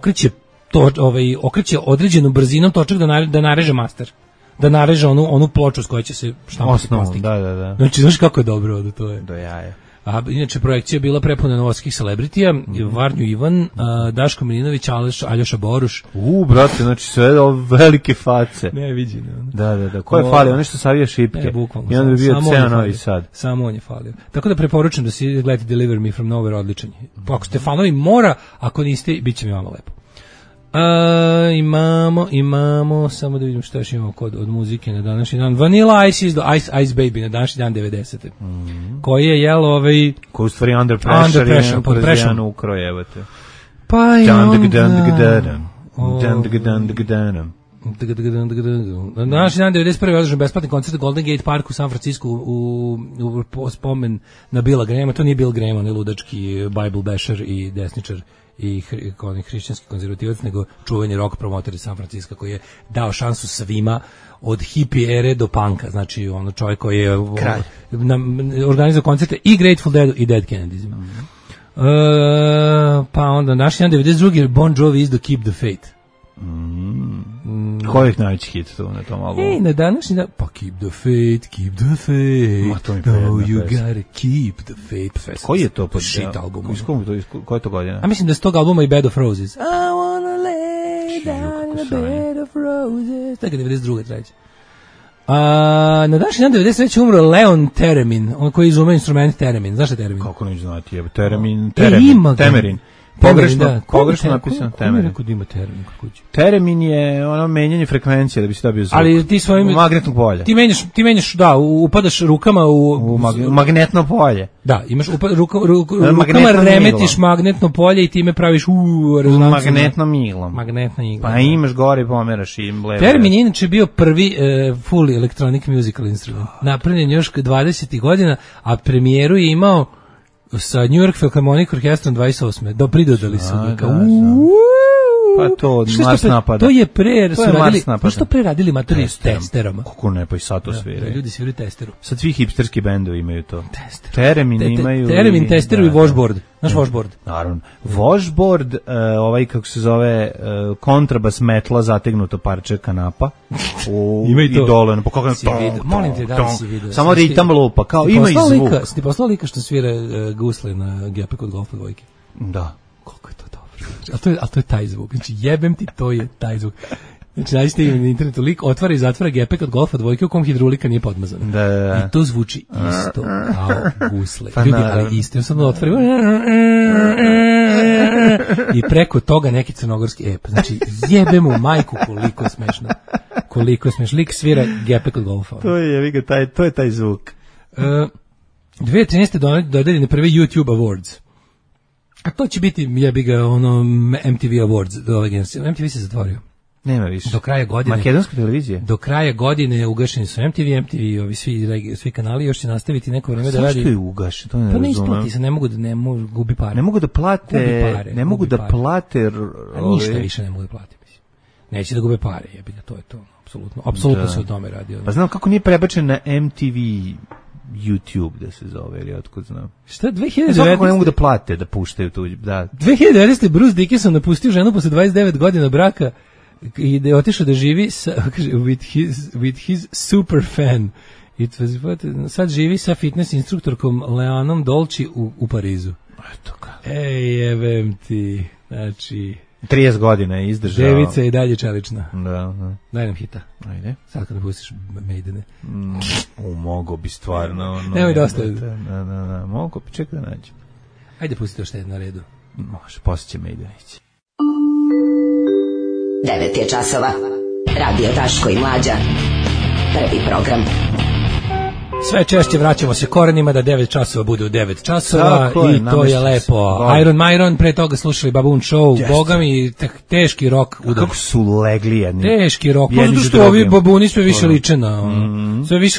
okreće određenom brzinom točak da nareže master. Da nareže onu ploču s kojoj će se štampati plastik. Da. Znači, znaš kako je dobro ovdje to je. Do jaja. A inače projekcija je bila prepuna novosadskih celebritija, Varnju Ivan, Daško Milinović, Aljoša Boruš. Brate, znači sve ove velike face. Ne, viđene. Da. Ko je falio? Ono što savija šipke. Bukvalno. I onda bi bio ceo Novi Sad. Samo on je falio. Tako da preporučujem da si gledate Deliver Me From Nowhere, odličan je. Ako ste fanovi mora, ako niste, bit će mi vama lepo. Imamo, samo da vidim šta još imamo od muzike na današnji dan. Vanilla Ice is the Ice Baby na današnji dan 90. Koji je jelo koji u stvari Under Pressure pod pressure ukrojevate. Pa i na današnji dan 91. je održan besplatni koncert u Golden Gate Park u San Francisco u spomen na Billa Grahama. To nije Bill Graham, on je ludački Bible basher i desničar i hrišćanski konzervativac, nego čuveni rock promoter iz San Francisco koji je dao šansu svima od hippie ere do punka, znači ono čovjek koji je organizao koncerte i Grateful Dead i Dead Kennedysima. Pa onda naš dan 92. Bon Jovi is the Keep the Faith. Koji je najveći hit tu na tom albumu? Na današnji dan, pa Keep the Faith, Keep the Faith, no you gotta keep the faith. Koji je to shit album? Koja je to godina? A mislim da je s tog albuma i Bed of Roses. I wanna lay down in a bed of roses. Tako je 92. treći. Na današnji dan 93. umro Leon Theremin, on koji izumeo instrument Theremin. Znaš šta je Theremin? Kako neću znati, Temerin. Pogrešno napisano Temerin. Kako ima termin kod kuće? Teremin je ono menjanje frekvencije da bi se dobio zvuk. Ali ti svojim magnetnog polja. Ti menjaš, da, upadaš rukama u magnetno polje. Da, imaš rukama remetiš magnetno polje i time praviš rezonancu. Magnetnom iglom. Pa imaš gore i pomeraš i levo. Termin je inače bio prvi full electronic musical instrument. Napravljen još 20. godina, a premijeru je imao sa New York Philharmonic Orchestrom 28. Pridodali su ga kao pa to Mars napada. To je što pre radili matori s testerama. Kako ne, pa i sad to sviraju. Ljudi sviraju testeru. Sad svi hipsterski bendovi imaju to. Teremin imaju. Teremin, testeru i washboard. Znaš washboard? Naravno. Washboard, kako se zove, kontrabas metla, zategnuto parče kanapa. Ima i to. I dole, pa kako molim te da si vidio. Samo ritam lupa, kao ima i zvuk. Ti poslao lika što svira gusle na gepe kod golfa dvojke? Da. Koliko je to dobro. A to je taj zvuk. Znači jebem ti, to je taj zvuk. Znači nađete na internetu lik otvara i zatvara gepek od golfa dvojke u kom hidrolika nije podmazana. Da. I to zvuči isto kao gusle. Ljudi, ali isto. Ja sam otvori i preko toga neki crnogorski ep. Znači jebem u majku koliko je smešno. Koliko je smešno. Lik svira gepek od golfa. To je taj zvuk. 2013. dodeljene prve YouTube Awards. A to će biti, jebi ga, MTV Awards do ove generacije. MTV se zatvorio. Nema više. Do kraja godine. Makedonska televizija. Do kraja godine ugašeni su MTV, ovi svi kanali, još će nastaviti neko vreme da radi. Zašto je ugašen? To ne razumem. Pa ne isplati se, ne mogu gubi pare. Ne mogu da plate. Ne mogu da plate. A ništa više ne mogu da plate. Neće da gube pare, jebi ga, to je to. Apsolutno se o tome radi. Pa znam kako nije prebačen na MTV YouTube da se zove, ili otkud znam. Šta, 2019. Kako ne mogu da plate da puštaju tu, da. 2019. Bruce Dickinson napustio ženu posle 29 godina braka i da je otišao da živi with his super fan. Sad živi sa fitness instruktorkom Leanom Dolci u Parizu. Eto kako. Jebem ti, znači 30 godina je izdržao. Devica je i dalje čelična. Da. Daj nam hita. Ajde. Sad kad pustiš Maidene. Mogo bi stvarno. Nemoj dosta. Da. Mogo bi, čekaj da nađem. Ajde pustite još na redu. Može, poslije će Maidenići. 9 je časova. Radio Daško i Mlađa. Prvi program. Sve češće vraćamo se korenima da 9 časova bude u 9 časova i to je lepo. Iron Myron, pre toga slušali Baboon Show, boga mi teški rock udar. Kako su legli jedni. Teški rock, zato što ovi babuni sve više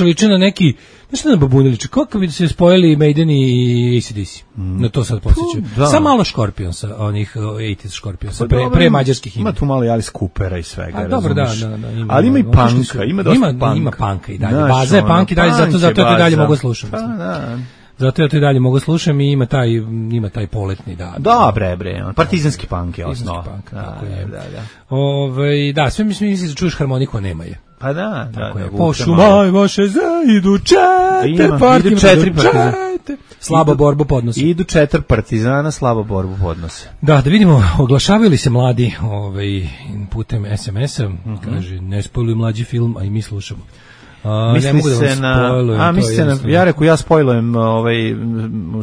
liče na neki, nešto na babuni liče, kako bi se spojili Maiden i AC/DC, na to sad posjećaju. Sa malo Scorpionsa, onih 80s Scorpionsa, pre mađarskih ima. Ima tu malo Alice Coopera i svega, dobro, da. Ali ima i punka, ima dosta punka. Ima punka i dalje, baza je punk i dalje, zato ja to dalje mogu slušati. Zato ja to i dalje mogu slušati i ima taj poletni, da. Da, bre, partizanski punk je osnova. Partizanski punk, tako je. Da, sve misliš da čuješ harmoniku, a nema je. Pa da. Po šumaj vaše idu četiri partizana. Slabo borbu podnose. Idu 4 partizana, slabo borbu podnose. Da vidimo, oglašavaju li se mladi putem SMS-a, kaže, ne spojluju mlađi film, a i mi slušamo. Misli se na, ja reku, ja spojlujem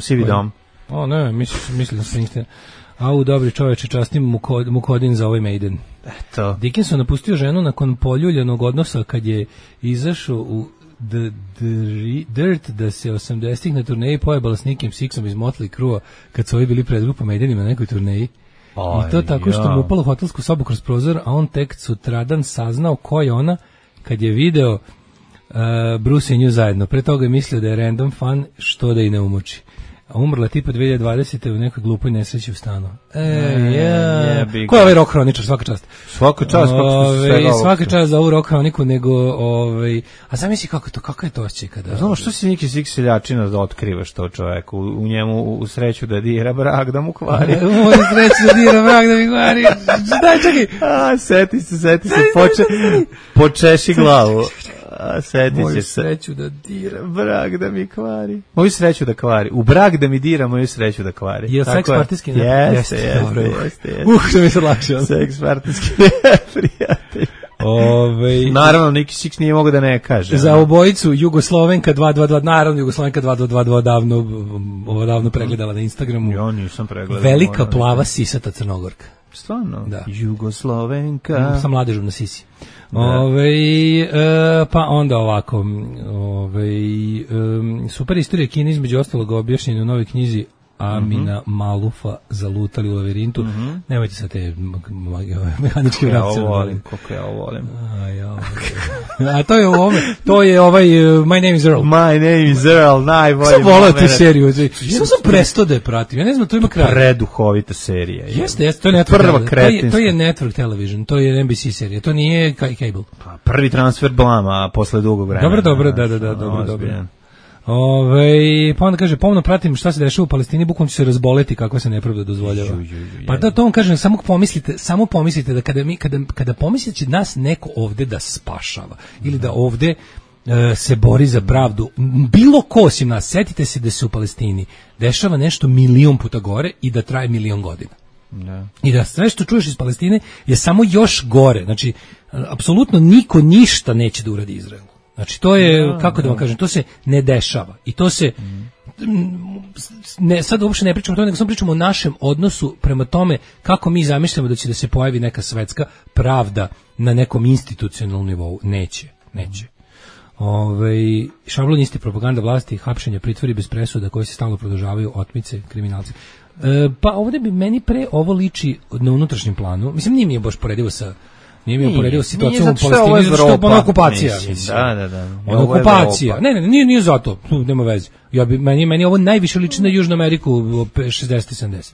Sivi dom. Ne, mislim da se niste. Dobri čoveče, častim Mukodin za ovaj Maiden. Eto. Dickinson napustio ženu nakon poljuljanog odnosa kad je izašao u The Dirt da se 80-ih na turneji pojebala s Nickim Sixom iz Motley Crue kad su ovi bili pred grupa Maidenima na nekoj turneji. I to tako što mu upalo u hotelsku sobu kroz prozor, a on tek sutradan saznao ko je ona kad je video Bruce i nju zajedno. Pre toga je mislio da je random fan, što da i ne umuči. A umrla tipa 2020. u nekoj glupoj nesreći u stanu. Ko je ovaj rock hroničar, svaka čast? Svaka čast za ovu rock hroniku, nego a zamisli kako je to osjećaj kada... Znamo, što si Niki Six seljačina da otkrivaš to čoveku, u njemu u sreću da dira brak da mu kvari. U sreću da dira brak da mi kvari. Daj, čekaj. Seti se, počeši glavu. Seti će se. Moju sreću da dira brak da mi kvari. Moju sreću da kvari. U brak da mi dira, moju sreću da kvari. Je seks partijski? Jeste. Što mi se lakše. Seks partijski prijatelj. Naravno, Niki Six nije mogao da ne kaže. Za obojicu Jugoslovenka 222, naravno Jugoslovenka 2222 davno pregledala na Instagramu. Ja nisam pregledala. Velika plava sisata Crnogorka. Stvarno? Da. Jugoslovenka. Sa mladežom na sisi. Pa onda ovako, super istorija Kine između ostalog objašnjena u novoj knjizi Amina Malufa Zalutali u lavirintu. Nemojte sa te mehaničke vrapce. Kako ja ovo volim. A to je to je My Name is Earl. My Name is Earl, najbolji. Sam volao tu seriju. Sam prestao da je pratim. Ja ne znam, to ima kraj. Preduhovita serija. Jeste, to je to je Network Television, to je NBC serija, to nije cable. Pa prvi transfer blama posle dugog vremena. Dobro, dobro. Pa onda kaže, pomno pratim šta se dešava u Palestini, bukvalno će se razboleti kakva se nepravda dozvoljava. Pa da to vam kažem, samo pomislite da kada pomislite će nas neko ovde da spašava ili da ovde se bori za pravdu, bilo ko osim nas, setite se da se u Palestini dešava nešto milion puta gore i da traje milion godina. Da. I da sve što čuješ iz Palestine je samo još gore. Znači, apsolutno niko ništa neće da uradi Izraelu. Znači, to je, kako da vam kažem, to se ne dešava. I to se, sad uopšte ne pričamo o tome, nego samo pričamo o našem odnosu prema tome kako mi zamišljamo da će da se pojavi neka svetska pravda na nekom institucionalnom nivou. Neće. Šablonisti, propaganda vlasti, hapšenja, pritvori bez presuda koji se stalno produžavaju, otmice, kriminalci. Pa ovdje bi meni pre ovo liči na unutrašnjem planu. Mislim, nije mi je baš poredivo sa situacijom u Palestini, zato što je ona okupacija. Da. Ona okupacija. Ne, nije zato, nema veze. Meni ovo najviše liči na Južnu Ameriku 60-70.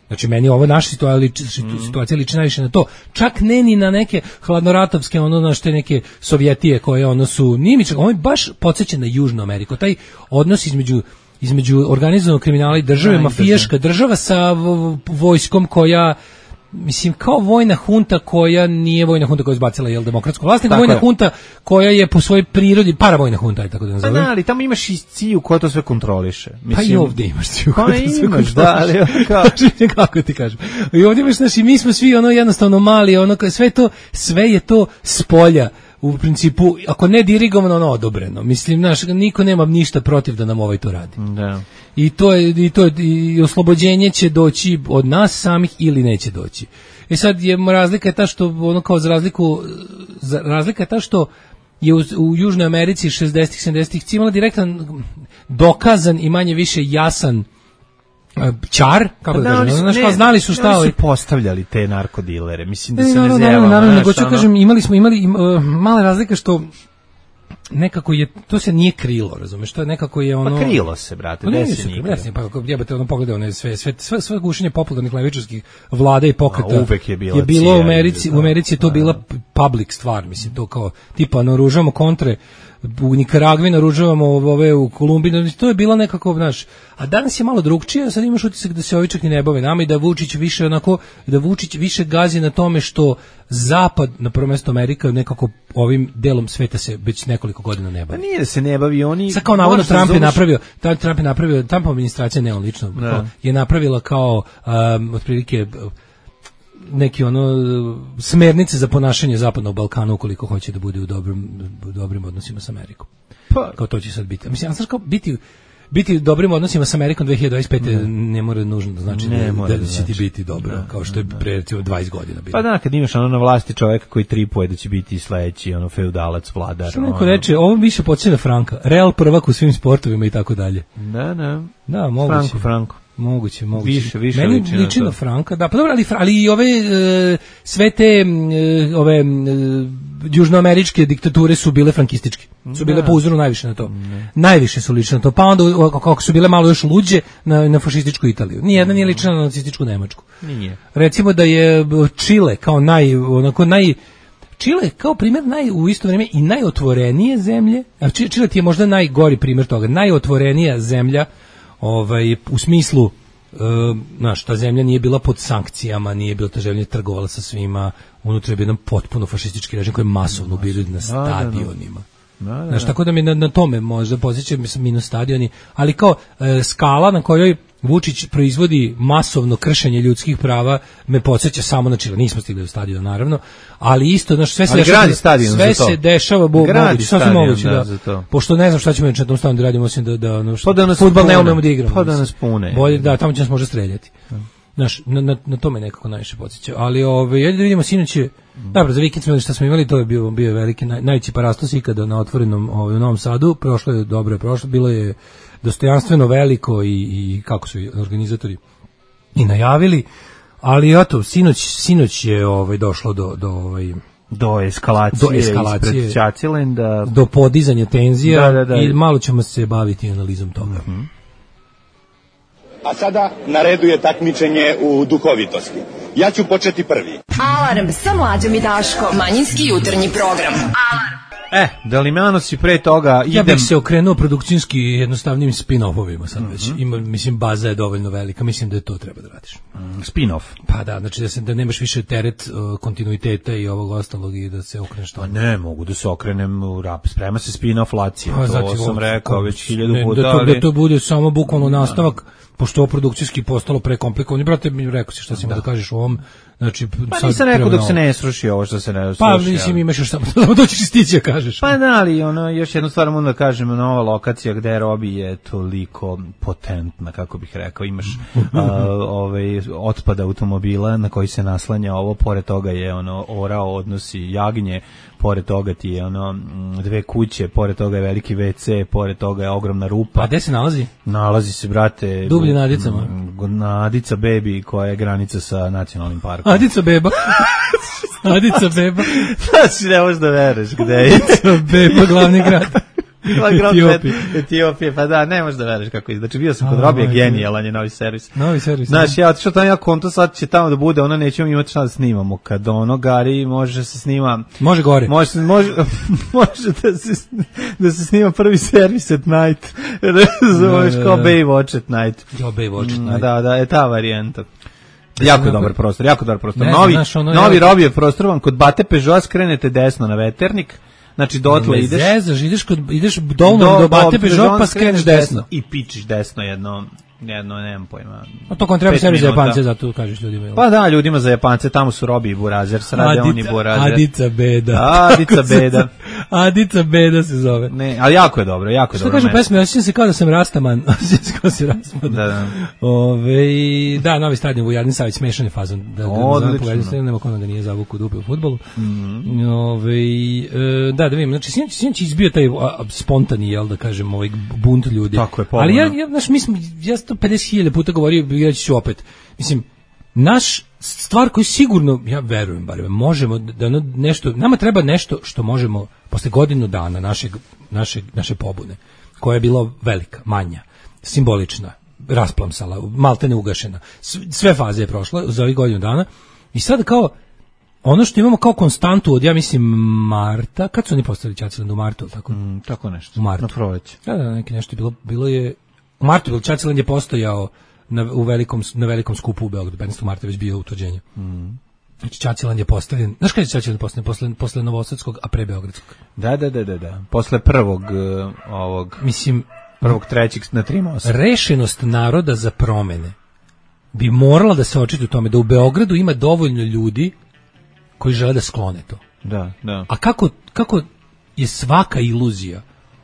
Znači, meni ovo naša situacija liči najviše na to. Čak ne ni na neke hladnoratovske, te neke Sovjetije koje su, nije mi čak, ovo je baš podsjeća na Južnu Ameriku. Taj odnos između organizovanog kriminala i države, mafijaška država sa vojskom koja, mislim, kao vojna hunta koja nije vojna hunta koja je izbacila demokratsku vlast, nego vojna hunta koja je po svojoj prirodi paravojna hunta, je tako da nazovem. Ali tamo imaš i CIA koja to sve kontroliše. Mislim, pa i ovdje imaš CIA koja to sve kontroliše. Da, kako ti kažem. I ovdje imaš, znači, mi smo svi jednostavno mali, sve je to s polja. U principu, ako ne dirigovano, odobreno. Mislim, niko nema ništa protiv da nam to radi. Da. I to je oslobođenje će doći od nas samih ili neće doći. I sad razlika je ta što razlika je ta što je u Južnoj Americi 60-ih, 70-ih imala direktan, dokazan i manje više jasan čar, kako da kažem, znali su šta su postavljali te narkodilere, mislim da se ne zjevamo. Naravno, nego ću kažem, imali mala razlika što nekako je, to se nije krilo, razumeš, to je nekako je Pa krilo se, brate, desi nije. Pa kako jebate, pogledaj sve gušenje popularnih levičarskih vlada i pokreta. Uvek je bilo u Americi je to bila public stvar, mislim, to kao, tipa, naoružavamo kontre, u Nikaragvi naoružavamo u Kolumbiji, to je bila nekako, znaš, a danas je malo drugčije, sad imaš utisak da se ovi čak i ne bave nama i da Vučić više gazi na tome što Zapad, na prvo mesto Amerika, nekako ovim delom sveta se već nekoliko godina ne bavi. Pa nije da se ne bavi, oni... Sad kao navodno Trump je napravio, Trumpova administracija, ne on lično, je napravila kao otprilike neki smernice za ponašanje Zapadnog Balkana ukoliko hoće da bude u dobrim odnosima s Amerikom. Pa kao to će sad biti. Mislim, sad kao biti u dobrim odnosima s Amerikom 2025. ne mora nužno da znači da će ti biti dobro, kao što je pre recimo 20 godina bilo. Pa da, kad imaš na vlasti čoveka koji tripuje da će biti sledeći feudalac, vladar. Što neko reče, ovo više podsjeća na Franka. Real prvak u svim sportovima i tako dalje. Da, moguće. Franko. Moguće. Više meni liči na Franka, da, pa dobro, ali i ove sve te južnoameričke diktature su bile frankističke. Su bile po uzoru najviše na to. Najviše su lične na to. Pa onda kako su bile malo još luđe na fašističku Italiju. Nijedna nije lična na nacističku Nemačku. Nije. Recimo da je Čile kao Čile kao primjer u isto vrijeme i najotvorenije zemlje. A Čile ti je možda najgori primjer toga. Najotvorenija zemlja u smislu, ta zemlja nije bila pod sankcijama, nije bila ta zemlja trgovala sa svima, unutra je bio jedan potpuno fašistički režim koji je masovno bio na stadionima. Tako da mi na tome možda posjećam minus stadioni, ali kao skala na kojoj Vučić proizvodi masovno kršenje ljudskih prava, me podsjeća samo na Čile. Nismo stigli do stadiona, naravno, ali isto, znaš, sve se dešava, moguće, da. Pošto ne znam šta ćemo na tom stadionu da radimo, osim da fudbal ne umemo da igramo. Pa da nas pune. Bolje, da, tamo će nas možda streljati. Znaš, na to me nekako najviše podsjeća. Ali, ajde da vidimo, sinoć je, dobro, za vikend smo imali šta smo imali, to je bio veliki, najveći parastos ikada na otvorenom u Novom Sadu, prošlo je dobro, bilo je dostojanstveno veliko i kako su organizatori i najavili, ali eto, sinoć je došlo do eskalacije ispred Ćaćilenda, do podizanja tenzija i malo ćemo se baviti analizom toga. A sada na redu je takmičenje u duhovitosti. Ja ću početi prvi. Alarm sa Mlađom i Daškom. Manjinski jutarnji program. Alarm. Da li me si pre toga idem... Ja bih se okrenuo produkcijski jednostavnim spin-offovima sad već. Mislim, baza je dovoljno velika, mislim da je to treba da radiš. Spin-off? Pa da, znači da nemaš više teret kontinuiteta i ovog ostalog i da se okreneš to. Pa ne, mogu da se okrenem u rap. Sprema se spin-off Lacija, to sam rekao već 1000 puta. Da to bude samo bukvalno nastavak, pošto ovo produkcijski postalo prekomplikovano. Brate, mi rekao si šta si ima da kažeš u ovom. Znači, pa nisam rekao dok se ne sruši ovo što se ne sruši. Pa mislim imaš još samo doći stići kažeš. Pa da, ali još jednu stvar moram da kažem, nova lokacija gde Robi je toliko potentna, kako bih rekao, imaš otpad automobila na koji se naslanja ovo, pored toga je orao odnosi jagnje, pored toga ti je dve kuće, pored toga je veliki WC, pored toga je ogromna rupa. A gde se nalazi? Nalazi se, brate, dublje na Adicama. Na Adica Baby, koja je granica sa nacionalnim parkom. Adica Beba. Adica Beba. Znači, ne možeš da veruješ gde je. Adica Beba, glavni grad. Etiopije, pa da, ne možeš da veruješ kako je. Znači, bio sam kod Robija, genijalan je novi servis. Novi servis. Znači, ja otišao tamo, konto, sad će tamo da bude, nećemo imati šta da snimamo. Kad gari, može se snima... Može gore. Može da se snima prvi servis at night. Razumeš, kao Baywatch at night. Jo, Baywatch at night. Da, je ta varijanta. Jako dobar prostor. Novi Robijev prostor vam kod Bate Peugeot skrenete desno na Veternik. Znači dotle ideš. Ideš dovoljno do Bate Peugeot pa skreneš desno. I pičiš desno jedno, nemam pojma. A to kon treba servis za Japance, zato kažeš ljudima. Pa da, ljudima za Japance, tamo su Robi i Burazer, srade oni Burazer. Adica Beda se zove. Ne, ali jako je dobro. Što kažu pesme, osjećam se kao da sam Rastaman. Da, novi stadion Vujadin Savić, smešan je fazon. Odlično. Nema ko da nije zavuku dupe u fudbalu. Da vidim, znači sinoć izbio taj spontani, jel da kažem, bunt ljudi. Tako je, ali ja 50.000 puta govorio, ja ću opet. Mislim, naš stvar koju sigurno, ja verujem, bar možemo da nešto, nama treba nešto što možemo posle godinu dana naše pobune, koja je bila velika, manja, simbolična, rasplamsala, maltene ugašena. Sve faze je prošla za ovih godinu dana i sad kao ono što imamo kao konstantu od, ja mislim, marta, kad su oni postavili Ćaćiland u martu, tako? Tako nešto, u martu. Na proleće. Da, neki nešto je bilo je, u martu, Ćaćiland je postojao na velikom skupu u Beogradu, 15. marta već bio utvrđenje. Znači, Ćaćiland je postavljen, znaš kada je Ćaćiland postavljen? Posle Novosadskog, a pre Beogradskog. Da. Posle prvog mislim, prvog trećeg na 3 mosta. Rešenost naroda za promene bi morala da se očiti u tome da u Beogradu ima dovoljno ljudi koji žele da sklone to. Da. A kako je svaka iluzija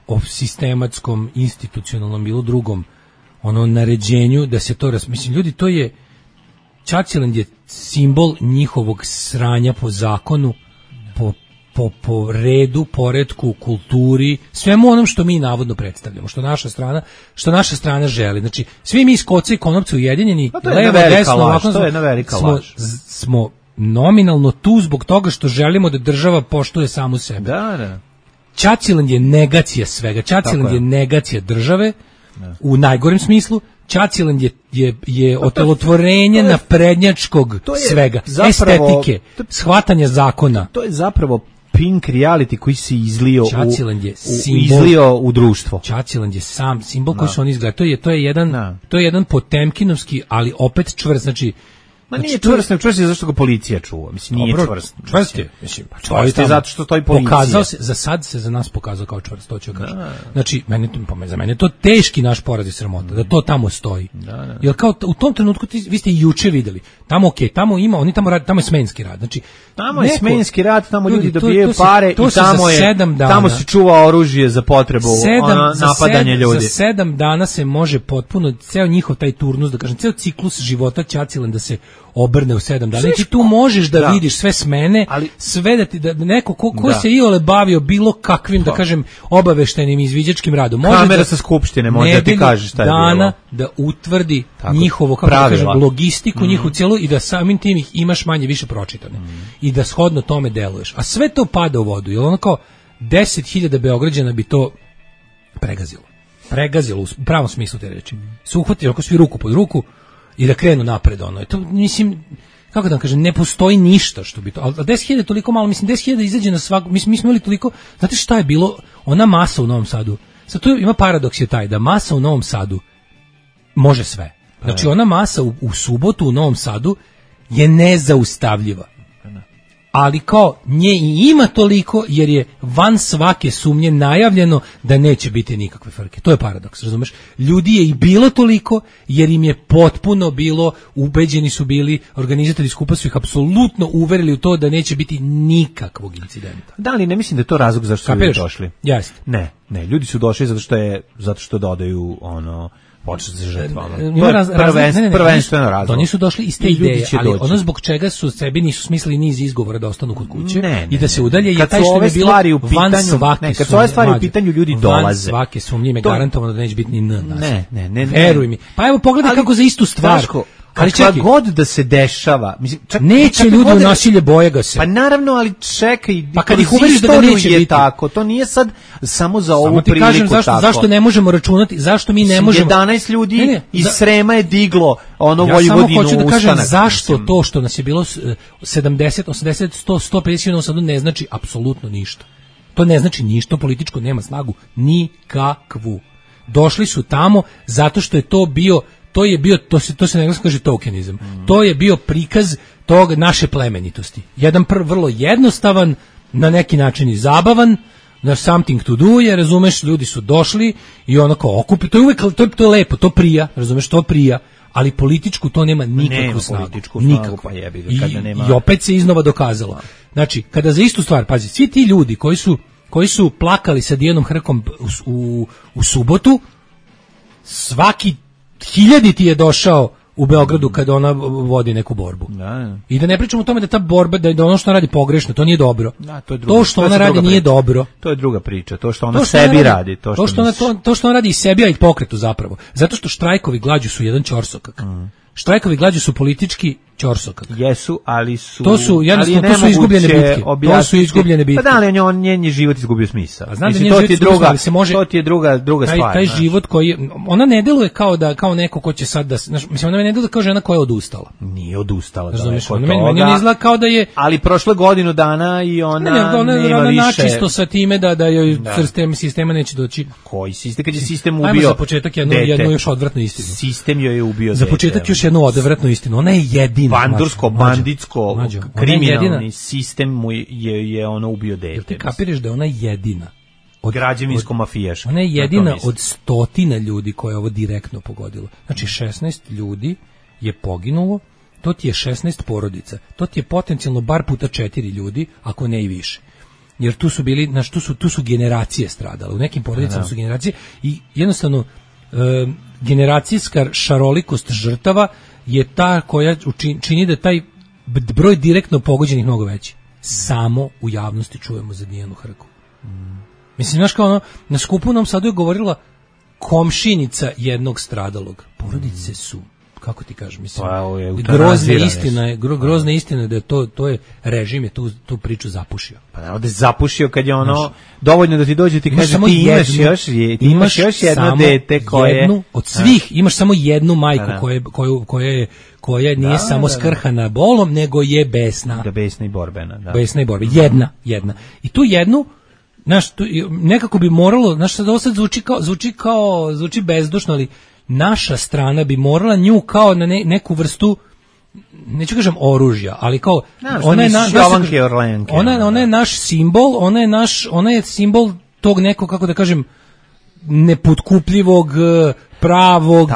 o sistematskom, institucionalnom bilo drugom naređenju da se to mislim, ljudi, to je Ćaćiland je simbol njihovog sranja po zakonu, po redu, poretku, kulturi, svemu onom što mi navodno predstavljamo, što naša strana želi. Znači, svi mi iz Koce i Konopca ujedinjeni, levo, desno, ovako, smo nominalno tu zbog toga što želimo da država poštuje samu sebe. Da. Ćaćiland je negacija svega. Ćaćiland je negacija države u najgorem smislu. Ćaćiland je otelotvorenje naprednjačkog svega. Estetike, shvatanja zakona. To je zapravo pink reality koji se izlio u društvo. Ćaćiland je sam simbol koji su oni izgledali. To je jedan Potemkinovski, ali opet čvrst. Znači, Ma nije čvrst je zašto ga policija čuva. Mislim, nije čvrst. Čvrst je. Mislim, čvrst je zato što stoji policija. Pokazao se, za sad se za nas pokazao kao čvrst, to ću kažem. Znači, za mene je to teški naš poraz i sramota, da to tamo stoji. Jer kao u tom trenutku, vi ste i juče videli, tamo tamo ima, oni tamo rade, tamo je smenski rad. Znači, tamo je smenski rad, tamo ljudi dobijaju pare i tamo se čuva oružje za potrebu napadanja ljudi. Za 7 dana se može potpuno, ceo njihov taj turnus, da kažem, ceo ciklus života Ćacilan da se obrne u 7 dana. Znači tu možeš da vidiš sve smene, sve da neko ko se iole bavio bilo kakvim, da kažem, obaveštajnim izviđačkim radom. Može kamera sa skupštine, može da ti kaže šta je bilo. Dana da utvrdi njihovo, kako da kažem, logistiku, njihovu cijelu i da samim tim ih imaš manje više pročitane. I da shodno tome deluješ. A sve to pada u vodu. Jer ono kao 10.000 Beograđana bi to pregazilo u pravom smislu te reči. Se uhvati oko svi ruku pod ruku i da krenu napred, ono. To, mislim, kako da vam kažem, ne postoji ništa što bi to, ali 10.000 je toliko malo, mislim, 10.000 izađe na svaku, mi smo imali toliko, znate šta je bilo, ona masa u Novom Sadu, sad tu ima paradoks je taj, da masa u Novom Sadu može sve. Znači, ona masa u subotu u Novom Sadu je nezaustavljiva. Ali kao nje i ima toliko jer je van svake sumnje najavljeno da neće biti nikakve frke. To je paradoks, razumeš? Ljudi je i bilo toliko jer im je potpuno bilo, ubeđeni su bili, organizatori skupa su ih apsolutno uverili u to da neće biti nikakvog incidenta. Da li ne mislim da je to razlog zašto su ljudi došli? Jeste. Ne, ljudi su došli zato što dodaju ono počet za žrtvama. Prvenstveno razlog. Oni su došli iz te ideje, ali ono zbog čega su sebi nisu smislili niz izgovora da ostanu kod kuće i da se udalje je taj što je bilo van svake. Kad su ove stvari u pitanju, ljudi dolaze. Van svake sumnje me garantovano da neće biti ni Ne. Veruj mi. Pa evo pogledaj kako za istu stvar. Ali čekaj, god da se dešava, mislim, neće ljudi u nasilje, boje ga se. Pa naravno, ali čekaj, pa kad ih uveriš da neće biti tako, to nije sad samo za ovu priliku kažem, zašto ne možemo računati, zašto mi ne možemo 11 ljudi iz Srema je diglo ono Vojvodinu ustanak. Ja samo hoću da kažem zašto to što nas je bilo 70, 80, 100, 150 sad ne znači apsolutno ništa. To ne znači ništa, političko nema snagu nikakvu. Došli su tamo zato što je to bio, to se na engleskom kaže tokenizam. To je bio prikaz tog naše plemenitosti. Jedan vrlo jednostavan, na neki način i zabavan, na something to do, jer razumeš, ljudi su došli i onako okupi, to je uvek, to je lepo, to prija, razumeš, to prija, ali političku to nema nikakvu snagu. Nikakvu. I opet se iznova dokazalo. Znači, kada za istu stvar, pazi, svi ti ljudi koji su plakali sa Dijanom Hrkom u subotu, svaki 1000 ti je došao u Beogradu kada ona vodi neku borbu. I da ne pričamo o tome da ta borba, da ono što ona radi pogrešno, to nije dobro. To što ona radi nije dobro. To je druga priča. To što ona sebi radi. To što ona radi i sebi, a i pokretu zapravo. Zato što štrajkovi glađu su jedan ćorsokak. Štrajkovi glađu su politički ćorsokak. Jesu, ali su... To su izgubljene bitke. To su izgubljene bitke. Pa da, ali njen je život izgubio smisao. A znam da njen život izgubio, ali se može... To ti je druga stvar. Taj život koji... Ona ne deluje kao neko ko će sad da... Mislim, ona ne deluje kao žena koja je odustala. Nije odustala. Razumiješ, ona meni ne izgleda kao da je... Ali prošle godinu dana i ona nema više... načisto sa time da joj sistema neće doći. Koji sistem? Kad je sistem ubio... Ajmo za početak jednu još odvratnu istinu. Sistem joj je ubio za početak još jednu odvratnu istinu. Ona je jedina. Banditsko, kriminalni sistem mu je ono ubio dete. Jel ti kapiraš da je ona jedina? Građevinsko-mafijaška. Ona je jedina od 100 ljudi koje je ovo direktno pogodilo. Znači 16 ljudi je poginulo, to ti je 16 porodica. To ti je potencijalno bar puta 4 ljudi, ako ne i više. Jer tu su bili, tu su generacije stradale. U nekim porodicama su generacije i jednostavno generacijska šarolikost žrtava je ta koja čini da taj broj direktno pogođenih mnogo veći. Samo u javnosti čujemo za Dijanu Hrku. Mislim, znaš kao ono, na skupu u Novom Sadu je govorila komšinica jednog stradalog. Porodice su, kako ti kažem, mislim, grozna istina da je to je režim je tu priču zapušio. Pa da je zapušio kad je ono dovoljno da ti dođe ti kaže ti imaš još jedno dete koje jednu od svih, imaš samo jednu majku koja nije samo skrhana bolom, nego je besna. Da, besna i borbena. Da. Besna i borbena. Jedna. I tu jednu, nekako bi moralo, sad ovo sad zvuči bezdušno, ali naša strana bi morala nju kao na neku vrstu neću kažem oružja, ali kao ona je naš simbol, ona je simbol tog nekog, kako da kažem, nepotkupljivog, pravog,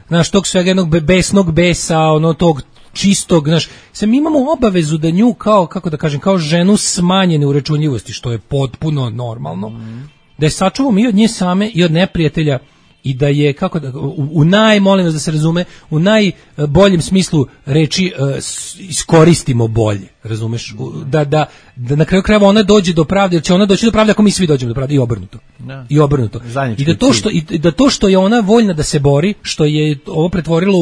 znaš, tog svega jednog besnog besa, ono tog čistog, znaš, mi imamo obavezu da nju kao, kako da kažem, kao ženu smanjene uračunljivosti, što je potpuno normalno, da je sačuvamo i od nje same i od neprijatelja i da je, kako da, molim vas da se razume, u najboljem smislu reči iskoristimo bolje, razumeš, da na kraju krajeva ona dođe do pravde, jer će ona doći do pravde ako mi svi dođemo do pravde i obrnuto. I obrnuto. I da to što je ona voljna da se bori, što je ovo pretvorilo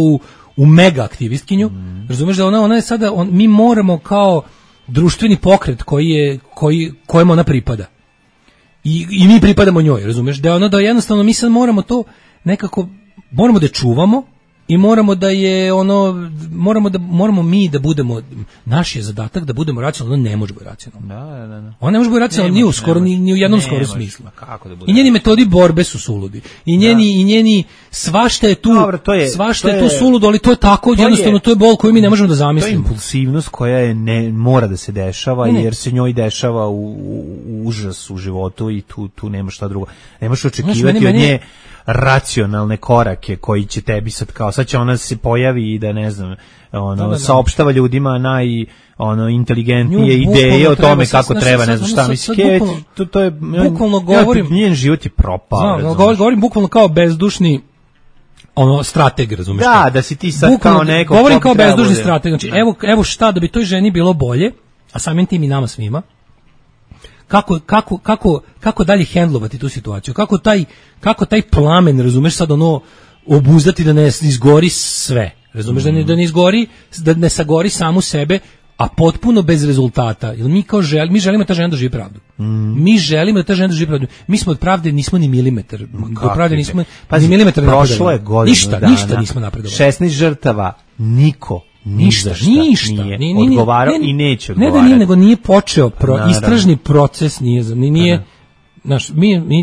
u mega aktivistkinju, razumeš da ona je sada, mi moramo kao društveni pokret kojemu ona pripada. I mi pripadamo njoj, razumeš, da jednostavno mi sad moramo to nekako, moramo da čuvamo i moramo da je moramo mi da budemo, naš je zadatak da budemo racionalni, ona ne može biti racionalna. Da. Ona ne može biti racionalna ni u jednom skoro smislu. I njeni metodi borbe su suludi. I njeni svašta je tu, svašta je tu suludo, ali to je tako, jednostavno to je bol koju mi ne možemo da zamislimo. To je impulsivnost koja je mora da se dešava, jer se njoj dešava u užas u životu i tu nema šta drugo. Nemaš očekivati od nje racionalne korake koji će tebi sad će ona se pojavi i da ne znam, saopštava ljudima inteligentnije ideje o tome kako treba, ne znam šta misli. To je bukvalno govorim, njen život je propao. Govorim bukvalno kao bezdušni strateg, razumiješ? Da si ti sad kao neko. Govorim kao bezdušni strateg. Znači, evo šta da bi toj ženi bilo bolje, a samim tim i nama svima. Kako dalje hendlovati tu situaciju? Kako taj plamen, razumeš, sad obuzdati da ne izgori sve. Razumeš, da ne izgori, da ne sagori samu sebe, a potpuno bez rezultata. Jer mi želimo da ta žena doživi pravdu. Mi želimo da ta žena doživi pravdu. Mi smo od pravde nismo ni milimetar. Do pravde nismo ni milimetar napredovali. Prošlo je godinu dana. Ništa nismo napredovali. 16 žrtava, niko ništa nije odgovarao i neće odgovarati. Ne da nije, nego nije počeo istražni proces, nije znaš,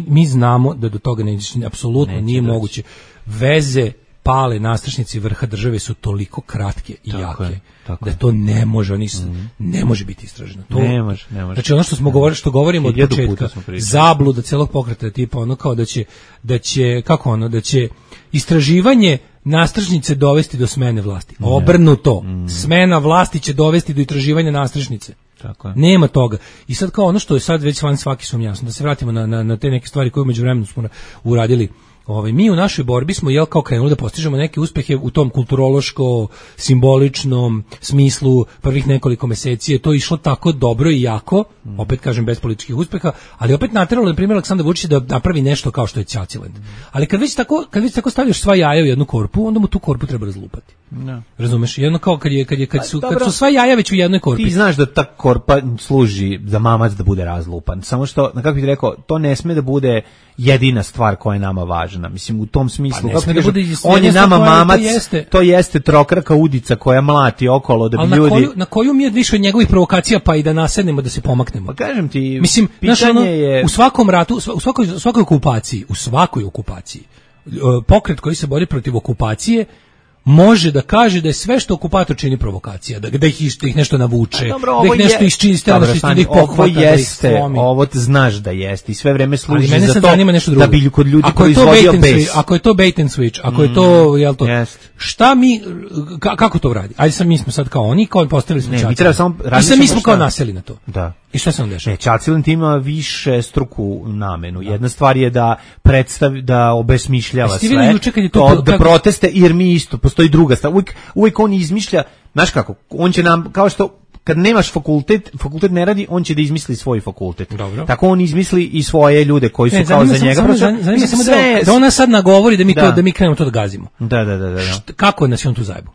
mi znamo da do toga apsolutno nije moguće. Veze pale nastrešnici vrha države su toliko kratke i jake da to ne može, ne može biti istraženo. Ne može. Znači ono što govorimo od početka, zabluda celog pokreta, tipa ono kao da će istraživanje nastrešnice dovesti do smene vlasti. Obrnuto. Smena vlasti će dovesti do istraživanja nastrešnice. Tako je. Nema toga. I sad kao ono što je sad već van svaki sum jasno, da se vratimo na te neke stvari koje u međuvremenu smo uradili. Mi u našoj borbi smo kao krenuli da postižemo neke uspehe u tom kulturološko-simboličnom smislu prvih nekoliko meseci. Je to išlo tako dobro i jako, opet kažem bez političkih uspeha, ali opet nateralo na primjer Aleksandar Vučić da napravi nešto kao što je Ćaćiland. Ali kad već tako stavljaš sva jaja u jednu korpu, onda mu tu korpu treba razlupati. No. Razumeš? Jedno kao kad su sva jaja već u jednoj korpi. Ti znaš da ta korpa služi za mamac da bude razlupan. Samo što, kako bih rekao, to ne sme da bude jedina stvar koja je nama važna. Mislim, u tom smislu, on je nama mamac, to jeste trokraka udica koja mlati okolo da bi ljudi... Na koju mi je više od njegovih provokacija pa i da nasednemo, da se pomaknemo? Pa kažem ti, mislim, pitanje je... U svakom ratu, u svakoj okupaciji, pokret koji se bori protiv okupacije može da kaže da je sve što okupator čini provokacija, da ih nešto navuče, da ih nešto iščiste, da ih pohvata, da ih slomi. Ovo znaš da jeste i sve vreme služi za to da bi kod ljudi proizvodio bes. Ako je to bait and switch, ako je to, jel to, šta mi, kako to radi? Ajde mi smo sad kao oni, kao postavili smo Ćaćiland. I sad mi smo kao naseli na to. Da. I šta se on dešava? Ćaćiland ima više struku namenu. Jedna stvar je da predstavi, da obesmišljava sve, da proteste, jer mi isto, postoji druga stvar. Uvijek on izmišlja, znaš kako, on će nam, kao što kad nemaš fakultet ne radi, on će da izmisli svoj fakultet. Dobro. Tako on izmisli i svoje ljude koji su kao za njega. Zanima se da ona sad nagovori da mi krenemo to da gazimo. Da. Kako nas je on tu zajebo?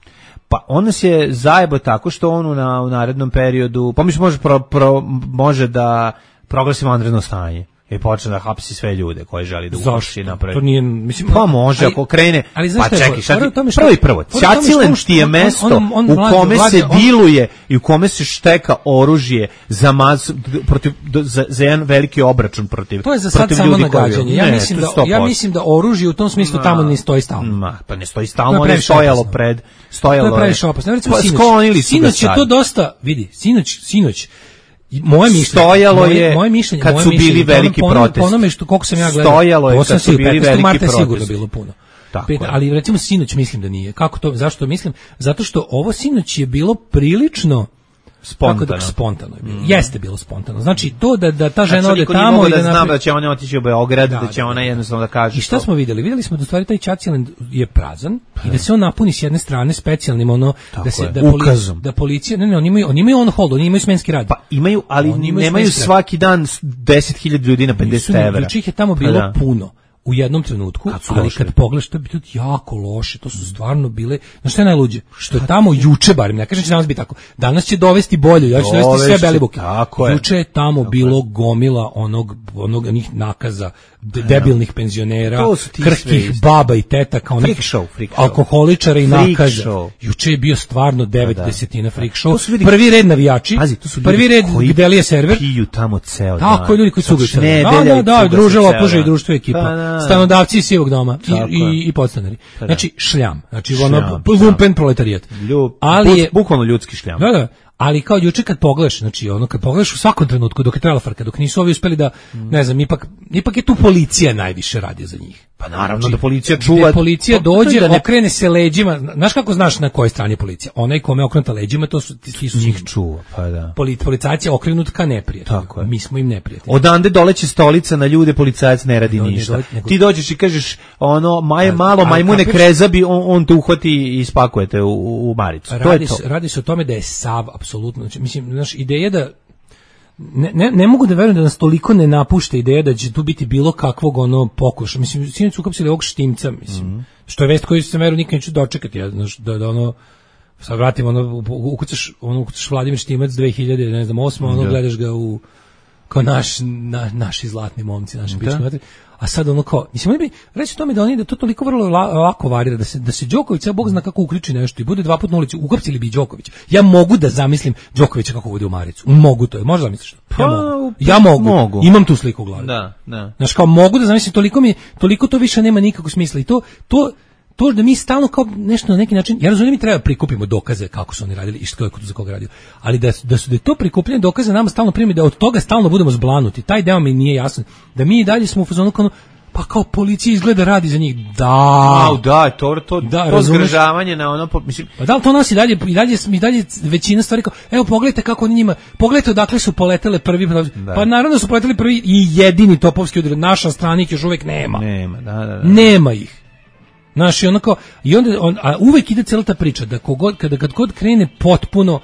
Pa on nas je zajebo tako što on u narednom periodu, pa mislim može da proglasimo vanredno stanje. I počne da hapsi sve ljude koji želi da uvrši napravi. To nije, mislim, pa može ako krene. Ali pa čekaj, prvo, što Ćacilen ti je mesto u kome se diluje i u kome se šteka oružje za jedan veliki obračun protiv ljudi. To je za sad samo nagađanje. Ja mislim da oružje u tom smislu tamo ne stoji stalno. Pa ne stoji stalno, ne stojalo pred. To je previše opasno. Recimo sinoć je to dosta, vidi, sinoć moje mišljenje stojalo je kad su bili veliki protesti. Po onome što koliko sam ja gledao, stojalo je kad su bili veliki protesti. Sigurno bilo puno. Ali recimo sinoć mislim da nije. Kako to? Zašto mislim? Zato što ovo sinoć je bilo prilično spontano je bilo. Jeste bilo spontano. Znači to da ta žena ode tamo i da znam da će ona otići u Beograd, da će ona jednostavno da kaže. I šta smo videli? Videli smo da u stvari taj Ćaciland je prazan i da se on napuni s jedne strane specijalnim da policija, oni imaju on hold, oni imaju smenski rad. Pa imaju, ali nemaju svaki dan 10.000 ljudi na 50 evra. Juče ih je tamo bilo puno. U jednom trenutku, ali kad pogledaš, to je bilo jako loše, to su stvarno bile, znaš šta je najluđe? Što je tamo juče, barem, ne kažem će danas biti tako, danas će dovesti bolje, ja ću dovesti sve Belivuke. Juče je tamo bilo gomila onih nakaza, debilnih penzionera, krhkih baba i tetaka, onih alkoholičara i nakaza. Juče je bio stvarno 9/10 freak show. Prvi red navijači, prvi red gde li je server. Piju tamo ceo dan. Tako, ljudi koji su da, družilo, oplužaju društvo i ekipa. Stanodavci iz Sivog doma i podstanari. Znači šljam, znači ono lumpen proletarijat. Ali je bukvalno ljudski šljam. Da, ali kao juče kad pogledaš, znači ono kad pogledaš u svakom trenutku dok je trajala frka, dok nisu ovi uspeli da, ne znam, ipak je tu policija najviše radi za njih. Pa naravno da policija čuva. Da policija dođe, okrene se leđima. Znaš kako znaš na kojoj strani je policija? Onaj kome okrenuta leđima, to su ti su njih čuva, pa da. Policajac je okrenut ka neprijatelju. Mi smo im neprijatelji. Odande doleće stolica na ljude, policajac ne radi ništa. Ti dođeš i kažeš ono malo majmune krezabi, on te uhvati i spakujete u maricu. Radi se o tome da je sav apsolutno, mislim, znaš, ideja da ne mogu da verujem da nas toliko ne napušta ideja da će tu biti bilo kakvog pokuša. Mislim, sinoć su uhapsili ovog Štimca, mislim, što je vest koju se veru nikad neću dočekati, da ono, sad vratim, ukucaš Vladimir Štimac 2008, gledaš ga kao naši zlatni momci, naši pički materi. A sad kao, mislim, oni bi reći tome da to toliko vrlo lako varira, da se Đoković, Bog zna kako ukriči nešto i bude 2 puta na ulici, uhapsili bi Đokovića. Ja mogu da zamislim Đokovića kako vodi u maricu. Mogu to, možda zamisliš to? Ja mogu. Imam tu sliku u glavi. Da. Znaš, kao mogu da zamislim, toliko to više nema nikakvog smisla i to da mi stalno kao nešto na neki način, ja razumijem mi treba prikupimo dokaze kako su oni radili i što je za koga radio, ali da je to prikupljanje dokaza nama stalno primi, da od toga stalno budemo zblanuti, taj deo mi nije jasan, da mi i dalje smo u fazonu pa kao policija izgleda radi za njih, to zgražavanje na ono, mislim, pa da li to nas i dalje većina stvari kao, evo pogledajte kako oni njima, pogledajte odakle su poletele prvi, pa naravno su poleteli prvi i jedini topovski udar, naša strana ih još uvek nema, nema ih. Znaš, a uvek ide cijela ta priča da kad god krene potpuno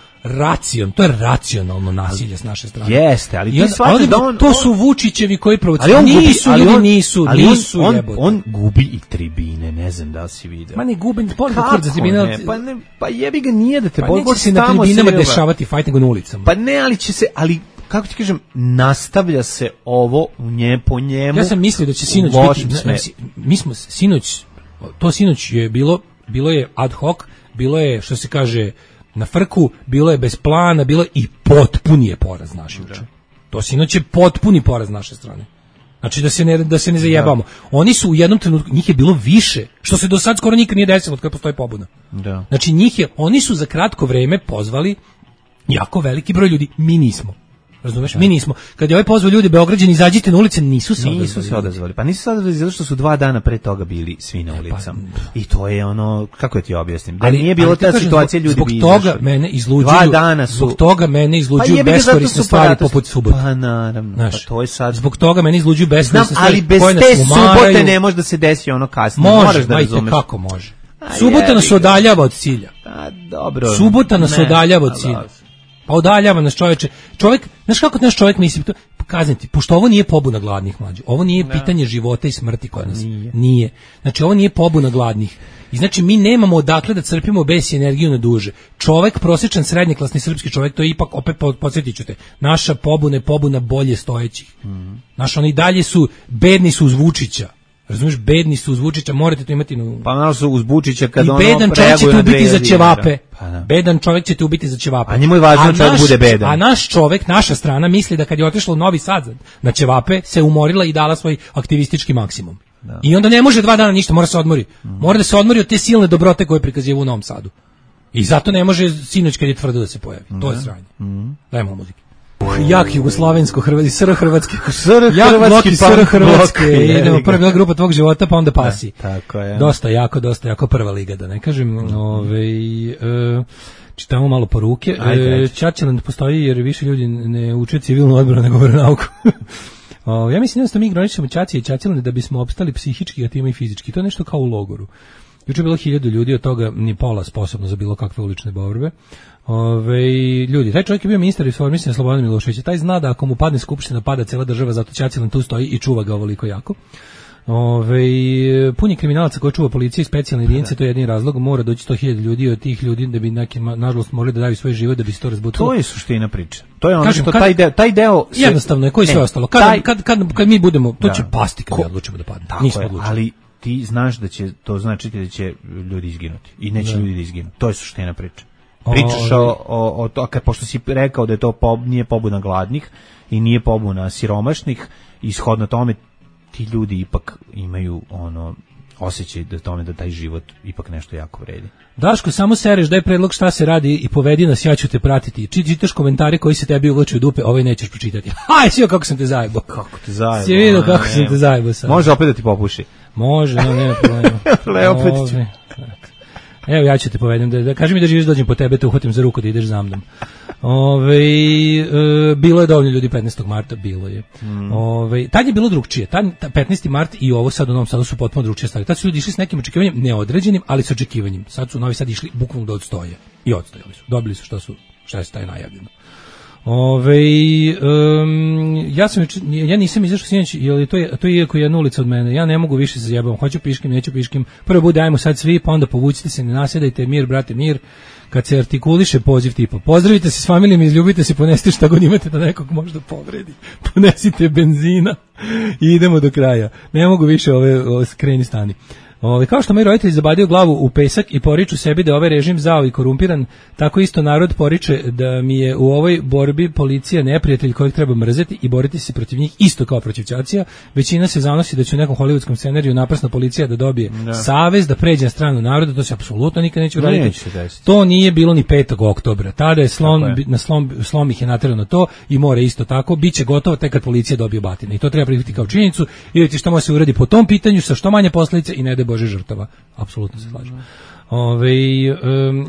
to je racionalno nasilje s naše strane. Jeste, ali ti shvataš da to su Vučićevi koji provociraju. Nisu jebote. On gubi i tribine, ne znam da li si vidio. Ma ne gubi, pa jebi ga nije da te boli. Pa neće se na tribinama dešavati fight nego na ulicama. Pa ne, ali kako ti kažem, nastavlja se ovo po njemu. Ja sam mislio da će sinoć biti, mi smo sinoć je bilo je ad hoc, bilo je, što se kaže, na frku, bilo je bez plana, bilo je i potpuni je poraz naše uče. To sinoć je potpuni poraz naše strane. Znači da se ne zajebamo. Oni su u jednom trenutku, njih je bilo više, što se do sad skoro nikad nije desilo od kada postoji pobuna. Znači oni su za kratko vreme pozvali jako veliki broj ljudi, mi nismo. Razumeš? Mi nismo. Kad je ovaj pozvao ljudi Beograđani izađite na ulice, nisu se odazvali. Pa nisu se odazvali zato što su 2 dana pre toga bili svi na ulicama. I to je ono, kako ti objasnim? Da nije bilo ta situacija, ljudi bi izašli. Zbog toga mene izluđuju beskorisne stvari poput subote. Pa naravno, to je sad. Zbog toga mene izluđuju beskorisne stvari. Ali bez te subote ne može da se desi ono kasnije. Može, ajte kako može. Subota nas odaljava od cilja. Dobro. Subota nas odaljava od cilja. Pa udaljava nas čoveče. Čovjek, znaš kako naš čovjek misli, kazniti, pošto ovo nije pobuna gladnih mlađe. Ovo nije pitanje života i smrti kod nas. Nije. Znači ovo nije pobuna gladnih. I znači mi nemamo odakle da crpimo bes i energiju na duže. Čovek, prosječan srednjeklasni srpski čovek, to je ipak, opet podsjetit ću te, naša pobuna je pobuna bolje stojećih. Naši oni dalje su, bedni su uz Vučića. Razumiješ, bedni su uz Vučića, morate to imati na... Pa naravno su uz Vučića kad ono bedan čovjek će te ubiti za ćevape. Pa, bedan čovjek će te ubiti za ćevape. A njemu je važno da bude bedan. A naš čovjek, naša strana misli da kad je otišla u Novi Sad na ćevape, se umorila i dala svoj aktivistički maksimum. Da. I onda ne može 2 dana ništa, mora se odmori. Mora da se odmori od te silne dobrote koje prikazuje u Novom Sadu. I zato ne može sinoć kad je tvrdo da se pojavi. To je sranje. Dajmo muzike. Jak jugoslovensko hrvatski, sr hrvatski, sr hrvatski, idemo, prva bila grupa tvog života, pa onda Pasi. Tako je. Dosta jako prva liga, da ne kažem. Čitamo malo poruke. Čačeland postoji jer više ljudi ne uče civilnu odbranu nego veronauku. Ja mislim da mi ignorišemo Čacije i Čačelande da bismo opstali psihički, a time i fizički. To je nešto kao u logoru. Juče je bilo 1000 ljudi, od toga ni pola sposobno za bilo kakve ulične borbe. Ljudi, taj čovjek je bio ministar informisanja Slobodan Milošević. Taj zna da ako mu padne skupština, pada cela država, zato Čačeland tu stoji i čuva ga ovoliko jako. Pun je kriminalaca koji čuva policije i specijalne jedinice, to je jedini razlog, mora doći 100.000 ljudi od tih ljudi da bi neki, nažalost, morali da daju svoj život da bi se to razbutalo. To je suština priče. To je ono što taj deo se... Jednostavno je, koji sve ostalo. Kad mi budemo, to će pasti kad mi odlučimo da padne. Nismo odlučili. Ali ti znaš da će to značiti da će ljudi izginuti i neće ljudi da izginu. To je suština priče. Pričaš o to, pošto si rekao da je to nije pobuna gladnih i nije pobuna siromašnih, ishodno tome ti ljudi ipak imaju osjećaj da tome da taj život ipak nešto jako vredi. Daško, samo sereš, daj predlog šta se radi i povedi nas, ja ću te pratiti. Čitaš komentare koji se tebi uvlače u dupe, ovaj nećeš pročitati. Haj, si kako sam te zajebao. Kako te zajebao. Si vidio kako sam te zajebao sad. Može opet da ti popuši. Može, nema problema. Opet ću. Evo, ja ću te povedem, da kaži mi da živiš, dođem po tebe, te uhvatim za ruku da ideš za mnom. Bilo je dovoljno ljudi 15. marta, bilo je. Tad je bilo drugčije, 15. mart i ovo sad u Novom Sadu su potpuno drugčije stvari. Tad su ljudi išli s nekim očekivanjem, neodređenim, ali s očekivanjem. Sad su u Novi Sad išli bukvalno da odstoje. I odstojali su, dobili su šta je taj najavljeno. Ja nisam izašao sinoć, jer to je iako jedna ulica od mene. Ja ne mogu više se zajebam. Hoću piškim, neću piškim. Prvo bude ajmo sad svi, pa onda povucite se, ne nasjedajte, mir brate, mir. Kad se artikuliše poziv tipa pozdravite se s familijom, izljubite se, ponesite šta god imate da nekog možda povredi. Ponesite benzina i idemo do kraja. Ne mogu više ove skreni stani. Kao što moj roditelj zabadio glavu u pesak i poriču sebi da je ovaj režim zao i korumpiran, tako isto narod poriče da mi je u ovoj borbi policija neprijatelj kojeg treba mrzeti i boriti se protiv njih isto kao protiv ćacija. Većina se zanosi da će u nekom hollywoodskom scenariju naprasna policija da dobije savez, da pređe na stranu naroda, to se apsolutno nikad neće uraditi. To nije bilo ni 5. oktobra. Tada je slom ih je naterano to i more isto tako. Biće gotovo tek kad policija dobije batine. I to treba prihvatiti kao činjenicu i vidjeti šta može se uradi po tom pitanju sa što manje posljedica i ne da Bože žrtava. Apsolutno se slažem.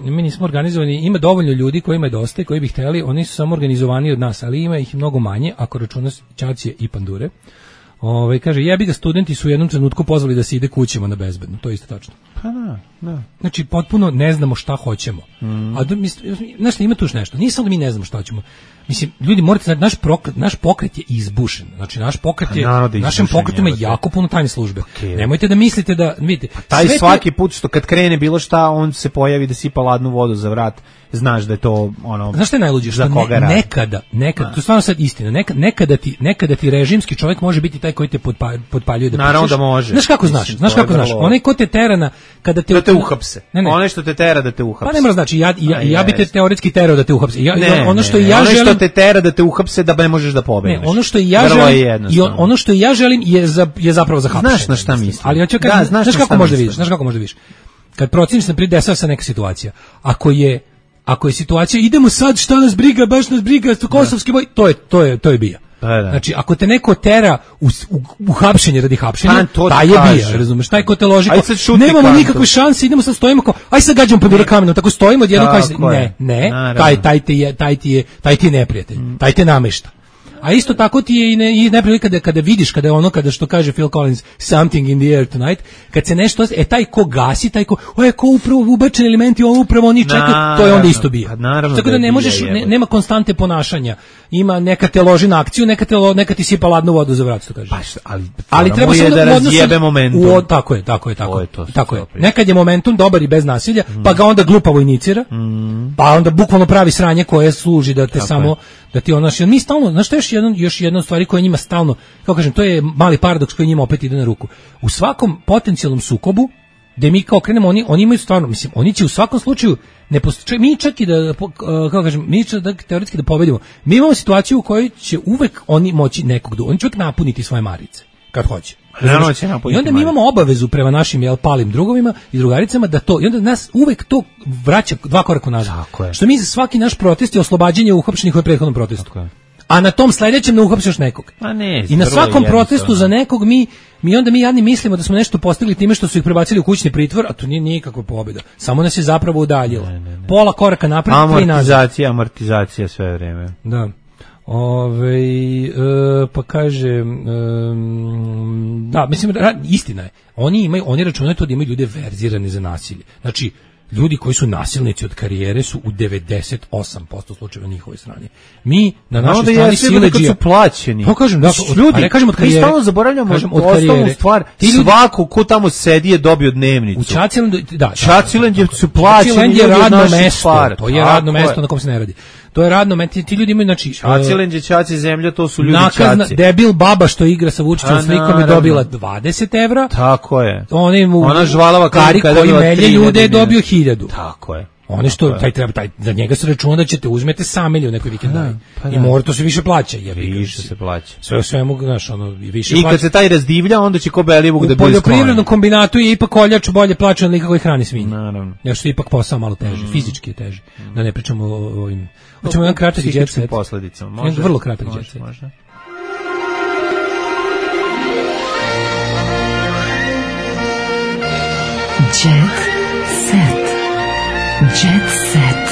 Mi nismo organizovani, ima dovoljno ljudi kojima je dosta i koji bi hteli, oni su samo organizovani od nas, ali ima ih mnogo manje, ako računa ćacije i pandure. Kaže, jebi ga, studenti su u jednom trenutku pozvali da se ide kućima na bezbedno, to je isto tačno. Pa da. Znači, potpuno ne znamo šta hoćemo. A znaš, ima tu još nešto, nije samo da mi ne znamo šta hoćemo. Mislim, ljudi morate znati, naš pokret je izbušen. Znači, naš pokret je, našem pokretu ima jako puno tajne službe. Nemojte da mislite da, vidite. Taj svaki put što kad krene bilo šta, on se pojavi da sipa ladnu vodu za vrat, znaš da je to znaš šta je najluđe? Što nekada, to je stvarno sad istina, nekada ti režimski čovjek može biti taj koji te potpaljuje da pišeš. Naravno da može. Znaš kako znaš? Onaj ko te tera kada te... Da te uhapse. Onaj što te tera da te uhapse. Pa ne mora znači, ja bi te teoretski terao da te uhapse. Ono što te tera da te uhapse da ne možeš da pobegneš. Ono što ja želim je zapravo za hapšenje. Znaš na šta mislim. Ali hoću kažem, znaš kako možda vidiš. Kad proceniš na dešava se neka situacija. Ako je situacija idemo sad, šta nas briga, baš nas briga, kosovski boj, to je bija. Znači, ako te neko tera u hapšenje radi hapšenja, taj je bija, razumeš, taj ko te loži, nemamo nikakve šanse, idemo sad, stojimo kao, aj sad gađamo pandure kamenom, tako stojimo odjednom, ne, taj ti je neprijatelj, taj te namešta. A isto tako ti je i neprilika kada vidiš, kada što kaže Phil Collins, something in the air tonight, kad se nešto, taj ko gasi, taj ko upravo ubačeni elementi, upravo oni čekaju, to je onda isto bija. Tako da ne možeš, nema konstante ponašanja. Ima neka te loži na akciju, neka ti sipa ladnu vodu za vrat, što kaže. Ali treba se da razjebe momentum. Tako je. Nekad je momentum dobar i bez nasilja, pa ga onda glupavo inicira, pa onda bukvalno pravi sranje koje služi da te samo, da ti ono, mi stalno, znaš što još jedna stvari koja njima stalno, kao kažem, to je mali paradoks koji njima opet ide na ruku. U svakom potencijalnom sukobu, gde mi kao krenemo, oni imaju stvarno, mislim, oni će u svakom slučaju, mi čak i da, kao kažem, mi čak da teoretski da pobedimo, mi imamo situaciju u kojoj će uvek oni moći oni će uvek napuniti svoje marice, kad hoće. I onda mi imamo obavezu prema našim palim drugovima i drugaricama da to, i onda nas uvek to vraća 2 koraka nazad. Što mi za svaki naš protest je oslobađanje uhapšenih u prethodnom protestu. A na tom sledećem ne uhapsiš nekog. I na svakom protestu za nekog mi onda jadni mislimo da smo nešto postigli time što su ih prebacili u kućni pritvor, a to nije nikakva pobjeda. Samo nas je zapravo udaljilo. Pola koraka napred, 3 nazad. Amortizacija sve vreme. Da. Pa kaže, da, mislim, istina je. Oni računaju to da imaju ljude verzirane za nasilje. Znači, ljudi koji su nasilnici od karijere su u 98% slučajeva na njihovoj strani. Mi na našoj strani siledžija su plaćeni. Pa kažem, da, ljudi, kažem od karijere. Mi stalno zaboravljamo osnovnu stvar. Svako ko tamo sedi je dobio dnevnicu. U Čacilendu, da. Čacilendu su plaćeni. Čacilendu je radno mesto. To je radno mesto na kom se ne radi. To je radno mesto, ti ljudi imaju, znači... Čacilenđe, Čaci zemlja, to su ljudi Čaci. Debil baba što igra sa Vučićem slikom je dobila 20 evra. Tako je. Ona žvalava Kari koji melje ljude je dobio 1000. Tako je. One što, za njega se računa da ćete uzmete samilje u nekoj vikendaj. I mora to se više plaća. Više se plaća. Sve o svemu, znaš, više plaća. I kad se taj razdivlja, onda će ko Belivuk da bude sklonjen. U poljoprivrednom kombinatu je ipak koljač bolje plaćen nego koji hrani svinje. Naravno. Ja što je ipak posao malo teži, fizički je teži. Da ne pričamo o ovim... Hoćemo jedan kratak jet set. Posledicama, može. Vrlo kratak jet set. Može. Jet set. Jet set.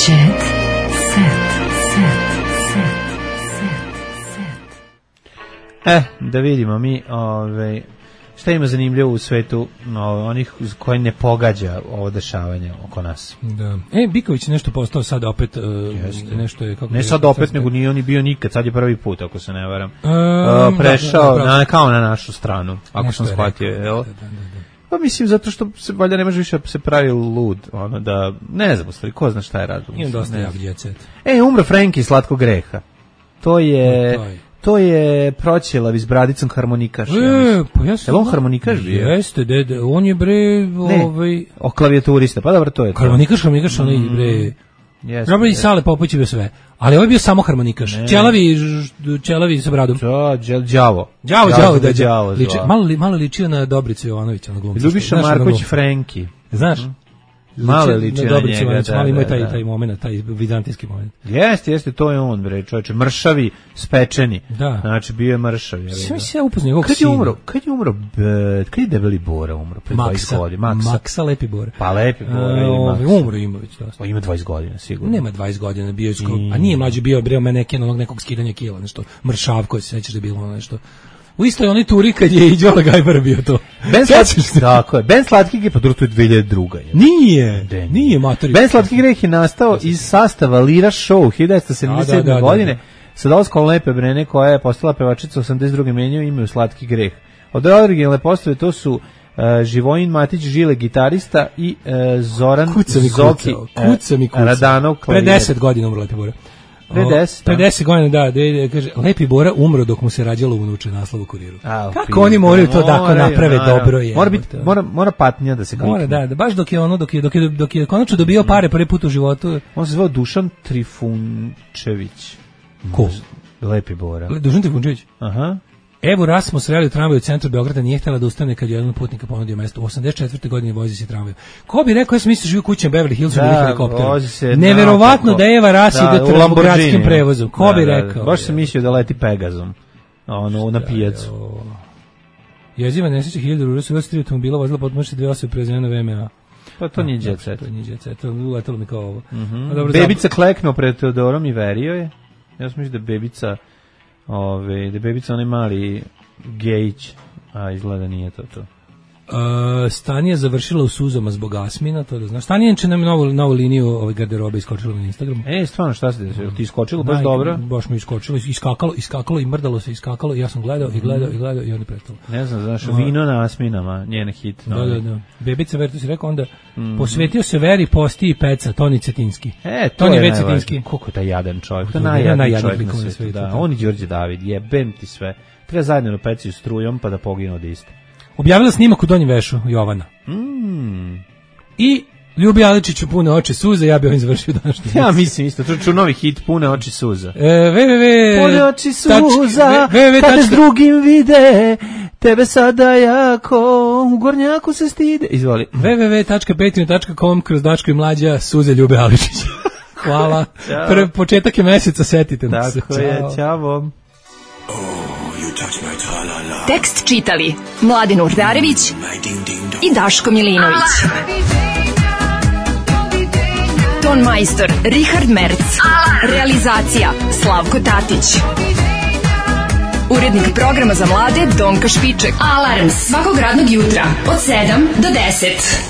Jet set. Da vidimo mi, šta ima zanimljivo u svetu onih koji ne pogađa ovo dešavanje oko nas. Da. Biković nešto postao sad opet nešto je kako. Ne sad opet, nego nije on bio nikad, sad je prvi put, ako se ne varam. Prešao kao na našu stranu, ako sam shvatio, jel? Pa mislim, zato što se valjda ne može više se pravi lud, da, ne znam, stvari, ko zna šta je razlog. Imam dosta jak jet set. Umro Frenki slatkog greha. To je Proćelav iz Bradicom harmonikaš. Pa ja sam... Je on harmonikaš bio? Jeste, dede, on je bre... o klavijaturista, pa dobro, to je to. Harmonikaš, on je bre... Dobro, i Sale Popović je bio sve. Ali ovo je bio samo harmonikaš. Ćelavi sa bradom. Đavo. Malo ličio na Dobricu Jovanovića, na glumcu. Ljubiša Marković Frenki. Znaš? Malo liči na njega. Malo ima taj moment, taj vizantijski moment. Jeste, to je on, bre, čovječe. Mršavi, spečeni. Da. Znači, bio je mršav. Sve se ja upoznao njegovog sina. Kad je Debeli Bora umro? Pre 20 godina. Maksa Lepi Bora. Pa Lepi Bora. Umro Imović. Ima 20 godina, sigurno. Nema 20 godina, bio je a nije mlađi bio, bre, nekog skidanja kila, nešto. Mršav koji se sećaš da je bilo nešto. U istoj onoj turi kad je i Đola Gajbar bio to. Tako je. Ben Slatki greh, pa to je 2002. Nije matori. Ben Slatki greh je nastao iz sastava Lira Show 1977. godine sa dolaskom Lepe Brene koja je postala pevačica 82. menjao ime u Slatki greh. Od originalne postave to su Živojin Matić Žile gitarista i Zoran Zoki Radanov klavir. Pre 10 godina umro Lepe Bora. 50 godina, da, kaže, Lepi Bora umro dok mu se rađalo unuče, naslov u Kuriru. Kako oni moraju to da naprave dobro je. Mora patnja da se klikne. Mora, da, baš dok je konačno dobio pare prvi put u životu. On se zvao Dušan Trifunčević. Ko? Lepi Bora. Dušan Trifunčević? Aha. Evo Rasmus reli u tramvaju u centru Beograda, nije htjela da ustane kad je jedan putnika ponudio mesto. U 84. godini vozi se tramvaju. Ko bi rekao, ja sam mislio živi kućem Beverly Hillsu ili helikopterom. Neverovatno da Eva Rasi do gradskim prevozom. Ko bi rekao? Baš sam mislio da leti Pegazom. Na pijacu. Jeziva nesreća 1000 rura su 23 automobila vozila potmošće 2 osobe prezivene VMA. Pa to nije jet set. To nije jet set, to uletalo mi kao ovo. Bebica kleknuo pred Teodorom i verio je. Ja sam mislio da je bebica onaj mali Gejić, a izgleda nije to. Stanija završila u suzama zbog Asmina, to da znaš. Stanija će nam novu liniju garderobe iskočila na Instagramu. Stvarno, šta se desilo? Ti iskočilo baš dobro? Baš mi iskočilo, iskakalo i mrdalo se, iskakalo i ja sam gledao i onda prestalo. Ne znam, znaš, vino na Asminama, njena hit. Da. Bebica Vertu si rekao, onda posvetio se veri, posti i peca, Toni Cetinski. Toni Već Cetinski. Koliko je taj jadan čovjek? To je najjadniji čovjek na svijetu. On i Đorđe David, jebem ti sve. Treba zajedno na peciju strujom pa da poginu od iste. Objavila snimak u Donjem Vešu, Jovana. I Ljubi Aličiću Pune oči suza, ja bih ovim završio današnji. Ja mislim isto, ču novi hit Pune oči suza. Pune oči suza, kad s drugim vide, tebe sada jako u gornjaku se stide. Izvoli. www.petinu.com kroz Daško i Mlađa, suze Ljube Aličića. Hvala. Početak je meseca, setite nas se. Tako je, ćao. Tekst čitali Mladen Urdarević i Daško Milinović. Ton majstor Richard Merc. Realizacija Slavko Tatić. Urednik programa za mlade Donka Špiček. Alarms svakog radnog jutra od 7 do 10.